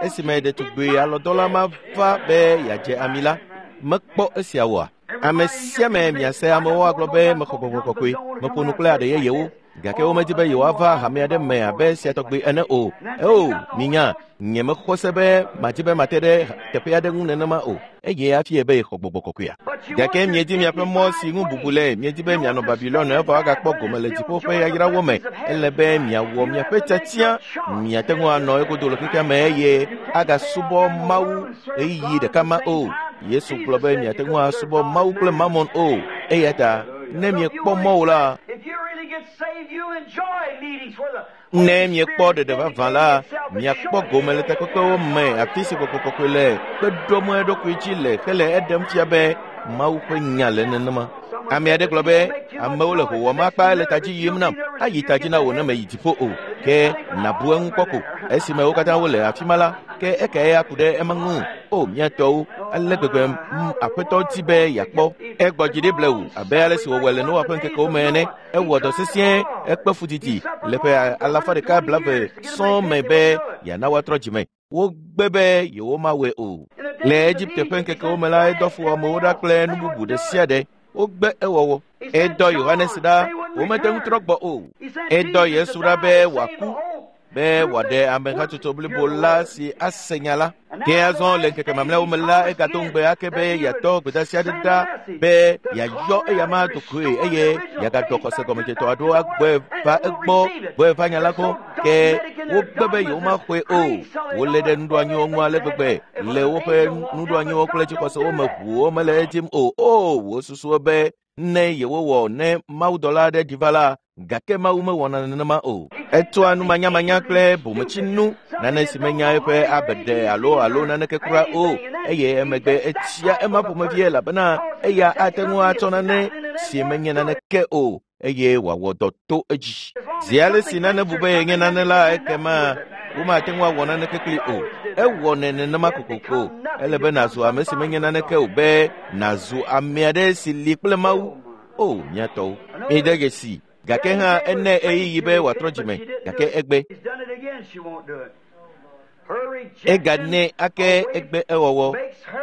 esime ɖetugbui alɔdɔla ma va be yeadze ami la, mekpɔ esia oa? Ame sia ame miase amewo agblɔ be mexɔ gbɔgbɔ kɔkɔe, meƒo nu kple aɖe yeyewo gake womedi be yewoava hame aɖe me abe sia tɔgbi ene o. Eo, minya, nye mexɔ se be madi be mate ɖe teƒe aɖe ŋu nenema o. Eye hafi be yexɔ gbɔgbɔ kɔkɔea. Gake miedi miaƒe mɔ si ŋu bubu le, miedi be mianɔ Babilɔn evɔ agakpɔ gome le dziƒo ƒe yayrawo me. Ele be miawɔ miaƒe tiatia, miate ŋu anɔ egodo le xexea me eye agasubɔ Mawu ɣeyiɣi ɖeka ma o. Yesu gblɔ be miate ŋu asubɔ Mawu kple Mammon o. Eya ta ne miekpɔ mɔ o la, ne miekpɔ ɖeɖe vavã la, miakpɔ gome le takpekpewo me afi si gbɔgbɔ kɔkɔe le kpe ɖom eɖokui dzi le hele eɖem fia be Mawu ƒe nya le nenema. Ame aɖe gblɔ be amewo le howɔm akpa le ta dzi yim nam, ayi ta dzi na wò ne meyi dziƒo o. Ke nàbu eŋu kpɔ ko. Esime wo katã wole afi ma la, ke ekae aku ɖe ema ŋu? O mía tɔwo, ale gbegbe Aƒetɔ di be yeakpɔ. Egbɔ dzi ɖi blewu abe ale si wòwɔe le Noa ƒe ŋkekewo me ene. Ewɔ dɔ sesĩe, ekpe fu didi le ƒe alafa ɖeka blaeve sɔŋ me be yeana woatrɔ dzime. Wogbe be yewomawɔe o. Le Egipte ƒe ŋkekewo me la, edɔ fuwɔamewo ɖa kple nu bubu ɖe sia ɖe. Wogbe ewɔwɔ. Edɔ Yohanes ɖa, womete ŋu trɔ gbɔ o. Edɔ Yesu ɖa be wòaku be wòaɖe amehatsotso blibo la si ase nya la. Ke azɔ le ŋkeke mamlɛawo me la, egato ŋugbe ake be yeatɔ gbedeasi aɖe ɖa be yeayɔ eya ma ɖokoe eye yeagadɔ xɔse gɔmedzetɔ aɖewo agbɔe va egbɔ gbɔe va nya la gbɔ. Ke wogbe be yewomaxɔe o. Wolé ɖe nuɖoanyiwo ŋu ale gbegbe le woƒe nuɖoanyiwo kple dzixɔsewo me ʋuwo mele edzim o. O, wosusu be ne yewowɔ ne mawudɔla aɖe ɖi va la, gake Mawu mewɔna nenema o. Etsɔa numanyamanya kple bometsinu, nane si menya eƒe abeɖe alo alo naneke kura o, eye emegbe etsia ema ƒomevi elabena eya ate ŋu atsɔ nane si menye naneke o eye wòawɔ dɔ to edzi. Zi ale si nane bu be yenye nane la, ekema womate ŋu awɔ naneke kpli o. Ewɔnɛ nenema kokoko. Ele be nàzu ame si menye naneke o be nàzu ame aɖe si li kple Mawu. O, mía tɔwo, mide dzesi. Gake hã ene ɣeyiɣi be wòatrɔ dzime, gake egbe. Eganɛ ake egbe ewɔwɔ.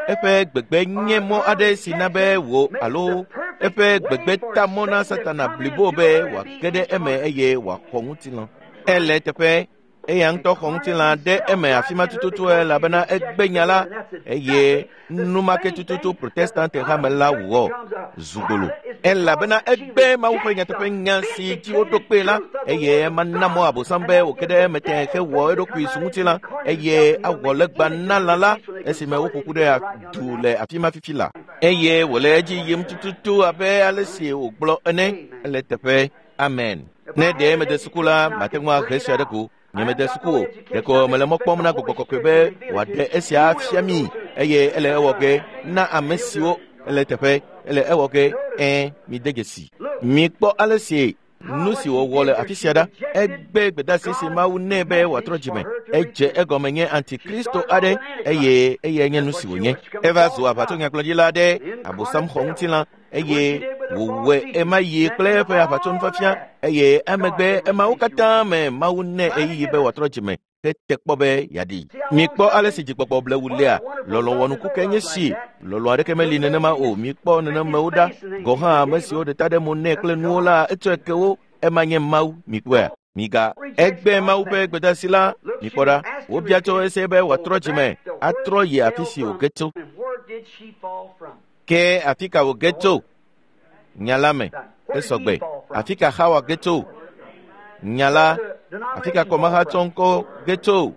Eƒe gbegbe nye mɔ aɖe si na be wò alo eƒe gbegbe ta mɔ na Satana blibo be wòage ɖe eme eye wòaxɔ ŋutilã. Ele teƒe eya ŋutɔ xɔ ŋutilã ɖe eme afi ma tututu elabena egbe nya la eye numake tututu Protestante hame la wɔ zugbolo. Elabena egbe Mawu ƒe nyateƒe nya si dzi woɖo kpee la eye ema na mɔ Abosam be wòge ɖe eme tẽ hewɔ eɖokui zu ŋutilã eye awɔ legba na lã la esime woƒo ƒu ɖe du le afi ma fifi la. Eye wòle edzi yim tututu abe ale si wògblɔ ene. Ele teƒe. Amen. Ne ɖe mede suku la, mate ŋu ahe sia ɖe go. Nye mede suku o. Ɖeko mele mɔ kpɔm na Gbɔgbɔ Kɔkɔe be wòaɖe esia afia mi eye ele ewɔ ge na ame siwo ele teƒe ele ewɔ ge ẽ mide dzesi. Mikpɔ ale si nu si wòwɔ le afi sia ɖa. Egbe gbedeasi si Mawu nɛ be wòatrɔ dzime. Edze egɔme nye antikristo aɖe eye eyae nye nu si wònye. Eva zu aʋatsonyagblɔɖila aɖe, Abosam xɔ ŋutilã eye wòwɔe ema yi kple eƒe aʋatsonufiafia eye emegbe emawo katã me Mawu nɛ ɣeyiɣi be wòatrɔ dzime hete kpɔ be yeaɖi. Mikpɔ ale si dzigbɔgbɔ blewu lea, lɔlɔ̃ wɔnuku ke nye si. Lɔlɔ̃ aɖeke meli nenema o. Mikpɔ nenemewo ɖa. Gɔ̃ hã ame siwo ɖe ta ɖe mo nɛ kple nuwo la, etsɔe ke wo. Ema nye Mawu. Mikpɔea? Miga egbe Mawu ƒe gbedeasi la. Mikpɔ ɖa. Wobia tso ese be wòatrɔ dzime, atrɔ yi afi si wòge tso. Ke afi ka wòge tso? Nya la me. Esɔgbe. Afi ka Xawa ge tso? Nya la. Afi ka kɔmahatsɔ ŋkɔ ge tso?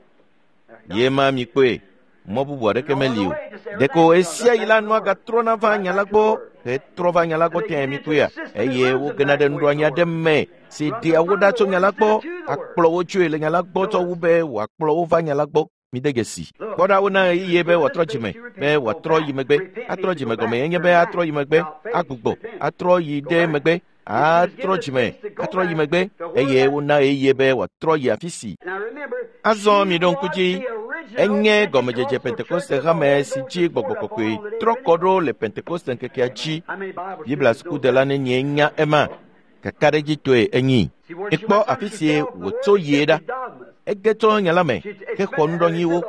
Ye ma mikpɔe. Mɔ bubu aɖeke meli o. Ɖeko esia yi la nua gatrɔna va nya la gbɔ hetrɔ va nya la gbɔ tẽ mikpɔea eye wogena ɖe nuɖoanyi aɖe me si ɖea wo ɖa tso nya la gbɔ akplɔ wo tsoe le nya la gbɔ tsɔ wu be wòakplɔ wo va nya la gbɔ. Mide dzesi. Kpɔ ɖa wona ɣeyiɣi be wòatrɔ dzime be wòatrɔ yi megbe. Atrɔ dzime gɔme enye be atrɔ yi megbe, agbugbɔ, atrɔ yi ɖe megbe, atrɔ dzime, atrɔ yi megbe eye wona ɣeyiɣi be wòatrɔ yi afi si. Azɔ miɖo ŋku dzi. Enye gɔmedzedze Pentekoste hame si dzi Gbɔgbɔ Kɔkɔe trɔ kɔ ɖo le Pentekoste ŋkekea dzi. Biblia sukudela nenye nya ema. Kakaɖedzitɔe enyi. Ekpɔ afi si wòtso yie ɖa. Ege tso nya la me hexɔ nuɖɔnyiwo.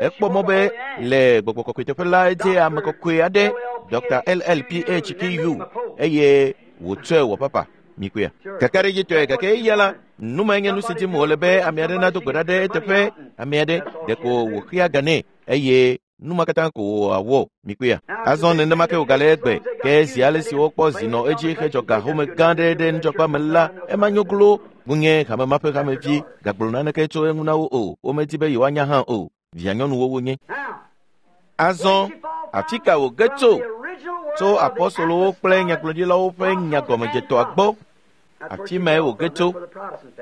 Ekpɔ mɔ be le Gbɔgbɔ Kɔkɔe teƒe la edze ame kɔkɔe aɖe, Doctor L L P H P U eye wòtsɔe wɔ papa. Mikpɔea? Kakaɖedzitɔe gake eya la, nu mae nye nu si dim wòle be ame aɖe nado gbe ɖa ɖe eteƒe. Ame aɖe ɖeko wòxea ga nɛ eye nu ma katã ko wòawɔ. Mikpɔea? Azɔ nenema ke wògale egbe. Ke zi ale si wokpɔ zi nɔ edzi hedzɔ ga home gã aɖe ɖe nudzɔgba me la, ema nyo glo. Ŋunye hame ma ƒe hamevi gagblɔ naneke tso eŋu na wo o. Womedi be yewoanya hã o. Vianyɔnuwo wonye. Azɔ afi ka wòge tso? Tso apɔstolowo kple nyagblɔɖilawo ƒe nyagɔmedzetɔa gbɔ. Afi mae wòge tso.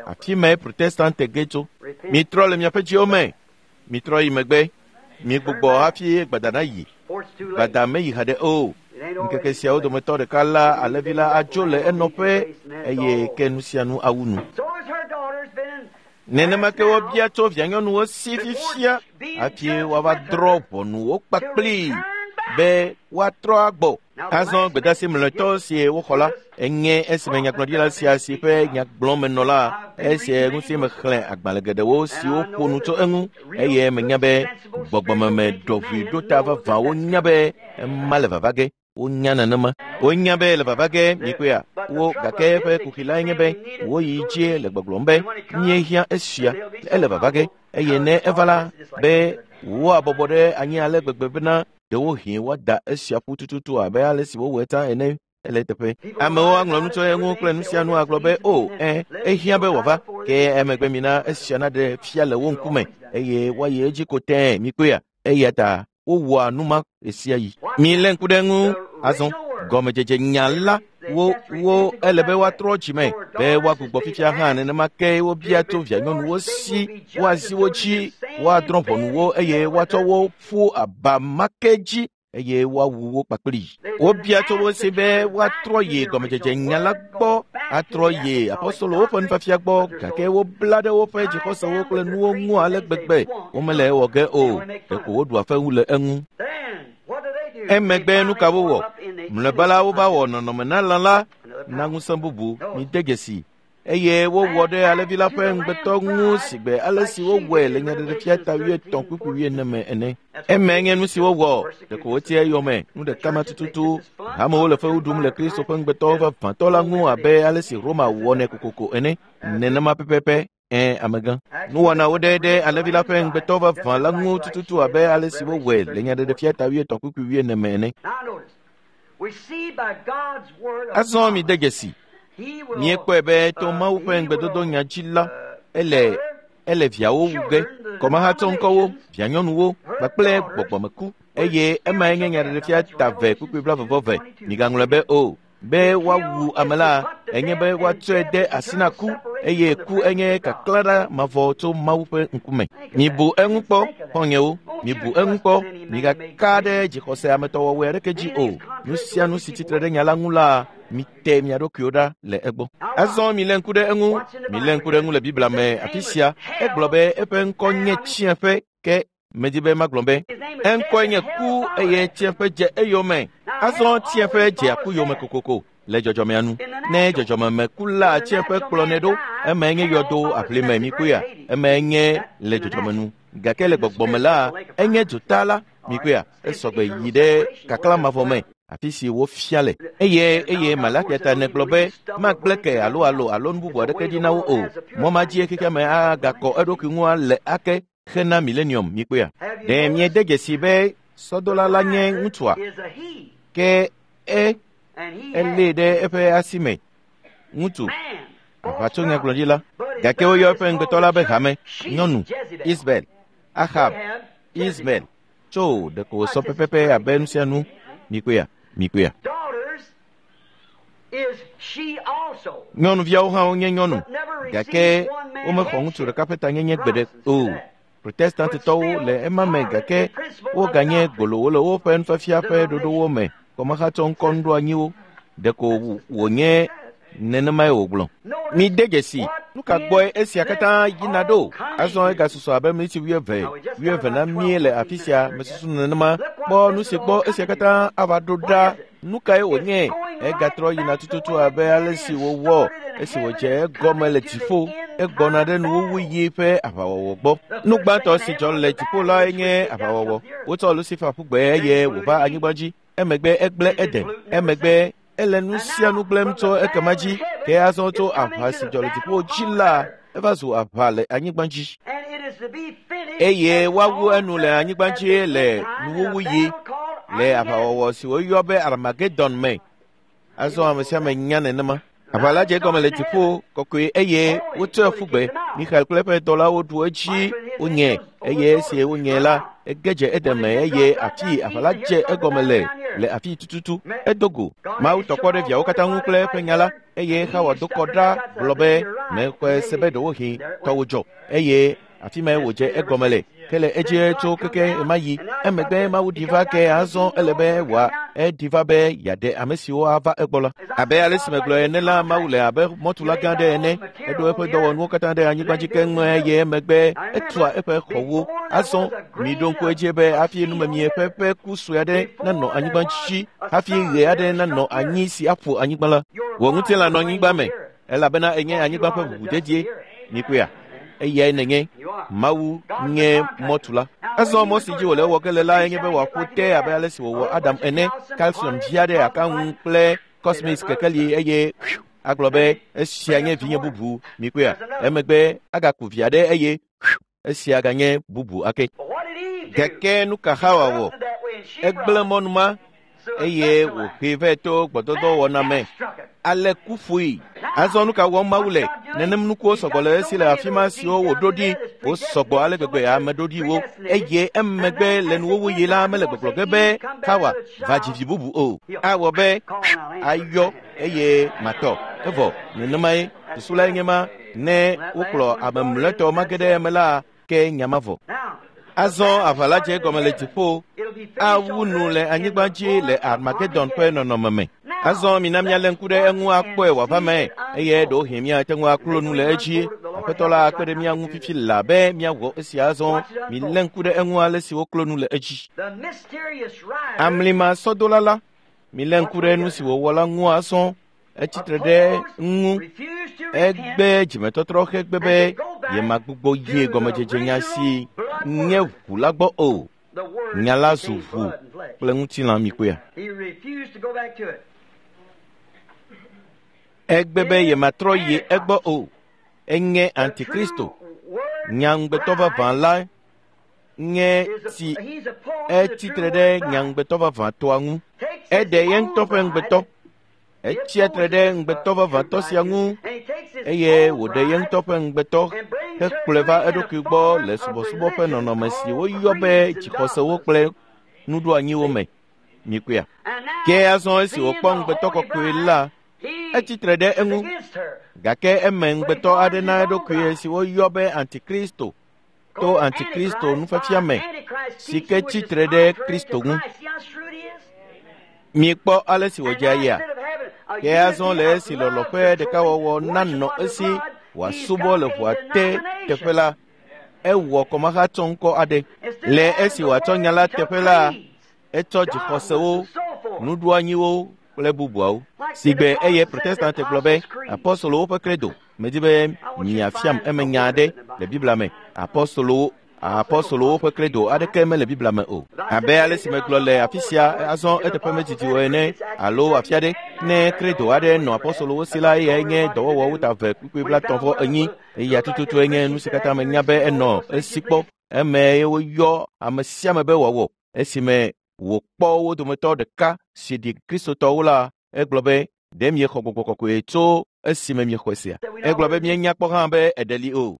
Afi mae Protestante ge tso. Mitrɔ le miaƒe dziwo me. Mitrɔ yi megbe. Migbugbɔ hafi gbada nayi. Gbada meyi haɖe o. Ŋkeke siawo dometɔ ɖeka la, alẽvi la adzo le enɔƒe eye ke nu sia nu awu nu. Nenema ke wobia tso vianyɔnuwo si fifia hafi woava drɔ̃ ʋɔnu wo kpakpli be woatrɔ agbɔ. Azɔ gbedeasi mlɔetɔ si woxɔ la enye esime nyagblɔɖila sia si ƒe nyagblɔmenɔla esie ŋuti mexlẽ agbalẽ geɖewo siwo ƒo nu tso eŋu eye menya be gbɔgbɔmeme ɖɔʋui ɖo ta vavã wonya be ema le vava ge. Wonya nenema. Wonya be le vava ge mikpɔea wo gake eƒe kuxi lae nye be woyi dzie le gbɔgblɔm be míehiã esia ele vava ge eye ne eva la be woabɔbɔ ɖe anyi ale gbegbe bena ɖewohĩ woada esia ƒu tututu abe ale si wowɔe tsã ene. Ele teƒe. Amewo aŋlɔ nu tso eŋu kple nu sia nu agblɔ be o ẽ ehiã be wòava ke emegbe mina esia naɖe fia le wo ŋkume eye woayi edzi ko tẽe mikpɔea eya ta wowɔa nu ma ɣe sia ɣi. Milé ŋku ɖe eŋu azɔ gɔmedzedze nya la wo wo ele be woatrɔ dzime be woagbugbɔ fifia hã nenema ke wobia tso vianyɔnuwo si woazi wo dzi woadrɔ̃ ʋɔnu wo eye woatsɔ wo ƒu aba ma ke dzi eye woawu wo kpakpli. Wobia tso wo si be woatrɔ yi gɔmedzedze nya la gbɔ, atrɔ yi apɔstolowo ƒe nufiafia gbɔ gake wobla ɖe woƒe dzixɔsewo kple nuwo ŋu ale gbegbe womele ewɔ ge o. Ɖeko woɖu afewu le eŋu. Emegbe nu ka wowɔ? Mlɔeba la wova wɔ nɔnɔme na lã la na ŋusẽ bubu. Mide dzesi. Eye wowɔ ɖe alẽvi la ƒe ŋugbetɔ ŋu sigbe ale si wowɔe le nyaɖeɖefia ta wuietɔ̃ kpukpui wuiene me ene. Emae nye nu si wowɔ. Ɖeko woti eyome nu ɖeka ma tututu. Hamewo le fewu ɖum le Kristo ƒe ŋugbetɔwo vavãtɔ la ŋu abe ale si Roma wɔnɛ kokoko ene. Nenema pɛpɛpɛ. Ẽ, amegã. Nuwɔnawo ɖe ɖe alẽvi la ƒe ŋugbetɔ vavã la ŋu tututu abe ale si wowɔe le nyaɖeɖefia ta wuietɔ̃ kpukpui wuiene me ene. Azɔ mi de dzesi. Míekpɔe be to Mawu ƒe ŋugbedodo nya dzi la, ele ele viawo wu ge, kɔmahatsɔŋkɔwo, vianyɔnuwo kpakple gbɔgbɔmeku eye emae nye nyaɖeɖefia ta ve kpukpui blaeve-vɔ-eve. Migaŋlɔe be o. Be woawu ame la, enye be woatsɔe de asi na ku eye ku enye kaklã ɖa mavɔ tso Mawu ƒe ŋkume. Mibu eŋu kpɔ, xɔ̃nyewo, mibu eŋu kpɔ, migaka ɖe dzixɔse ametɔwɔwɔe aɖeke dzi o. Nu sia nu si tsitre ɖe nya la ŋu la, mite mia ɖokuiwo ɖa le egbɔ. Azɔ milé ŋku ɖe eŋu, milé ŋku ɖe eŋu le Biblia me afi sia. Egblɔ be eƒe ŋkɔ nye Tsiẽƒe, ke medi be magblɔ be eŋkɔe nye ku eye Tsiẽƒe dze eyome. Azɔ Tsiẽƒe dzea ku yome kokoko le dzɔdzɔmea nu. Ne dzɔdzɔmemekula Tsiẽƒe kplɔnɛ ɖo, emae nye yɔdo aʋlime mikoea, emae nye le dzɔdzɔme nu. Gake le gbɔgbɔme la, enye dzota la mikoea, esɔgbe yi ɖe kaklã mavɔ me. Afi si wofia le. Eye eye Malakia ta negblɔ be magblẽ ke alo alo alo nu bubu aɖeke dzi na wo o. Mɔ ma dzie xexea me agakɔ eɖokui ŋu le ake hena milenium mikpɔea. Ɖe miede dzesi be sɔdola la nye ŋutsua? Ke e elée ɖe eƒe asi me. Ŋutsu, aʋatsonyagblɔɖila. Gake woyɔ eƒe ŋugbetɔ la be hame, nyɔnu, Ismael, Ahab, Ismael. Tso ɖeko wòsɔ pɛpɛpɛ abe nu sia nu. Mikpɔea, mikpɔea. Nyɔnuviawo hã wonye nyɔnu, gake womexɔ ŋutsu ɖeka ƒe tanyenye gbeɖe o. Protestantitɔwo le ema me gake woganye gbolowo le woƒe nufiafia ƒe ɖoɖowo me, kɔmahatsɔŋkɔ nuɖoanyiwo. Ɖeko wònye nenemae wògblɔ. Mide dzesi, nu ka gbɔe esia katã yina ɖo? Azɔ egasusɔ abe miniti wuieve, wuieve na mí le afi sia, mesusu nenema. Kpɔ nu si gbɔ esia katã ava ɖo ɖa. Nu kae wònye? Egatrɔ yina tututu abe ale si wòwɔ esi wòdze egɔme le dziƒo. Egbɔna ɖe nuwuwuyi ƒe aʋawɔwɔ gbɔ. Nu gbãtɔ si dzɔ le dziƒo lae nye aʋawɔwɔ. Wotsɔ Lucifer ƒu gbe eye wòva anyigba dzi. Emegbe egblẽ Eden. Emegbe ele nu sia nu gblẽm tso ekema dzi. Ke azɔ tso aʋa si dzɔ le dziƒo dzi la, eva zu aʋa le anyigba dzi. Eye woawu enu le anyigba dzi le nuwuwuyi le aʋawɔwɔ si woyɔ be Armageddon me. Azɔ ame sia ame nya nenema. Aʋa la dze egɔme le dziƒo kɔkɔe eye wotsɔe ƒu gbe. Mixael kple eƒe dɔlawo ɖu edzi wonye eye esi wonye la, ege dze Eden me eye afi aʋa la dze egɔme le le afi tututu. Edo go. Mawu tɔ kpɔ ɖe viawo katã ŋu kple eƒe nya la eye Xawa do kɔ ɖa gblɔ be mexɔe se be ɖewohĩ tɔwò dzɔ eye afi mae wòdze egɔme le. Ke le edzi tso keke ɣemaɣi. Emegbe Mawu ɖi va ke azɔ ele be wòa eɖi va be yeaɖe ame siwo ava egbɔ la. Abe ale si megblɔ ene la, Mawu le abe mɔtula gã aɖe ene. Eɖo eƒe dɔwɔnuwo katã ɖe anyigba dzi keŋ eye emegbe etua eƒe xɔwo. Azɔ miɖo ŋku edzi be hafi numemie ƒe ƒe ku sue aɖe nanɔ anyigba dzi, hafi ɣe aɖe nanɔ anyi si aƒo anyigba la. Wò ŋutilã nɔ anyigba me elabena enye anyigba ƒe ʋuʋudedie. Mikpɔea? Eyae nenye. Mawu nye mɔtula. Azɔ mɔ si dzi wòle ewɔ ge le la enye be wòaƒo te abe ale si wòwɔ Adam ene. Calcium dzi aɖe aka ŋu kple cosmic kekeli eye agblɔ be esia nye vinye bubu. Mikpɔea? Emegbe agaku vi aɖe eye esia ganye bubu ake. Gake nu ka Xawa wɔ? Egblẽ mɔnu ma eye wòhee vɛ to gbɔdɔdɔ wɔna me. Ale ku ƒoe. Azɔ nu ka wɔm Mawu le? Nenem nukuwo sɔgbɔ le esi le afi ma siwo wòɖo ɖi. Wosɔgbɔ ale gbegbe ame ɖoɖiwo. Eye emegbe le nuwuwuyi la mele gbɔgblɔ ge be Xawa va dzi vi bubu o. Awɔ be ayɔ eye matɔ. Evɔ nenemae susu lae nye ma ne wokplɔ ame mlɔetɔ mage ɖe eme la ke nya ma vɔ. Azɔ aʋa la dze egɔme le dziƒo awu nu le anyigba dzi le Armageddon ƒe nɔnɔme me. Azɔ mina míalé ŋku ɖe eŋu akpɔe wòava me eye ɖewohĩ míate ŋu aklo nu le edzi. Aƒetɔ la akpe ɖe mía ŋu fifi la be míawɔ esia azɔ. Milé ŋku ɖe eŋu ale si woklo nu le edzi. Amlima sɔdola la, milé ŋku ɖe nu si wòwɔ la ŋu azɔ. Etsi tre ɖe ŋu. Egbe dzimetɔtrɔ hegbe be yemagbugbɔ ye gɔmedzedzenya si nye ʋu la gbɔ o. Nya la zu ʋu kple ŋutilã mikpɔea. Egbe be yematrɔ yi egbɔ o. Enye Antikristo. Nya ŋugbetɔ vavã la nye si etsi tre ɖe nya ŋugbetɔ vavãtɔa ŋu. Eɖe ye ŋutɔ ƒe ŋugbetɔ. Etsia tre ɖe ŋugbetɔ vavãtɔ sia ŋu eye wòɖe ye ŋutɔ ƒe ŋugbetɔ hekplɔe va eɖokui gbɔ le subɔsubɔ ƒe nɔnɔme si woyɔ be dzixɔsewo kple nuɖoanyiwo me. Mikpɔea. Ke azɔ esi wòkpɔ ŋugbetɔ kɔkɔe la, etsi tre ɖe eŋu. Gake eme ŋugbetɔ aɖe na eɖokui si woyɔ be Antikristo to Antikristo nufiafia me si ke tsi tre ɖe Kristo ŋu. Mikpɔ ale si wòdze ayia. Ke azɔ le esi lɔlɔ̃ ƒe ɖekawɔwɔ nanɔ esi wòasubɔ le ʋua te teƒe la, ewɔ kɔmahatsɔŋkɔ aɖe. Le esi wòatsɔ nya la teƒe la, etsɔ dzixɔsewo, nuɖoanyiwo kple bubuawo. Sigbe eye Protestante gblɔ be apɔstolowo ƒe credo. Medi be miafiam eme nya aɖe le Biblia me. Apɔstolowo Apɔstolowo ƒe credo aɖeke mele Biblia me o. Abe ale si megblɔ le afi sia azɔ eteƒe medidi o ene alo afi aɖe, ne credo aɖe nɔ apɔstolowo si la, eyae nye dɔwɔwɔwo ta eve kpukpui blaetɔ̃ vɔ enyi. Eya tututue nye nu si katã menya be enɔ esi kpɔ. Eme woyɔ ame sia ame be wòawɔ. Esime wòkpɔ wo dometɔ ɖeka si ɖi Kristotɔwo la, egblɔ be ɖe miexɔ gbɔgbɔ kɔkɔe tso esime miexɔe sia. Egblɔ be mienya kpɔ hã be eɖe li o.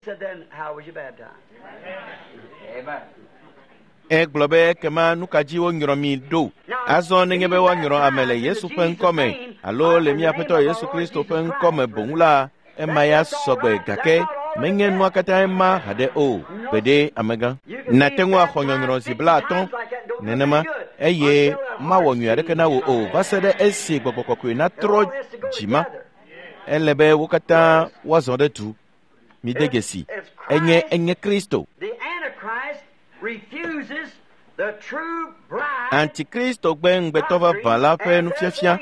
Egblɔ be ekema nu ka dzi wonyrɔ mi ɖo? Azɔ nenye be woanyrɔ ame le Yesu ƒe ŋkɔme alo le mía Aƒetɔ Yesu Kristo ƒe ŋkɔme boŋ la, ema ya sɔgbe gake menye nua katã ema haɖe o. Gbeɖe amegã. Nàte ŋu axɔ nyɔnyrɔ zi blaatɔ̃ nenema eye mawɔ nyui aɖeke na wò o va se ɖe esi gbɔgbɔ kɔkɔe natrɔ dzima. Ele be wo katã woazɔ ɖe du. Mide dzesi. Enye enye Kristo. Antikristo gbe ŋugbetɔ vavã la ƒe nufiafia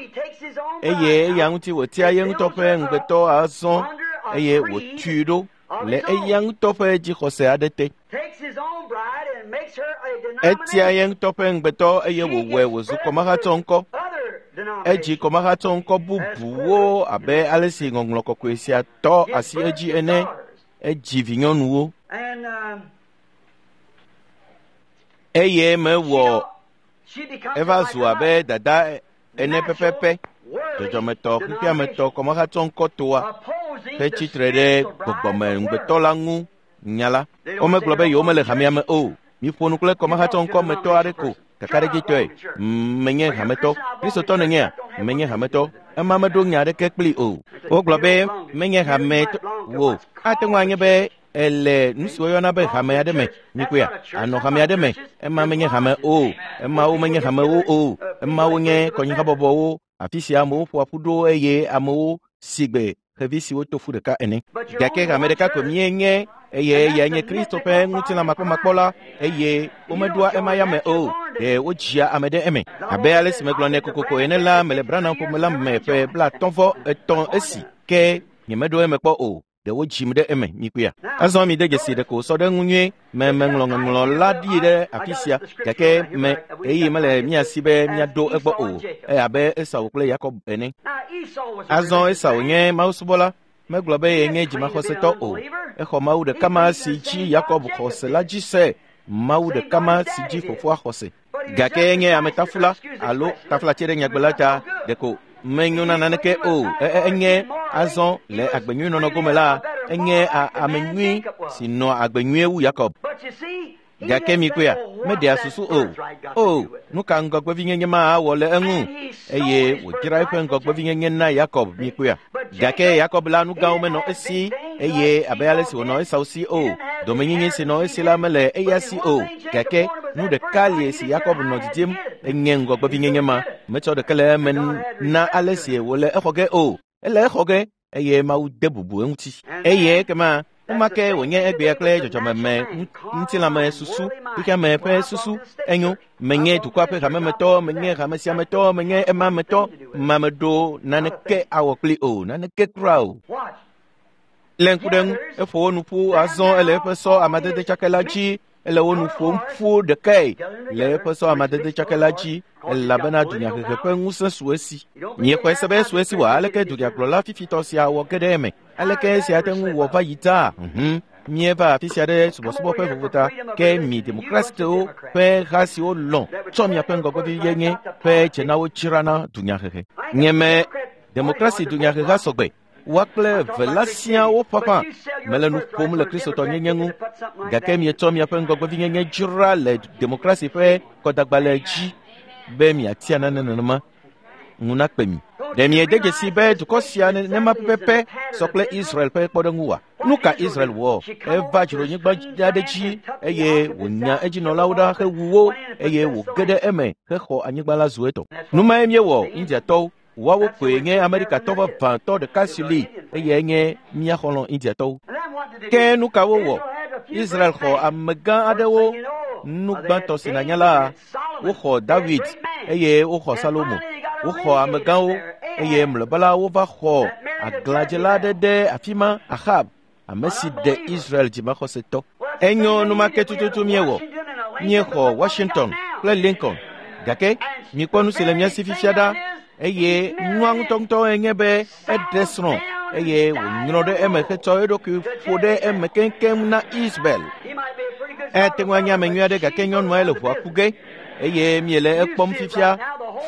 eye eya ŋuti wòtia ye ŋutɔ ƒe ŋugbetɔ azɔ eye wòtui ɖo le eya ŋutɔ ƒe dzixɔse aɖe te. Etia ye ŋutɔ ƒe ŋugbetɔ eye wòwɔe wòzu kɔmahatsɔŋkɔ. Edzi kɔmahatsɔŋkɔ bubuwo abe ale si ŋɔŋlɔ kɔkɔe sia tɔ asi edzi ene. Edzi vinyɔnuwo. Eye mewɔ eva zu abe dada ene pɛpɛpɛ, dzɔdzɔmetɔ xexeametɔ kɔmahatsɔŋkɔ toa hetsi tre ɖe gbɔgbɔme ŋugbetɔ la ŋu nya la. Womegblɔ be yewomele hamea me o. Miƒo nu kple kɔmahatsɔŋkɔmetɔ aɖe ko kakaɖedzitɔe. Menye hametɔ. Kristotɔ nènyea? Menye hametɔ. Ema meɖo nya aɖeke kplii o. Wogblɔ be menye hametɔ o. Ate ŋu anye be ele nu si woyɔna be hame aɖe me. Mikpɔea? Anɔ hame aɖe me. Ema menye hame o. Emawo menye hamewo o. Emawo nye kɔnyihabɔbɔwo. Afi sia amewo ƒoa ƒu ɖo eye amewo si gbe xevi siwo to fu ɖeka ene. Gake hame ɖeka ko míenye eye eyae nye Kristo ƒe ŋutilã makpɔmakpɔ la eye womeɖoa ema ya me o. Ɖe wodzia ame ɖe eme. Abe ale si megblɔ nɛ kokoko ene la, mele Branham ƒome la me ƒe blaetɔ̃ vɔ etɔ̃ esi ke nyemeɖo eme kpɔ o. Ɖe wodzim ɖe eme mikpɔea. Azɔ mi de dzesi ɖeko wòsɔ ɖe ŋu nyuie. Me meŋlɔ ŋɔŋlɔ la ɖi ɖe afi sia gake me eye mele mía si be míaɖo egbɔ o. Abe Esau kple Yakob ene. Azɔ Esau nye mawusubɔla. Megblɔ be yenye dzimaxɔsetɔ o. Exɔ Mawu ɖeka ma si dzi Yakob xɔ se la dzi se. Mawu ɖeka ma si dzi fofoa xɔ se. Gake enye ametafula alo tafulatse ɖe nyagbe la ta ɖeko menyo na naneke o. Enye azɔ le agbenyuinɔnɔ gome la, enye ame nyui si nɔ agbe nyuie wu Yakob. Gake mikpɔea, meɖea susu o. O, nu ka ŋgɔgbevinyenye ma awɔ le eŋu? Eye wòdzra eƒe ŋgɔgbevinyenye na Yakob mikpɔea. Gake Yakob la nu gãwo menɔ esi eye abe ale si wònɔ Esau si o. Domenyinyi si nɔ esi la mele eya si o. Gake nu ɖeka li si Yakob nɔ didim enye ŋgɔgbevinyenye ma. Metsɔ ɖeke le eme na ale si wòle exɔ ge o. Ele exɔ ge eye Mawu de bubu eŋuti. Eye ekema Numake wònye egbea kple dzɔdzɔmeme ŋutilãme susu, xexeame ƒe susu enyo. Menye dukɔa ƒe hamemetɔ, menye hame sia me tɔ, menye ema me tɔ, mameɖo naneke awɔ kpli o, naneke kura o. Le ŋku ɖe ŋu, eƒo wo nu ƒu azɔ ele eƒe sɔ amadede tsakɛ la dzi, ele wo nu ƒom ƒu ɖekae le eƒe sɔ amadede tsakɛ la dzi, elabena dunyahehe ƒe ŋusẽ su esi. Miexɔe se be su esi wɔ aleke dunyagblɔla fifitɔ sia wɔ ge ɖe eme? Aleke esia te ŋu wɔ va yi taa? Mhm. Mieva afi sia ɖe subɔsubɔ ƒe vovota ke mi demokrasitewo ƒe ha siwo lɔ̃ tsɔ miaƒe ŋgɔgbeviyenye ƒe dzenawo dzrana dunyahehe. Nyeme demokrasi dunyaheha sɔgbe. Woa kple eve la siaa woƒaƒã mele nu ƒom le kristotɔnyenye ŋu gake mietsɔ miaƒe ŋgɔgbevinyenye dzra le demokrasi ƒe kɔdagbalẽ dzi be miatia nane nenema ŋu nakpe mi. Ɖe miede dzesi be dukɔ sia nenema pɛpɛpɛ sɔ kple Israel ƒe kpɔɖeŋu wa? Nu ka Israel wɔ? Eva dzronyigba aɖe dzi eye wònya edzinɔlawo ɖa hewu wo eye wòge ɖe eme hexɔ anyigba la zu etɔ. Nu mae míewɔ Indiatɔwo. Woawo koe nye Amerikatɔ vavãtɔ ɖeka si li eye nye mía xɔlɔ̃ Indiatɔwo. Ke nu ka wowɔ? Israel xɔ amegã aɖewo. Nu gbãtɔ si nànya la, woxɔ David eye woxɔ Salomo. Woxɔ amegãwo eye mlɔeba la wova xɔ aglãdzela aɖe ɖe afi ma, Ahab, ame si ɖe Israel dzimaxɔsetɔ. Enyo numake tututu míewɔ. Míexɔ Washington kple Lincoln. Gake mikpɔ nu si le mía si fifia ɖa. Eye nua ŋutɔŋutɔ enye be eɖe srɔ̃ eye wònyrɔ ɖe eme hetsɔ eɖokui ƒo ɖe eme keŋkeŋ na Isabel. Ate ŋu anye ame nyui aɖe gake nyɔnua le ʋua ku ge eye miele ekpɔm fifia.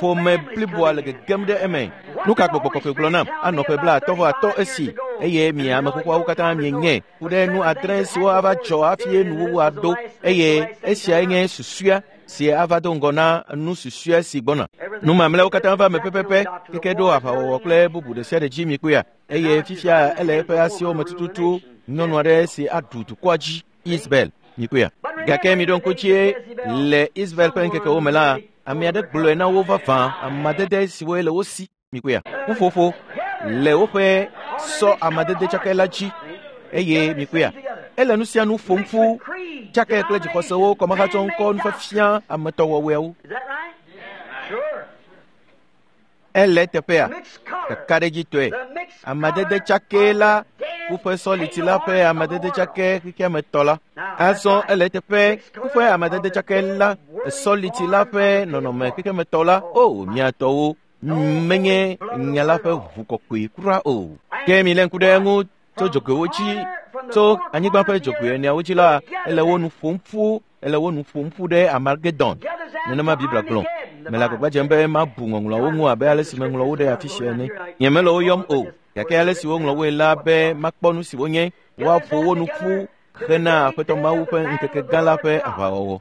Ƒome bliboa le gegem ɖe eme. Nu ka gbɔgbɔ kɔkɔe gblɔ nam? Anɔ ƒe blaatɔ̃ vɔ atɔ̃ esi eye mi ame xoxoawo katã mienye ku ɖe nu adre siwo ava dzɔ hafi nuwuwu aɖo eye esiae nye susua si ava do ŋgɔ na nu susue si gbɔna. Nu mamlɛawo katã va eme pɛpɛpɛ keke ɖo aʋawɔwɔ kple bubu ɖe sia ɖe dzi mikpɔea eye fifia ele eƒe asiwo me tututu nyɔnu aɖe si aɖu dukɔa dzi Isabel mikpɔea. Gake miɖo ŋku dzie le Isabel ƒe ŋkekewo me la, ame aɖe gblɔe na wo vavã amadede siwo le wo si mikpɔea. Ƒuƒoƒo le woƒe sɔ amadede tsakɛ la dzi eye mikpɔea. Ele nu sia nu ƒom ƒu tsakɛ kple dzixɔsewo kɔmehatsɔ ŋkɔ nufiafia ametɔwɔwɔewo. Ele teƒea kakaɖedzitɔe amadede tsakɛ la kuƒe sɔliti la ƒe amadede tsakɛ xexeametɔ la. Azɔ ele teƒe kuƒe amadede tsakɛ la sɔliti la ƒe nɔnɔme xexeametɔ la. O miatɔwo menye nya la ƒe ʋu kɔkɔe kura o. Ke mi lé ŋku ɖe eŋu tso dzogoewo dzi tso anyigba ƒe dzogoe eneawo dzi la ele wo nu ƒom ƒu ele wo nu ƒom ƒu ɖe Armageddon. Nenema Biblia gblɔ. Mele agbagba dzem be mabu ŋɔŋlɔawo ŋu abe ale si meŋlɔ wo ɖe afi sia ene. Nyemele wo yɔm o gake ale si woŋlɔ woe la be makpɔ nu si wonye woaƒo wo nu ƒu hena Aƒetɔ Mawu ƒe ŋkeke gã la ƒe aʋawɔwɔ.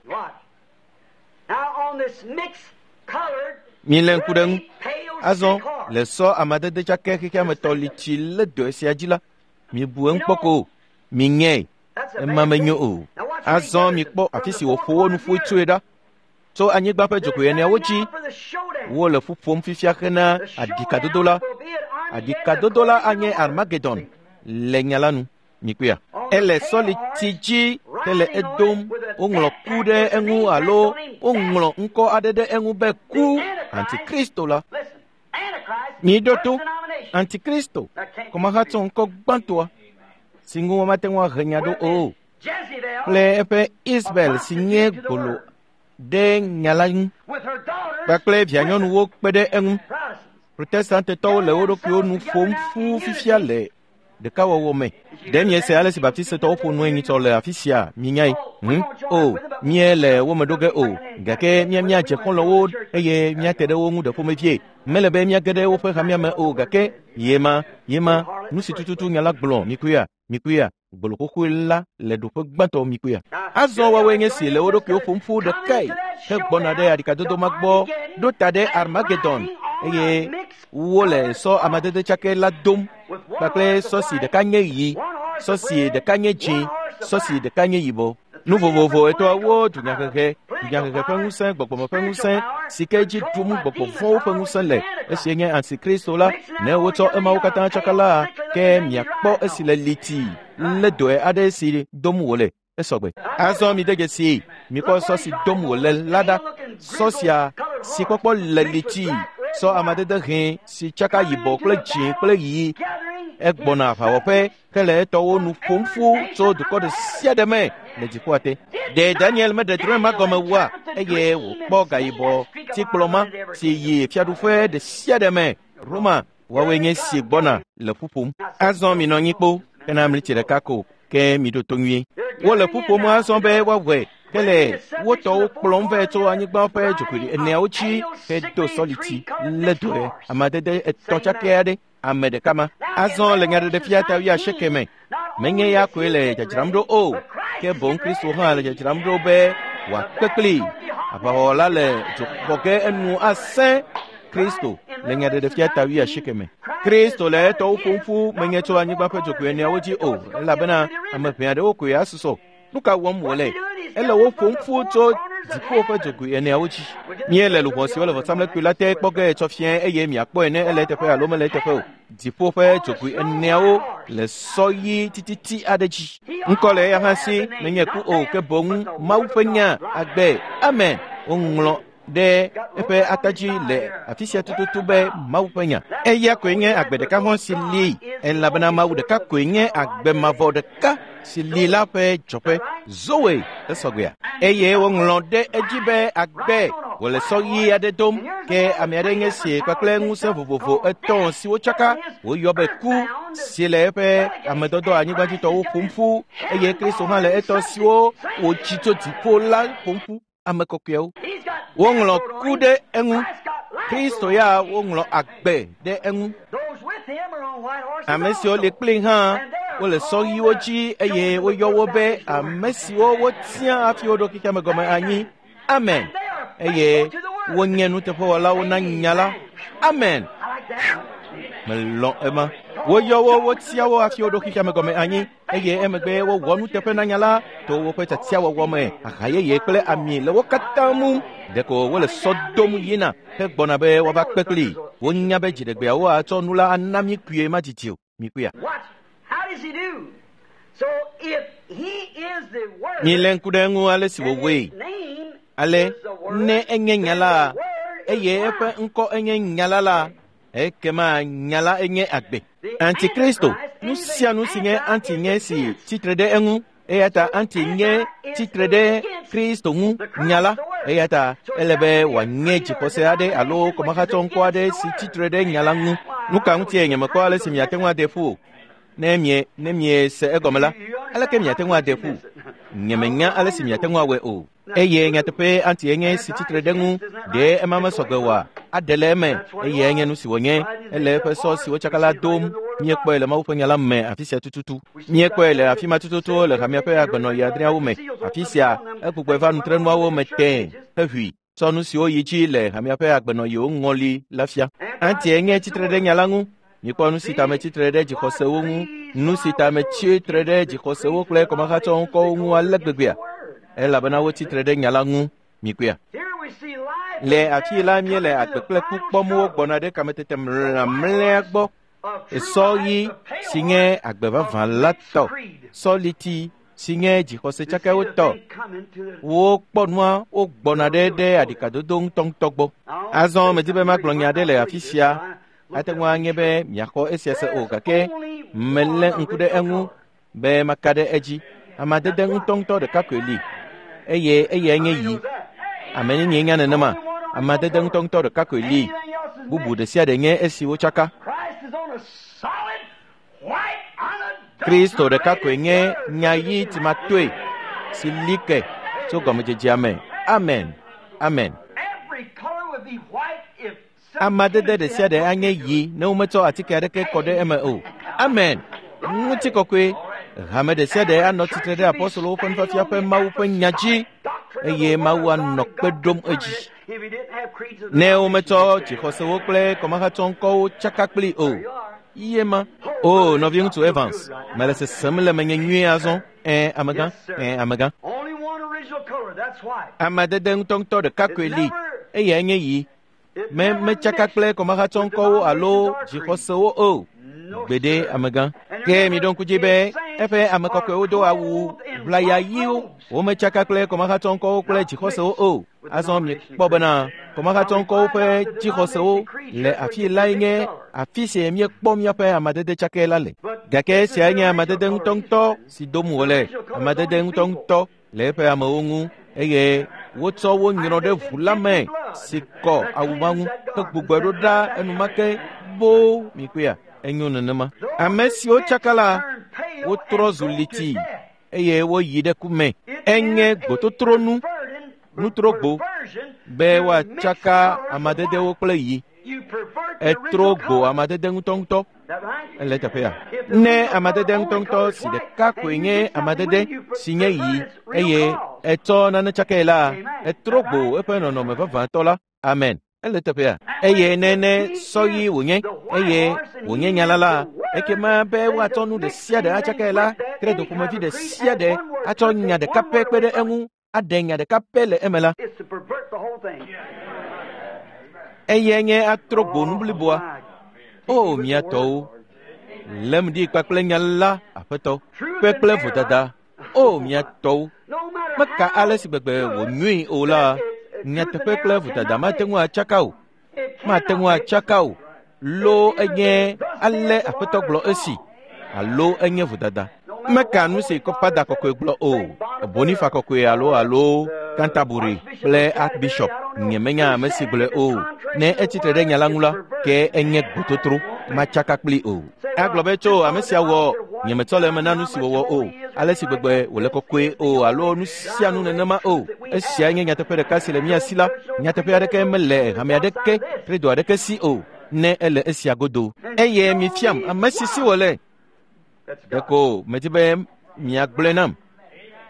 Milé ŋku ɖe ŋu. Azɔ le sɔ amadede tsakɛ xexeametɔ li tsi le dɔ sia dzi la, mibu eŋu kpɔ ko miŋee ema menyo o. Azɔ mikpɔ afi si wòƒo wo nu ƒu tsoe ɖa. Tso anyigba ƒe dzogoe eneawo dzi wole ƒu ƒom fifia hena aɖikadodo la. Aɖikadodo la anye Armageddon le nya la nu. Mikpɔea? Ele sɔliti dzi hele edom. Woŋlɔ ku ɖe eŋu alo woŋlɔ ŋkɔ aɖe ɖe eŋu be ku Antikristo la. Miɖo to Antikristo kɔmahatsɔ ŋkɔ gbãtɔa si ŋu womate ŋu ahe nya ɖo o kple eƒe Isabel si nye gbolo ɖe nya la ŋu kpakple vianyɔnuwo kpe ɖe eŋu. Protestantetɔwo le wo ɖokuiwo nu ƒom ƒu fifia le ɖekawɔwɔ me. Ɖe miese ale si baptistetɔwo ƒo nue nyitsɔ le afi sia minyae? Hm? O, míele wo me ɖo ge o gake mía míadze xɔlɔ̃wo eye míate ɖe wo ŋu ɖe ƒomevie. Mele be míage ɖe woƒe hamea me o gake yema yema nu si tututu nya la gblɔ mikpɔea mikpɔea gbolo xoxoe la le ɖoƒe gbãtɔ mikpɔea. Azɔ woawoe nye si le wo ɖokuiwo ƒom ƒu ɖekae hegbɔna ɖe aɖikadodo ma gbɔ ɖo ta ɖe Armageddon eye wole sɔ amadede tsakɛ la dom kpakple sɔ si ɖeka nye ɣi, sɔ si ɖeka nye dzĩ, sɔ si ɖeka nye yibɔ. Nu vovovo etɔ̃awo dunyahehe, dunyahehe ƒe ŋusẽ, gbɔgbɔme ƒe ŋusẽ si ke dzi ɖum gbɔgbɔ vɔ̃wo ƒe ŋusẽ le esi nye Antikristo la. Ne wotsɔ emawo katã tsaka la, ke miakpɔ esi le liti lé dɔe aɖe si dom wòle esɔgbe. Azɔ mi de dzesi mikpɔ sɔ si dom wòle la ɖa. Sɔ sia si kpɔkpɔ le liti sɔ amadede hẽ si tsaka yibɔ kple dzĩ kple ɣi egbɔna aʋawɔƒe hele etɔwo nu ƒom ƒu tso dukɔ ɖe sia ɖe me le dziƒoa te. Ɖe Daniel meɖe drɔ̃e ma gɔme wua eye wòkpɔ gayibɔ tikplɔ ma si yi fiaɖuƒe ɖe sia ɖe me Roma woawoe nye si gbɔna le ƒu ƒom. Azɔ minɔ anyi kpo hena mlitsi ɖeka ko ke miɖo to nyuie. Wole ƒu ƒom azɔ be woawɔe hele wo tɔwo kplɔm vɛ tso anyigba ƒe dzogoe eneawo dzi hedo sɔliti lé dɔe amadede etɔ̃ tsakɛ aɖe ame ɖeka ma. Azɔ le nyaɖeɖefia ta wuiasieke me menye ya koe le dzadzram ɖo o ke boŋ Kristo hã le dzadzram ɖo be wòakpe kpli. Aʋawɔwɔ la le dzo xɔ ge enu asẽ Kristo le nyaɖeɖefia ta wuiasieke me. Kristo le etɔwo ƒom ƒu menye tso anyigba ƒe dzogoe eneawo dzi o elabena ame ʋɛ aɖewo koe asusɔ. Nu ka wɔm wòle? Ele wo ƒom ƒu tso dziƒo ƒe dzogoe eneawo dzi. Míele luʋɔ siwo le vɔsamlekpui la te kpɔ ge tsɔ fia eye miakpɔe ne ele eteƒe alo mele eteƒe o. Dziƒo ƒe dzogoe eneawo le sɔ ɣi tititi aɖe dzi. Ŋkɔ le eya hã si menye ku o ke boŋ Mawu ƒe nya agbe. Amen. Woŋlɔ ɖe eƒe atadzi le afi sia tututu be Mawu ƒe nya. Eya koe nye agbe ɖeka hɔ̃ si li elabena Mawu ɖeka koe nye agbe mavɔ ɖeka si li la ƒe dzɔƒe. Zoe esɔgbea. Eye woŋlɔ ɖe edzi be agbe wòle sɔ ɣi aɖe dom ke ame aɖe nye si kpakple ŋusẽ vovovo etɔ̃ siwo tsaka woyɔ be ku si le eƒe amedɔdɔ anyigbadzitɔwo ƒom ƒu eye Kristo hã le etɔ siwo wòtsi tso dziƒo la ƒom ƒu ame kɔkɔewo. Woŋlɔ ku ɖe eŋu. Kristo ya woŋlɔ agbe ɖe eŋu. Ame siwo li kpli hã wole sɔ ɣiwo dzi eye woyɔ wo be ame siwo wotia hafi woɖo xexeame gɔme anyi. Amen. Eye wonye nuteƒewɔlawo na nya la. Amen. Melɔ̃ ema. Woyɔ wo wotia wo hafi woɖo xexeame gɔme anyi eye emegbe wowɔ nuteƒe na nya la to woƒe tiatiawɔwɔ me. Aha yeye kple ami le wo katã mum. Ɖeko wole sɔ dom yina hegbɔna be woava kpe kpli. Wonya be dziɖegbeawo atsɔ nu la ana mí kpuie madidi o. Mikpuia. Milé ŋku ɖe eŋu ale si wòwɔe. Ale ne enye nya la eye eƒe ŋkɔ enye nya la la ekema nya la enye agbe. Antikristo, nu sia nu si nye anti nye si tsitre ɖe eŋu eya ta anti nye tsitre ɖe Kristo ŋu nya la eya ta ele be wòanye dzixɔse aɖe alo kɔmahatsɔ ŋkɔ aɖe si tsitre ɖe nya la ŋu. Nu ka ŋutie nyemekpɔ ale si miate ŋu ade ƒu o. Ne mie ne miese egɔme la, aleke miate ŋu ade ƒu? Nyemenya ale si miate ŋu awɔe o. Eye nyateƒe anti enye si tsitre ɖe ŋu ɖe ema mesɔgbe oa? Aɖe le eme eye enye nu si wònye. Ele eƒe sɔ si wotsaka la dom. Míekpɔe le Mawu ƒe nya la me afi sia tututu. Míekpɔe le afi ma tututu le hamea ƒe agbenɔɣi adreawo me. Afi sia egbugbɔe va nutrenuawo me tẽe heʋui tsɔ nu siwo yi dzi le hamea ƒe agbenɔɣiwo ŋɔli la fia. Anti enye tsitre ɖe nya la ŋu. Mikpɔ nu si ta metsitre ɖe dzixɔsewo ŋu, nu si ta metsitre ɖe dzixɔsewo kple kɔmahatsɔ ŋkɔwo ŋu ale gbegbea elabena wotsitre ɖe nya la ŋu. Mikpɔea. Le afi la míele agbe kple ku kpɔm wogbɔna ɖe kametete mlamlea gbɔ. Sɔ ɣi si nye agbe vavã la tɔ, sɔliti si nye dzixɔse tsakɛwo tɔ. Wokpɔ nua wogbɔna ɖe ɖe aɖikadodo ŋutɔŋutɔ gbɔ. Azɔ medi be magblɔ nya aɖe le afi sia. Ate ŋu anye be miaxɔ esia se o gake melé ŋku ɖe eŋu be maka ɖe edzi. Amadede ŋutɔŋutɔ ɖeka koe li eye eyae nye ɣi. Ame nenie nya nenema? Amadede ŋutɔŋutɔ ɖeka koe li. Bubu ɖe sia ɖe nye esi wotsaka. Kristo ɖeka koe nye nya ɣi timatoe si li ke tso gɔmedzedzea me. Amen. Amen. Amadede ɖe sia ɖe anye ɣi ne wometsɔ atike aɖeke kɔ ɖe eme o. Amen. Ŋutikɔkɔe. Hame ɖe sia ɖe anɔ tsitre ɖe apɔstolowo ƒe nufiafia ƒe Mawu ƒe nya dzi eye Mawu anɔ kpe ɖom edzi. Ne wometsɔ dzixɔsewo kple kɔmahatsɔŋkɔwo tsaka kpli o. Ye ma. O nɔviŋutsu Evans, mele sesem le menye nyuie azɔ. Ẽ amegã, ẽ amegã. Amadede ŋutɔŋutɔ ɖeka koe li eyae nye ɣi. Me metsaka kple kɔmahatsɔŋkɔwo alo dzixɔsewo o. Gbeɖe amegã. Ke miɖo ŋku dzi be eƒe ame kɔkɔewo do awu ʋlaya ɣiwo. Wometsaka kple kɔmahatsɔŋkɔwo kple dzixɔsewo o. Azɔ miekpɔ bena kɔmahatsɔŋkɔwo ƒe dzixɔsewo le afi lae nye afi si míekpɔ míaƒe amadede tsakɛ la le. Gake esiae nye amadede ŋutɔŋutɔ si dom wòle, amadede ŋutɔŋutɔ le eƒe amewo ŋu eye wotsɔ wo nyrɔ ɖe ʋu la me si kɔ awu ma ŋu hegbugbɔe ɖo ɖa enumake boo mikpɔea. Enyo nenema. Ame siwo tsaka la, wotrɔ zu liti eye woyi ɖe ku me. Enye gbototronu, nutrogbo be woatsaka amadedewo kple yi. Etrɔ gbo amadede ŋutɔŋutɔ. Ele teƒea. Ne amadede ŋutɔŋutɔ si ɖeka koe nye amadede si nye yi eye etsɔ nane tsakae la, etrɔ gbo eƒe nɔnɔme vavãtɔ la. Amen. Ele teƒea. Eye ne ne sɔ ɣi wònye eye wònye nya la la, ekema be woatsɔ nu ɖe sia ɖe atsakae la, credo ƒomevi ɖe sia ɖe atsɔ nya ɖeka pɛ kpe ɖe eŋu, aɖe nya ɖeka pɛ le eme la. Eyae nye atrɔ gbo nu bliboa. O mía tɔwo, lém ɖi kpakple nya la, Aƒetɔ, kpe kple vodada. O mía tɔwo, meka ale si gbegbe wònyoe o la, nyateƒe kple vodada mate ŋu atsaka o. Mate ŋu atsaka o. Lo enye ale Aƒetɔ gblɔ esi, alo enye vodada. Meka nu si Kɔpada kɔkɔe gblɔ o, Bonifa kɔkɔe alo alo Canterbury kple Archbishop nyemenya ame si gblɔe o. Ne etsitre ɖe nya la ŋu la, ke enye gbototro, matsaka kpli o. Agblɔ be tso ame sia wɔ, nyemetsɔ le eme na nu si wòwɔ o, ale si gbegbe wòle kɔkɔe o alo nu sia nu nenema o. Esia nye nyateƒe ɖeka si le mía si la. Nyateƒe aɖeke mele hame aɖeke, credo aɖeke si o, ne ele esia godo. Eye mifiam ame si si wòle. Ɖeko medi be miagblɔe nam.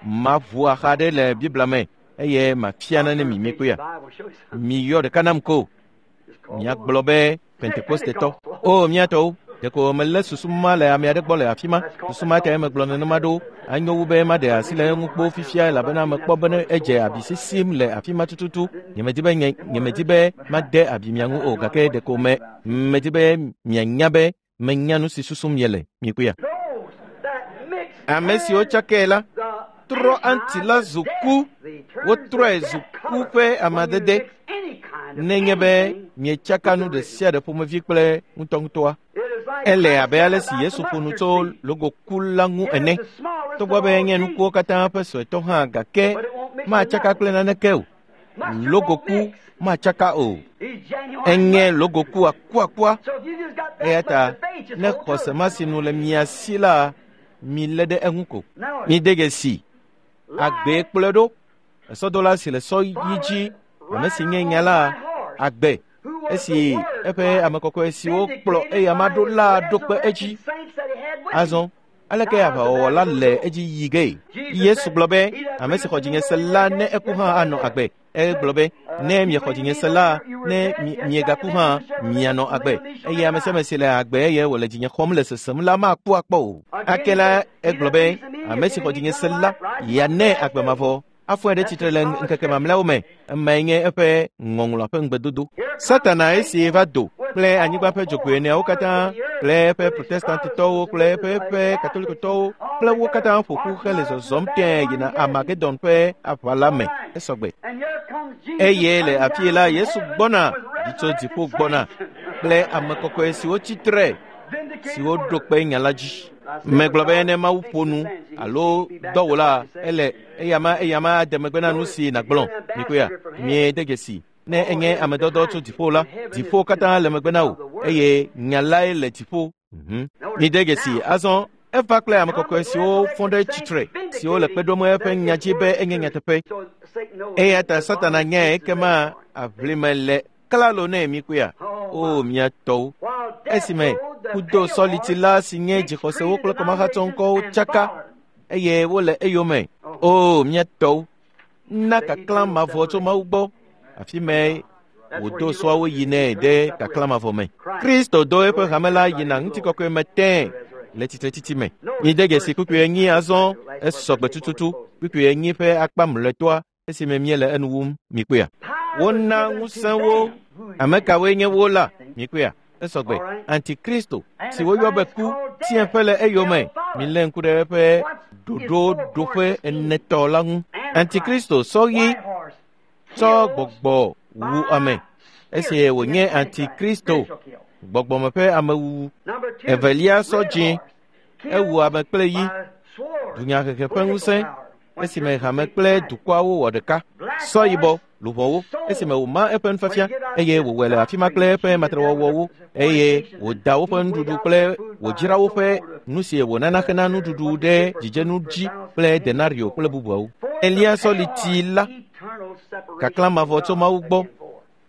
Maʋu axa ɖe le Biblia me eye mafia nane mi mikpɔea. Miyɔ ɖeka nam ko. Miagblɔ be Pentekostetɔ. O mía tɔwo, ɖeko melé susu ma le ame aɖe gbɔ le afi ma. Susu ma tae megblɔ nenema ɖo. Anyo wu be maɖe asi le eŋu kpoo fifia elabena mekpɔ be edze abi sisim le afi ma tututu. Nyemedi be nye nyemedi be made abi mia ŋu o gake ɖeko me medi be mianya be menya nu si susum miele. Mikpɔea. Ame siwo tsakae la trɔ aŋuti la zu ku. Wotrɔe zu ku ƒe amadede. Nenye be mietsaka nu ɖe sia ɖe ƒomevi kple ŋutɔŋutɔa. Ele abe ale si Yesu ƒo nu tso logoku la ŋu ene. Togbɔ be enye nukuwo katã ƒe suetɔ hã gake matsaka kple naneke o. Logoku matsaka o. Enye logoku akuakua. Eya ta ne xɔse ma si nu le mia si la, milé ɖe eŋu ko. Mide dzesi agbee kplɔe ɖo. Esɔdola si le sɔ ɣi dzi, ame si nye nya la, agbe esi eƒe ame kɔkɔe siwo kplɔ eyama ɖo la ɖo kpe edzi. Azɔ aleke aʋawɔwɔ la le edzi yi gee? Yesu gblɔ be ame si xɔ dzinye se la ne eku hã anɔ agbe. Egblɔ be ne miexɔ dzinye se la, ne miegaku hã mianɔ agbe. Eye ame sia ame si le agbe eye wòle dzinye xɔm le sesem la maku akpɔ o. Ake la egblɔ be ame si xɔ dzinye se la yeanɛ agbe mavɔ. Afɔe ɖe tsitre le ŋkeke mamlɛawo me. Emae nye eƒe ŋɔŋlɔa ƒe ŋugbedodo. Satana esi va do kple anyigba ƒe dzogoe eneawo katã kple eƒe protestantitɔwo kple eƒe eƒe katolikotɔwo kple wo katã ƒo ƒu hele zɔzɔm tẽe yina Armagedon ƒe aʋa la me. Esɔgbe. Eye le afii la Yesu gbɔna ɖi tso dziƒo gbɔna kple ame kɔkɔe siwo tsitre siwo ɖo kpe nya la dzi. Megblɔ be ne Mawu ƒo nu alo dɔ wò la, ele eyama eyama ade megbe na nu si nàgblɔ. Mikpɔea, miede dzesi. Ne enye ame dɔdɔ tso dziƒo la, dziƒo katã le megbe na wò eye nya lae le dziƒo. Mhm. Mide dzesi azɔ eva kple ame kɔkɔe siwo fɔ ɖe tsitre, siwo le kpe ɖom eƒe nya dzi be enye nyateƒe. Eya ta Satana nyae ekema aʋlime le klalo nɛ mikpɔea. O mía tɔwo, esime kudo sɔliti la si nye dzixɔsewo kple kɔmahatsɔŋkɔwo tsaka eye wole eyome. O mía tɔwo, na kaklã mavɔ tso Mawu gbɔ. Afi me wòdo sɔawo yinɛ ɖe kaklã mavɔ me. Kristo do eƒe hame la yina ŋutikɔkɔe me tẽe le tsitretsitsi me. Mide dzesi kpukpui enyi azɔ esɔgbe tututu. Kpukpui enyi ƒe akpa mlɔetɔa esime míele enu wum. Mikpɔea. Wona ŋusẽ wo. Ame kawoe nye wo la? Mikpɔea. Esɔgbe. Antikristo si woyɔ be ku tiɛƒe le eyome. Milé ŋku ɖe eƒe ɖoɖoɖoƒe enetɔ la ŋu. Antikristo sɔ ɣi tsɔ gbɔgbɔ wu ame. Esi wònye Antikristo gbɔgbɔme ƒe amewuwu. Evelia sɔ dzĩ ewu ame kple yi. Dunyahehe ƒe ŋusẽ esime hame kple dukɔawo wɔ ɖeka. Sɔ yibɔ luʋɔwo esime wòma eƒe nufiafia eye wòwɔe le afi ma kple eƒe matrewɔwɔwo eye wòda woƒe nuɖuɖu kple wòdzra woƒe nu si wònana hena nuɖuɖu ɖe dzidzenu dzi kple denario kple bubuawo. Elia sɔliti la kaklã mavɔ tso Mawu gbɔ.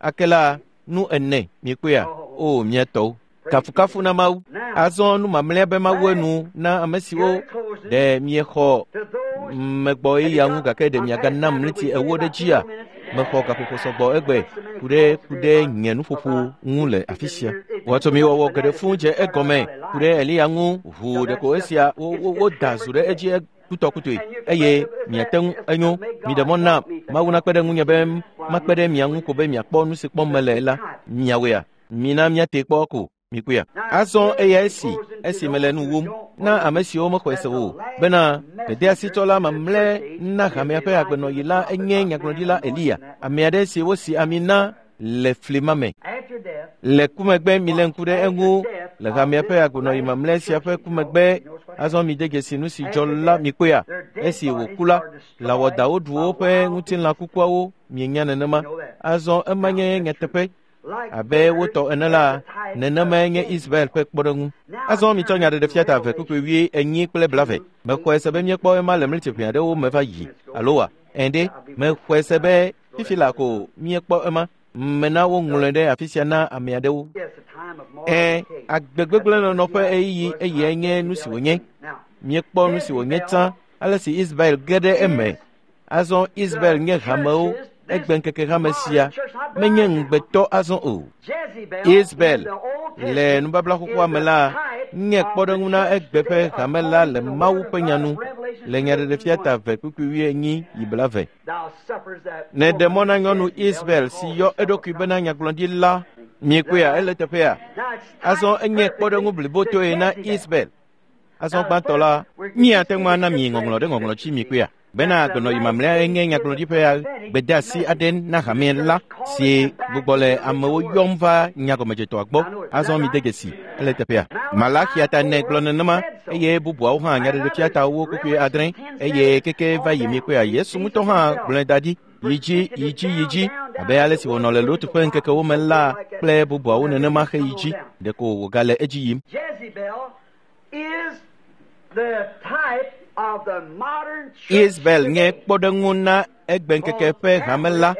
Akela nu ene miekpɔea o mia tɔwo. Kafukafu na Mawu. Azɔ nu mamlɛa be Mawu enu na ame siwo ɖe miexɔ megbɔ eya ŋu gake ɖe miaganam ɣleti ewo ɖe dzia? Mexɔ gaƒoƒo sɔgbɔ egbe ku ɖe ku ɖe nye nuƒoƒo ŋu le afi sia. Wɔtomiwɔwɔ geɖe fũu dze egɔme ku ɖe Eliya ŋu ʋuu ɖeko esia wo woda zu ɖe edzi kutɔkutoe eye miate ŋu enyo. Miɖe mɔ na Mawu nakpe ɖe ŋunye be makpe ɖe mia ŋu ko be miakpɔ nu si kpɔm mele la miawoea. Mina miate kpɔ ko. Mikpɔea. Azɔ eya esi esi mele nu wum na ame siwo mexɔe se o bena gbedeasitsɔla mamlɛ na hamea ƒe agbenɔɣi la enye nyagblɔɖila Eliya, ame aɖe si wosi ami na le fli ma me. Le ku megbe milé ŋku ɖe eŋu le hamea ƒe agbenɔɣi mamlɛ sia ƒe ku megbe. Azɔ mide dzesi nu si dzɔ la mikpɔea. Esi wòku la, lãwɔdawo ɖu woƒe ŋutilã kukuawo mienya nenema. Azɔ ema nye nyateƒe. Abe wotɔ ene la, nenemae nye Israel ƒe kpɔɖeŋu. Azɔ mitsɔ nyaɖeɖefia ta eve kpukpui wui enyi kple blave. Mexɔe se be míekpɔ ema le ɣleti ʋɛ aɖewo me va yi alo wa? Ɛ̃ mexɔe se be fifi la ko míekpɔ ema. Mena woŋlɔe ɖe afi sia na ame aɖewo. Ɛ̃, agbegbegblẽnɔnɔ ƒe ɣeyiɣi eyae nye nu si wònye. Míekpɔ nu si wònye tsã ale si Israel ge ɖe eme. Azɔ Israel nye hamewo. Egbe ŋkeke hame sia menye ŋugbetɔ azɔ o. Israel le nubabla xoxoa me la nye kpɔɖeŋu na egbe ƒe hame la le Mawu ƒe nya nu le nyaɖeɖefia ta eve kpukpui wuienyi yi blave. Ne ɖe mɔ na nyɔnu Israel si yɔ eɖokui bena nyagblɔɖila miekpɔea ele teƒea. Azɔ enye kpɔɖeŋu blibotoe na Israel. Azɔ gbãtɔ la míate ŋu ana mi ŋɔŋlɔ ɖe ŋɔŋlɔ dzi miekpɔea. Bena agbenɔɣi mamlɛa enye nyagblɔɖi ƒe gbedeasi aɖe na hame la si gbugbɔ le amewo yɔm va nyagɔmedzetɔa gbɔ. Azɔ mide dzesi ele teƒea. Malaxia ta ene gblɔ nenema eye bubuawo hã nyaɖeɖefia ta wo kpukpui adre eye keke va yi miekpɔea. Yesu ŋutɔ hã gblɔe da ɖi yi dzi yi dzi yi dzi abe ale si wònɔ le Lot ƒe ŋkekewo me la kple bubuawo nenema he yi dzi ɖeko wògale edzi yim. Israel nye kpɔɖeŋu na egbe ŋkeke ƒe hame la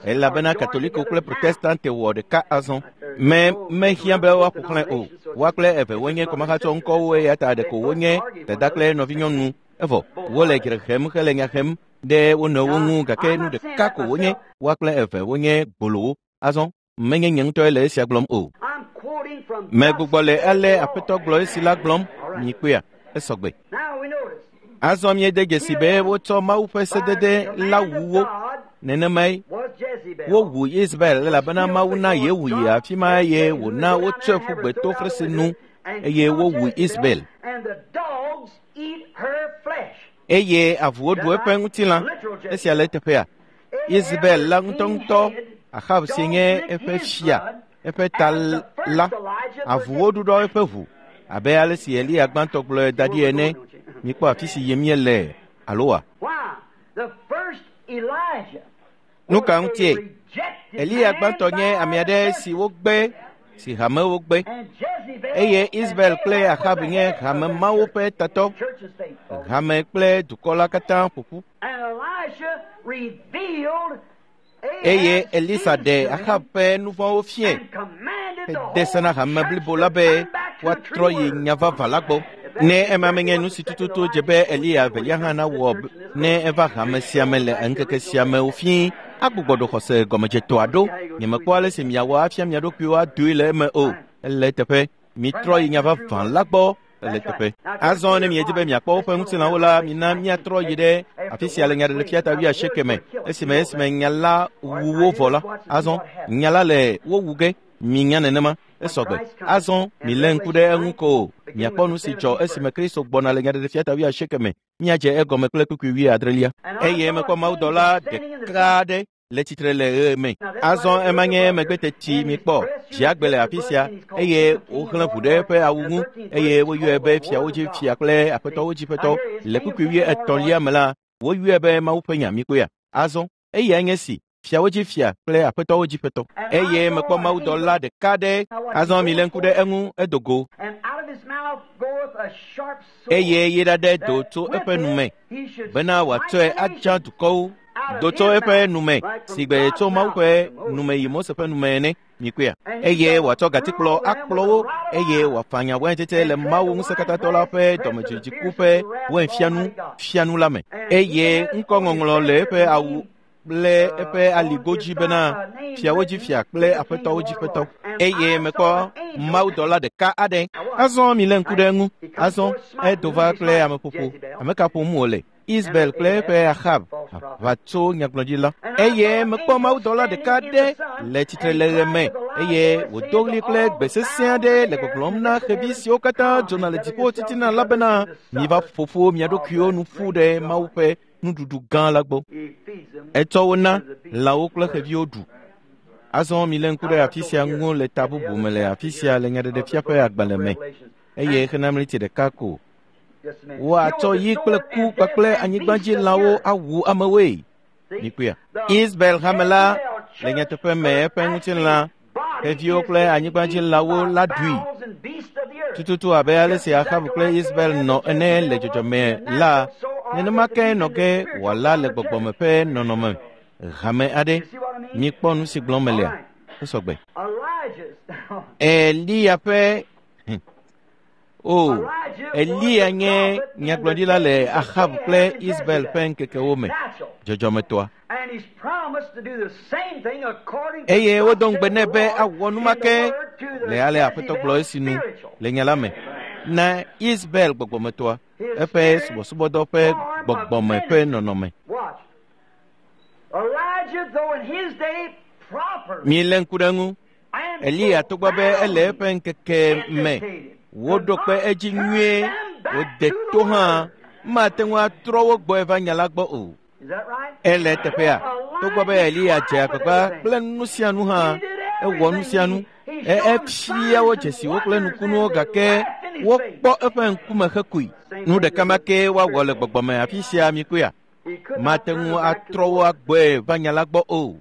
elabena Katoliko kple Protestante wɔ ɖeka azɔ. Me mehiã be woaƒo xlẽ o. Woa kple eve wonye kɔmahatsɔ ŋkɔwo eya ta ɖeko wonye dada kple nɔvinyɔnu. Evɔ wole dzre hem hele nya hem ɖe wo nɔewo ŋu gake nu ɖeka ko wonye. Woa kple eve wonye gbolowo. Azɔ menye nye ŋutɔe le esia gblɔm o. Megbugbɔ le ale Aƒetɔ gblɔ esi la gblɔm mikpɔea. Esɔgbe. Azɔ miede dzesi be wotsɔ Mawu ƒe sedede la wu wo. Nenemae wowu Israel elabena Mawu na Yehu yi afi ma eye wòna wotsɔe ƒu gbe to fresi nu eye wowu Israel. Eye avuwo ɖu eƒe ŋutilã. Esia le eteƒea. Israel la ŋutɔŋutɔ Ahab si nye eƒe fia, eƒe ta la, avuwo ɖuɖɔ eƒe ʋu abe ale si Eliya gbãtɔ gblɔe da ɖi ene. Mikpɔ afi si yim míele alo wa? Nu ka ŋutie? Eliya gbãtɔ nye ame aɖe si wogbe, si hamewo gbe. Eye Israel kple Ahab nye hame mawo ƒe tatɔ. Hame kple dukɔ la katã ƒo ƒu. Eye Elisa ɖe Ahab ƒe nu vɔ̃wo fiae hede se na hame blibo la be woatrɔ yi nya vavã la gbɔ. Ne ema menye nu si tututu dze be Eliya evelia hã nawɔ ne eva hame sia me le ŋkeke sia me wòfie agbugbɔ ɖo xɔse gɔmedzetɔa ɖo. Nyemekpɔ ale si miawɔ afia mia ɖokuiwo adoe le eme o. Ele teƒe. Mitrɔ yi nya vavã la gbɔ. Ele teƒe. Azɔ ne miedi be miakpɔ woƒe ŋutilãwo la, mina miatrɔ yi ɖe afi sia le nyaɖeɖefia ta wuiasieke me. Esime esime nya la wu wo vɔ la, azɔ nya la le wo wu ge. Minya nenema esɔgbe. Azɔ milé ŋku ɖe eŋu ko miakpɔ nu si dzɔ esime Kristo gbɔna le nyaɖeɖefia ta wuiasieke me. Míadze egɔme kple kpukpui wuiadrelia. Eye mekpɔ mawudɔla ɖeka aɖe le tsitre le ɣe me. Azɔ ema nye megbe teti mikpɔ dziagbe le afi sia eye woxlẽ ʋu ɖe eƒe awu ŋu eye woyɔe be fiawo dzi fia kple aƒetɔwo dzi ƒetɔ. Le kpukpui wuietɔ̃lia me la, woyɔe be Mawu ƒe nya mikpɔea. Azɔ eyae nye si fiawo dzi fia kple aƒetɔwo dzi ƒetɔ. Eye mekpɔ mawudɔla ɖeka ɖe. Azɔ milé ŋku ɖe eŋu edo go. Eye yi ɖaɖe do tso eƒe nu me bena wòatsɔe adza dukɔwo. Do tso eƒe nu me si gbe tso Mawu ƒe nu me yi Mose ƒe nu me ene mikpɔea. Eye wòatsɔ gatikplɔ akplɔ wo eye wòafanya waintsetse le Mawu ŋusẽkatãtɔ la ƒe dɔmedzoedziku ƒe wainfianu fianu la me. Eye ŋkɔŋɔŋlɔ le eƒe awu kple eƒe aligo dzi bena fiawo dzi fia kple aƒetɔwo dzi ƒetɔ. Eye mekpɔ mawudɔla ɖeka aɖe. Azɔ milé ŋku ɖe eŋu. Azɔ edo va kple ameƒoƒo. Ame ka ƒom wòle? Isabel kple eƒe Ahab aʋatso nyagblɔɖila. Eye mekpɔ mawudɔla ɖeka aɖe le tsitre le ɣe me eye wòdo ɣli kple gbe sesẽ aɖe le gbɔgblɔm na xevi siwo katã dzona le dziƒo titina la bena miva ƒoƒo mia ɖokuiwo nu ƒu ɖe Mawu ƒe nuɖuɖu gã la gbɔ. Etsɔ wo na lãwo kple xeviwo ɖu. Azɔ milé ŋku ɖe afi sia ŋu le ta bubu me le afi sia le nyaɖeɖefia ƒe agbalẽ me eye xena mliti ɖeka ko. Woatsɔ yi kple ku kpakple anyigbadzilãwo awu amewoe. Mikpɔea. Isabel hame la le nyateƒe me eƒe ŋutilã xeviwo kple anyigbadzilãwo la ɖui. Tututu abe ale si Ahab kple Isabel nɔ ene le dzɔdzɔme la, nenema ke nɔ ge wòala le gbɔgbɔme ƒe nɔnɔme hame aɖe. Mikpɔ nu si gblɔm melea. Esɔgbe. Eliya ƒe O, Eliya nye nyagblɔɖila le Ahab kple Isabel ƒe ŋkekewo me, dzɔdzɔmetɔa. Eye wodo ŋugbe nɛ be awɔ nu ma ke le ale Aƒetɔ gblɔ esi nu le nya la me na Isabel gbɔgbɔmetɔa, eƒe subɔsubɔdɔ ƒe gbɔgbɔme ƒe nɔnɔme. Milé ŋku ɖe eŋu. Eliya togbɔ be ele eƒe ŋkeke me woɖo kpe edzi nyuie, wòde to hã, mate ŋu atrɔ wo gbɔe va nya la gbɔ o. Ele teƒea, togbɔ be Eliya dze agbagba kple nu sia nu hã, ewɔ nu sia nu. Efia wo dzesiwo kple nukunuwo gake wokpɔ eƒe ŋkume hekui. Nu ɖeka ma ke woawɔ le gbɔgbɔme afi sia mikpɔea. Mate ŋu atrɔ wo agbɔe va nya la gbɔ o.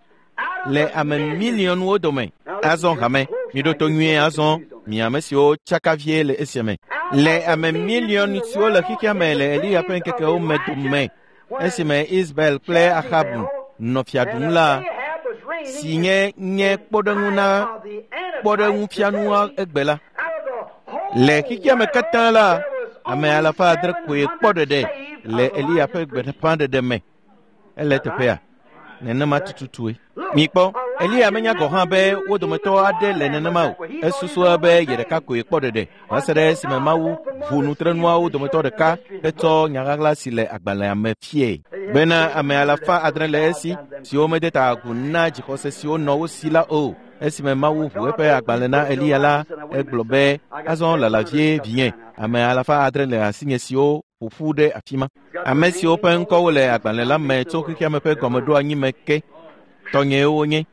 Le ame miliɔnwo dome. Azɔ hame, miɖo to nyuie azɔ, mi ame siwo tsaka vie le esia me. Le ame miliɔn siwo le xexea me le Eliya ƒe ŋkekewo me dome, esime Isabel kple Ahab nɔ fia ɖum la, si nye nye kpɔɖeŋu na kpɔɖeŋufianua egbe la. Le xexea me katã la, ame alafa adre koe kpɔ ɖeɖe le Eliya ƒe gbeƒãɖeɖe me. Ele teƒea. Nenema tututue. Mikpɔ, Eliya menya gɔ̃ hã be wo dometɔ aɖe le nenema o. Esusua be ye ɖeka koe kpɔ ɖeɖe va se ɖe esime Mawu ʋu nutrenuawo dometɔ ɖeka hetsɔ nyaɣaɣla si le agbalẽa me fiae bena ame alafa adre le esi siwo mede ta agu na dzixɔse siwo nɔ wo si la o. Esime Mawu ʋu eƒe agbalẽ na Eliya la, egblɔ be azɔ lala vie vinye, ame alafa adre le asinye siwo ƒo ƒu ɖe afi ma. Ame siwo ƒe ŋkɔwo le agbalẽ la me tso xexea me ƒe gɔmeɖoanyi me ke, tɔnyewo wonye.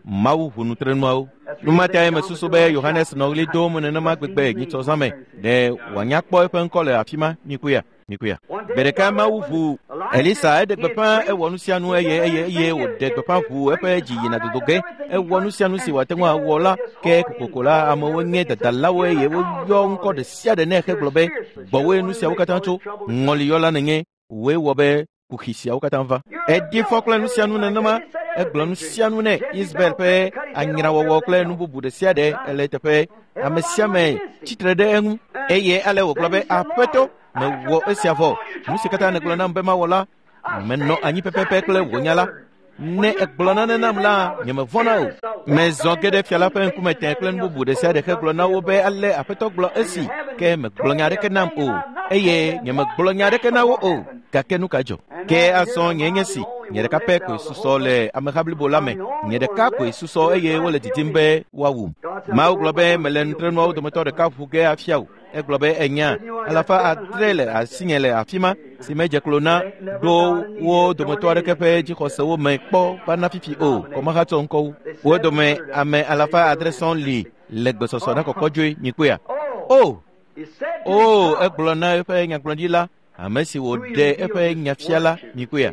Mawu ʋu nutrenuawo. Nu ma tae mesusu be Yohanes nɔ ɣli dom nenema gbegbe nyitsɔ me ɖe wòanya kpɔ eƒe ŋkɔ le afi ma. Mikpɔea, mikpɔea. Gbe ɖeka Mawu ʋu Elisa eɖe gbeƒã ewɔ nu sia nu eye eye eye wòɖe gbeƒã ʋu eƒe dzi yina dodo ge. Ewɔ nu sia nu si wòate ŋu awɔ la ke kokoko la amewo nye dadalawo eye woyɔ ŋkɔ ɖe sia ɖe nɛ hegblɔ be gbɔwoe nu siawo katã tso. Ŋɔliyɔla nènye, wòe wɔ be kuxi siawo katã va. Eɖi fɔ kple nu sia nu nenema, egblɔ nu sia nu nɛ. Isabel ƒe anyrawɔwɔ kple nu bubu ɖe sia ɖe ele teƒe. Ame sia ame tsitre ɖe eŋu eye ale wògblɔ be Aƒetɔ, mewɔ esia vɔ. Nu si katã nègblɔ nam be mawɔ la, menɔ anyi pɛpɛpɛ kple wò nya la. Ne egblɔ nane nam la, nyemevɔ̃na o. Mezɔ ge ɖe fia la ƒe ŋkume tẽ kple nu bubu ɖe sia ɖe hegblɔ na wo be ale Aƒetɔ gblɔ esi, ke megblɔ nya aɖeke nam o, eye nyemegblɔ nya aɖeke na wo o. Gake nu ka dzɔ? Ke azɔ nye nye si, nye ɖeka pɛ koe susɔ le ameha blibo la me. Nye ɖeka koe susɔ eye wole didim be woawum. Mawu gblɔ be mele nutrenuawo dometɔ ɖeka ʋu ge afia wò. Egblɔ be enya alafa adre le asinye le afi ma si medze klo na ɖo wo dometɔ aɖeke ƒe dzixɔsewo me kpɔ va na fifi o, kɔmahatsɔ ŋkɔwo. Wo dome ame alafa adre sɔŋ li le gbesɔsɔ na kɔkɔdzoe nyikpea. O! O! Egblɔ na eƒe nyagblɔɖila, ame si wòɖe eƒe nyafia la nyikpea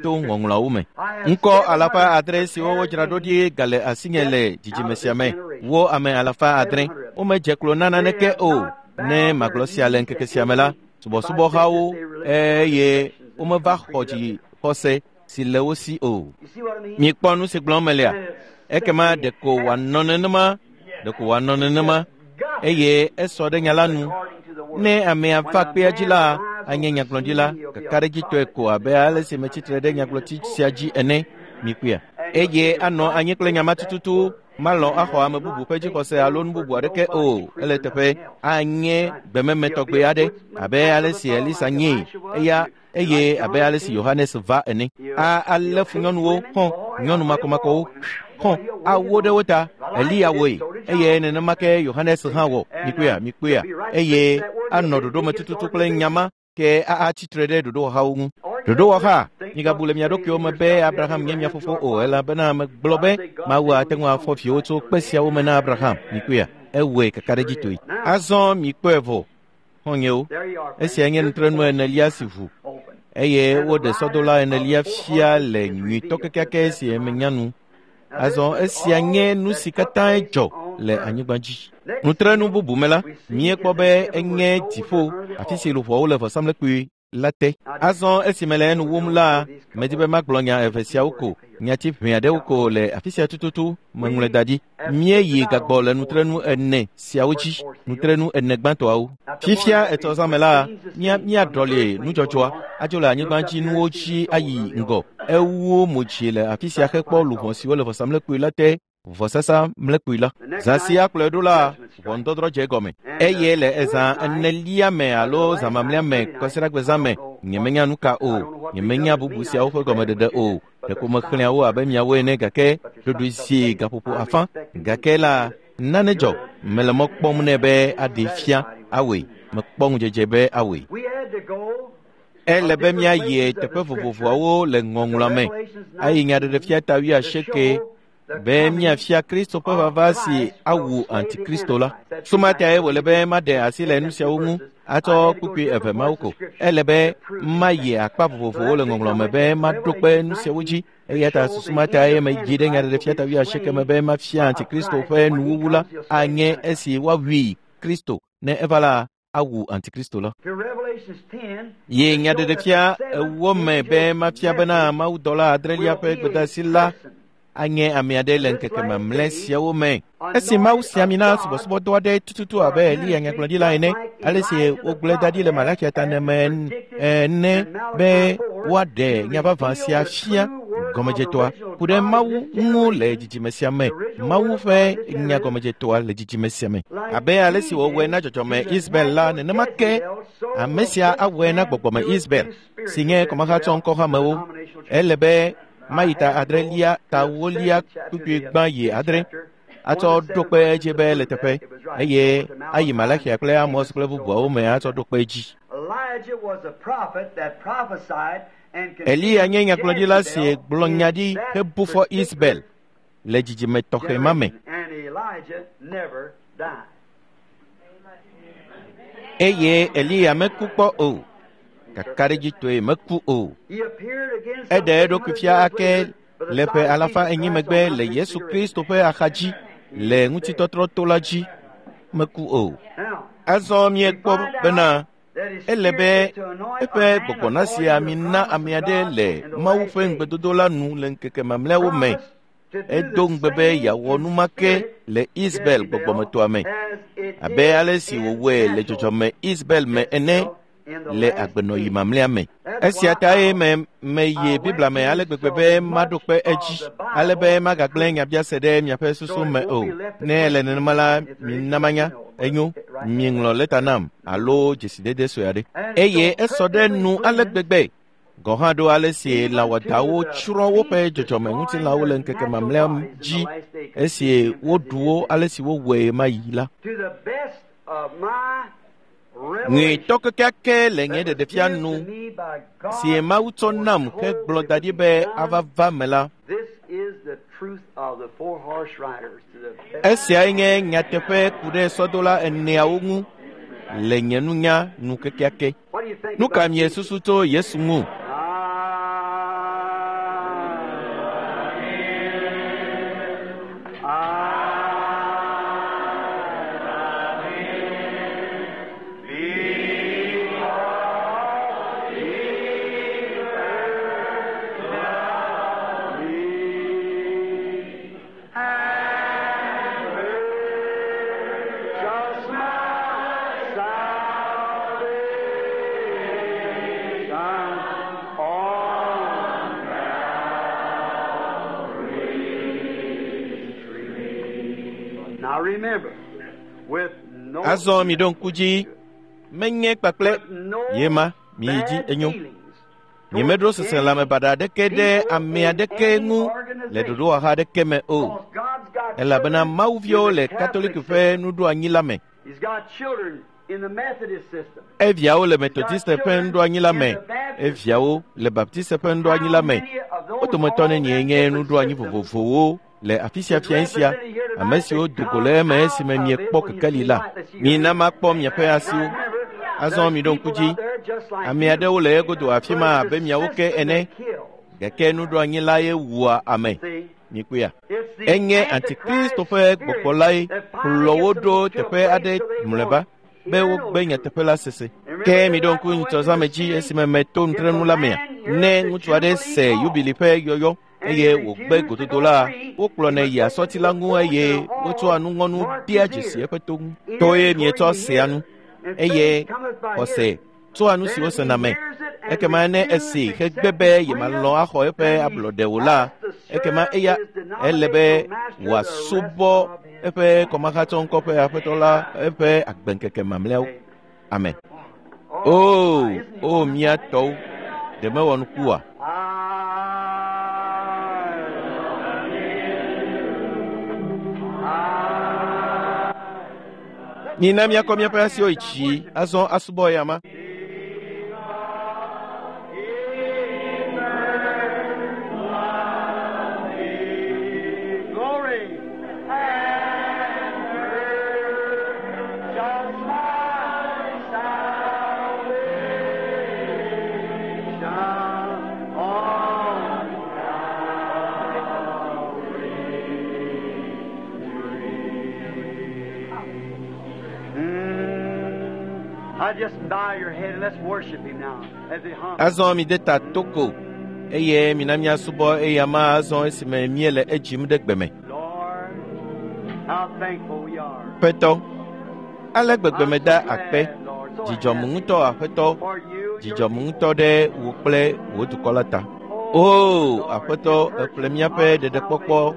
to ŋɔŋlɔawo me. Ŋkɔ alafa adre siwo wodzra ɖo ɖi gale asinye le dzidzime sia me. Wo ame alafa adre womedze klo na naneke o. Ne magblɔ sia le ŋkeke sia me la, subɔsubɔhawo eye womeva xɔ dzixɔse si le wo si o. Mikpɔ nu si gblɔm melea? Ekema ɖeko wòanɔ nenema, ɖeko wòanɔ nenema, eye esɔ ɖe nya la nu. Ne amea va kpea dzi la, anye nyagblɔɖila kakaɖedzitɔe ko abe ale si metsitre ɖe nyagblɔti sia dzi ene. Mikpɔea? Eye anɔ anyi kple nya ma tututu. Malɔ̃ axɔ ame bubu ƒe dzixɔse alo nu bubu aɖeke o. Ele teƒe anye gbememe tɔgbe aɖe abe ale si Elisa nyee eya eye abe ale si Yohanes va ene. A alé fu nyɔnuwo hɔ̃, nyɔnu makɔmakɔwo hɔ̃, awo ɖe wo ta. Eliya wɔe eye nenema ke Yohanes hã wɔ. Mikpɔea? Mikpɔea? Eye anɔ ɖoɖo me tututu kple nya ma ke atsitre ɖe ɖoɖowɔhawo ŋu. Ɖoɖowɔha, migabu le mia ɖokuiwo me be Abraham nye mia fofo o, elabena megblɔ be Mawu ate ŋu afɔ viwo tso kpe siawo me na Abraham. Mikpɔea? Ewɔe kakaɖedzitɔe. Azɔ mikpɔe vɔ, xɔ̃nyewo. Esia nye nutrenu enelia si ʋu eye woɖe sɔdola enelia fia le nyuitɔ kekeake si menya nu. Azɔ esia nye nu si katã dzɔ le anyigba dzi. Nutrenu bubu me la, míekpɔ be enye dziƒo, afi si luʋɔwo le vɔsamlekpui la te. Azɔ esime le enu wum la, medi be magblɔ nya eve siawo ko, nyati ʋɛ aɖewo ko le afi sia tututu meŋlɔe da ɖi. Míeyi gagbɔ le nutrenu ene siawo dzi, nutrenu ene gbãtɔawo. Fifia etɔ zã me la, mía míaɖɔli nudzɔdzɔa adzo le anyigba dzi nuwo dzi ayi ŋgɔ. Ewu mo dzi le afi sia hekpɔ luʋɔ siwo le vɔsamlekpui la te, vɔsasa mlekpui la. Zã sia kplɔe ɖo la, ʋɔnudɔdrɔ̃ dze egɔme. Eye le ezã enelia me alo zã mamlɛa me kɔsiɖagbe zã me, nyemenya nu ka o, nyemenya bubu siawo ƒe gɔmeɖeɖe o. Ɖeko mexlẽa wo abe miawo ene gake ɖoɖoe zi gaƒoƒo afã. Gake la, nane dzɔ. Mele mɔ kpɔm nɛ be aɖee fia awɔe. Mekpɔ ŋudzedze be awɔe. Ele be míayi teƒe vovovoawo le ŋɔŋlɔa me ayi nyaɖeɖefia ta wuiasieke be míafia Kristo ƒe vava si awu Antikristo la. Sumatae wòle be maɖe asi le nu siawo ŋu atsɔ kpukpui eve mawo ko. Ele be mayi akpa vovovowo le ŋɔŋlɔ me be maɖo kpe nu siawo dzi. Eya ta susumatae medzi ɖe nyaɖeɖefia ta wuiasieke me be mafia Antikristo ƒe nuwuwu la anye esi woawui Kristo ne eva la awu Antikristo la. Ye nyaɖeɖefia ewo me be mafia bena mawudɔla adrelia ƒe gbedeasi la anye ame aɖe le ŋkeke mamlɛ siawo me. Esi Mawu si ami na subɔsubɔdɔ aɖe tututu abe Eliya nyagblɔɖila ene, ale si wogblɔe da ɖi le Malakia ta ene ene be woaɖe nya vavã sia fia gɔmedzetɔa ku ɖe Mawu ŋu le dzidzime sia me. Mawu ƒe nya gɔmedzetɔa le dzidzime sia me. Abe ale si wòwɔe na dzɔdzɔme Israel la, nenema ke ame sia awɔe na gbɔgbɔme Israel si nye kɔmahatsɔ ŋkɔhamewo. Ele be mayi ta adrelia ta wolia kpukpui gbã yi adre atsɔ ɖo kpe edzi be le teƒe eye ayi Malakia kple Amos kple bubuawo me atsɔ ɖo kpe edzi. Eliya nye nyagblɔɖila si gblɔ nya ɖi hebu fɔ Israel le dzidzime tɔxɛ ma me. Eye Eliya meku kpɔ o. Kakaɖedzitɔe meku o. Eɖe eɖokui fia ake le ƒe alafa enyi megbe le Yesu Kristo ƒe axadzi le ŋutitɔtrɔ to la dzi. Meku o. Azɔ míekpɔ bena ele be eƒe gbɔgbɔ nasi ami na ame aɖe le Mawu ƒe ŋugbedodo la nu le ŋkeke mamlɛawo me. Edo ŋugbe be yeawɔ nu ma ke le Israel gbɔgbɔmetɔa me abe ale si wòwɔe le dzɔdzɔme Israel me ene le agbenɔɣi mamlɛa me. Esia tae me meyi Biblia me ale gbegbe be maɖo kpe edzi, ale be magagblẽ nyabiase ɖe miaƒe susu me o. Ne ele nenema la, mina manya. Enyo, miŋlɔ lɛta nam alo dzesidede sue aɖe. Eye esɔ ɖe nu ale gbegbe. Gɔ̃ hã ɖo ale si lãwɔdawo tsrɔ̃ woƒe dzɔdzɔmeŋutilãwo le ŋkeke mamlɛa dzi esi woɖu wo ale si wowɔe mayi la. Nyuitɔ kekeake le nye ɖeɖefia nu si Mawu tsɔ nam hegblɔ da ɖi be ava va me la. Esiae nye nyateƒe ku ɖe sɔdola eneawo ŋu le nye nunya nu kekeake. Nu ka miesusu tso Yesu ŋu? Azɔ mi ɖo ŋku dzi, menye kpakple ye ma miyi dzi enyo. Nyemeɖo seselãme baɖa aɖeke ɖe ame aɖeke ŋu le ɖoɖowɔha aɖeke me o, elabena Mawuviwo le Katoliki ƒe nuɖoanyi la me. Eviawo le Metodiste ƒe nuɖoanyi la me, eviawo le Baptiste ƒe nuɖoanyi la me. Wo dometɔ nenie nye nuɖoanyi vovovowo le afi sia fiẽ sia, ame siwo do go le eme esime miekpɔ kekeli la. Mina makpɔ miaƒe asiwo. Azɔ miɖo ŋku dzi. Ame aɖewo le egodo afi ma abe miawo ke ene, gake nuɖoanyi la ye wua ame. Mikpɔea? Enye Antikristo ƒe gbɔgbɔ lae kplɔ wo ɖo teƒe aɖe mlɔeba be wogbe nyateƒe la sese. Ke miɖo ŋku ŋutsɔzãme dzi esime meto nutrenu la mea. Ne ŋutsu aɖe se yubili ƒe yɔyɔ eye wògbe gododo la, wokplɔnɛ yia sɔti la ŋu eye wotsɔa nuŋɔnu dea dzesi eƒe to ŋu. Toe mietsɔ sea nu, eye xɔse tsoa nu si wosena me. Ekema ne esi hegbe be yemalɔ̃ axɔ eƒe ablɔɖe o la, ekema eya ele be wòasubɔ eƒe kɔmahatsɔŋkɔ ƒe aƒetɔ la eƒe agbeŋkeke mamlɛawo. Amen. Oo, oo mía tɔwo, ɖe mewɔ nuku oa? Mina míakɔ míaƒe asiwo yi dzi azɔ asubɔ ya ma. Azɔ mi de ta toko eye mina míasubɔ eya ma azɔ esime míele edzim ɖe gbe me. Ƒetɔ, ale gbegbe meda akpe, dzidzɔm ŋutɔ Aƒetɔ, dzidzɔm ŋutɔ ɖe wò kple wò dukɔ la ta. Oo Aƒetɔ, èƒle míaƒe ɖeɖekpɔkpɔ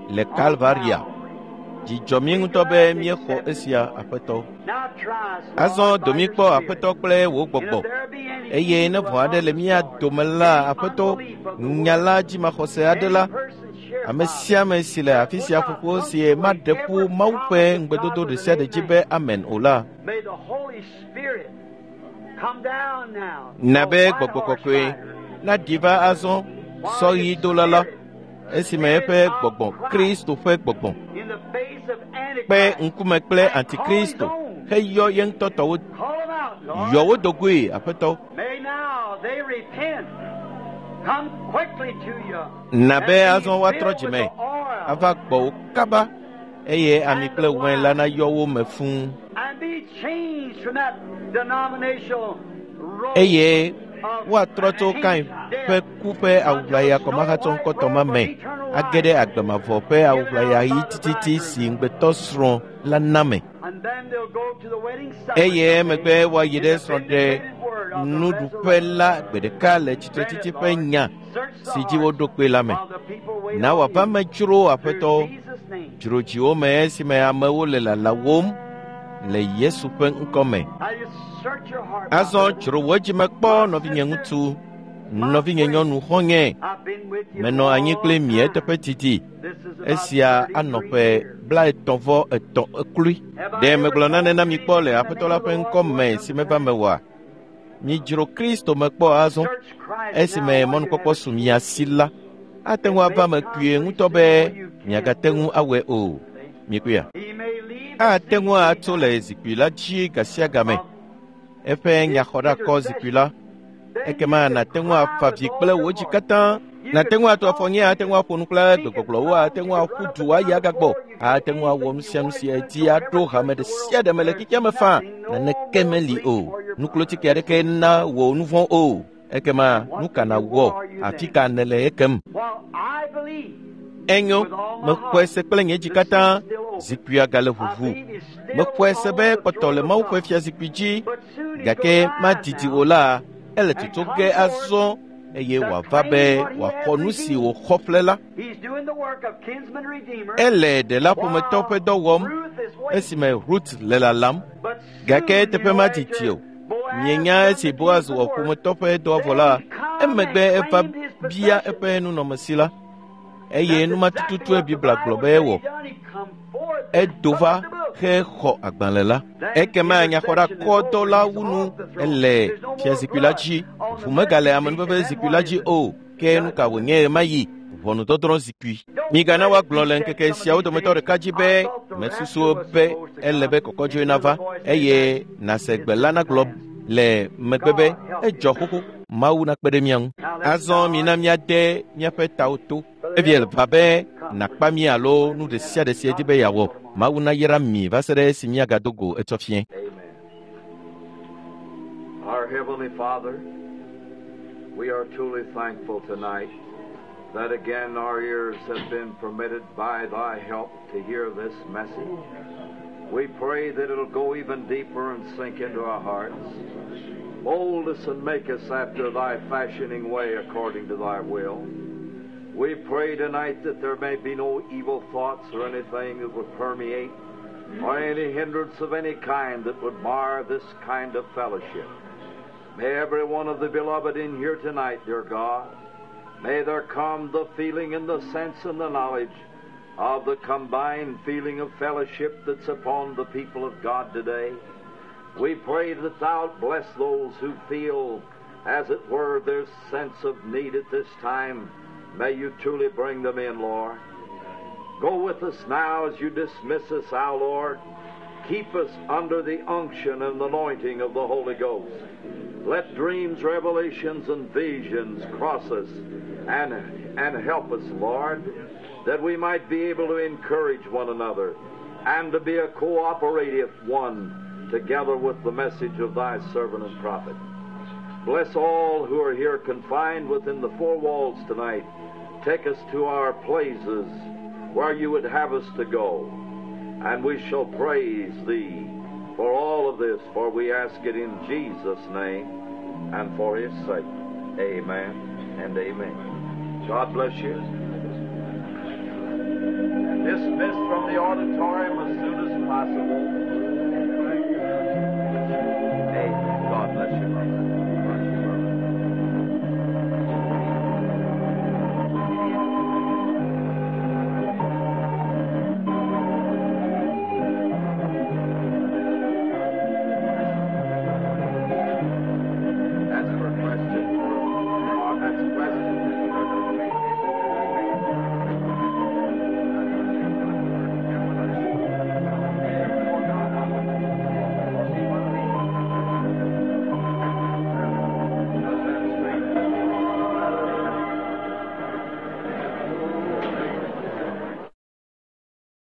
le Kalvaria. Dzidzɔ mí ŋutɔ be míexɔ esia, Aƒetɔ. Azɔ do mí kpɔ Aƒetɔ kple wò gbɔgbɔ, eye ne vɔ̃ aɖe le mía dome la, Aƒetɔ, nya la dzimaxɔse aɖe la, ame sia ame si le afi sia ƒoƒo si maɖe ƒu Mawu ƒe ŋugbedodo ɖe sia ɖe dzi be amen o la, na be gbɔgbɔ kɔkɔe naɖi va azɔ sɔɣidola la, esime eƒe gbɔgbɔ, Kristo ƒe gbɔgbɔ, kpe ŋkume kple Antikristo heyɔ ye ŋutɔ tɔwo, yɔ wo dogoe, Aƒetɔ. Na be azɔ woatrɔ dzime ava gbɔwò kaba eye ami kple wain la nayɔ wo me fũu. Eye woatrɔ tso Kain ƒe ku ƒe awuʋlaya kɔmahatsɔŋkɔtɔ ma me age ɖe agbe mavɔ ƒe awuʋlaya ɣi tititi si ŋugbetɔ srɔ̃ la na me. Eye emegbe woayi ɖe srɔ̃ɖe nuɖuƒe la gbe ɖeka le tsitretsitsi ƒe nya si dzi woɖo kpe la me. Na wòava me dzro Aƒetɔ, dzro dziwo me esime amewo le lalawom le Yesu ƒe ŋkɔ me. Azɔ dzro wò dzime kpɔ nɔvinye ŋutsu, nɔvinye nyɔnu xɔ̃nye. Menɔ anyi kple mi eteƒe didi. Esia anɔ ƒe blaetɔ̃ vɔ etɔ̃ eklui. Ɖe megblɔ nane na mi kpɔ le Aƒetɔ la ƒe ŋkɔ me si meva mewɔa? Midzro Kristo me kpɔ azɔ. Esime mɔnukpɔkpɔ su mia si la, ate ŋu ava me kpuie ŋutɔ be miagate ŋu awɔe o. Mikpɔea? Ate ŋu atso le zikpui la dzi gasiagame. Eƒe nyaxɔɖakɔ zikpui la. Ekema nàte ŋu afa vi kple wò dzi katã. Nàte ŋu ato afɔ nyɛ, ate ŋu aƒo nu kple gbegbɔgblɔwo, ate ŋu aƒu du ayi agagbɔ, ate ŋu awɔ nu sia nu si edi aɖo hame ɖe sia ɖe me le xexea me faa. Naneke meli o. Nuklotike aɖeke na wò nu vɔ̃ o. Ekema nu ka nàwɔ? Afi ka nèle ekem? Enyo, mexɔe se kple nye dzi katã. Zikpuia gale ʋuʋu. Mexɔe se be kpɔtɔ le Mawu ƒe fiazikpui dzi, gake madidi o la, ele tutu ge azɔ eye wòava be wòaxɔ nu si wòxɔ ƒle la. Ele ɖela ƒometɔ ƒe dɔ wɔm esime Ruth le lalam, gake eteƒe madidi o. Mienya esi Boaz wɔ ƒometɔ ƒe dɔa vɔ la, emegbe eva bia eƒe nunɔamesi la. Eye numa tututue Biblia gblɔ be ewɔ. Edo va hexɔ agbalẽ la. Ekema nyaxɔɖakɔdɔ la wu nu ele fiazikpui la dzi. Ʋu megale amenuveve zikpui la dzi o. Ke nu ka wònye ɣemaɣi? Ʋɔnudɔdrɔ̃ zikpui. Migana woagblɔ le ŋkeke siawo dometɔ ɖeka dzi be mesusu be ele be kɔkɔdzoe nava eye nàse gbe la nagblɔ le megbe be edzɔ xoxo. Mawu nakpe ɖe mía ŋu. Azɔ mina míade míaƒe tawo to. Evie va be nàkpa mí alo nu ɖe sia ɖe si edi be yeawɔ. Mawu nayra mi va se ɖe esi míagado go etsɔ fiẽ. Our Heavenly Father, we are truly thankful tonight that again our ears have been permitted by Thy help to hear this message. We pray that it'll go even deeper and sink into our hearts. Mold us and make us after Thy fashioning way according to Thy will. We pray tonight that there may be no evil thoughts or anything that would permeate or any hindrance of any kind that would mar this kind of fellowship. May every one of the beloved in here tonight, dear God, may there come the feeling and the sense and the knowledge of the combined feeling of fellowship that's upon the people of God today. We pray that Thou bless those who feel, as it were, their sense of need at this time. May you truly bring them in, Lord. Go with us now as you dismiss us, our Lord. Keep us under the unction and anointing of the Holy Ghost. Let dreams, revelations, and visions cross us and, and help us, Lord, that we might be able to encourage one another and to be a cooperative one together with the message of Thy servant and prophet. Bless all who are here confined within the four walls tonight. Take us to our places where you would have us to go. And we shall praise Thee for all of this, for we ask it in Jesus' name and for His sake. Amen and amen. God bless you. Dismissed from the auditorium as soon as possible. Amen. God bless you.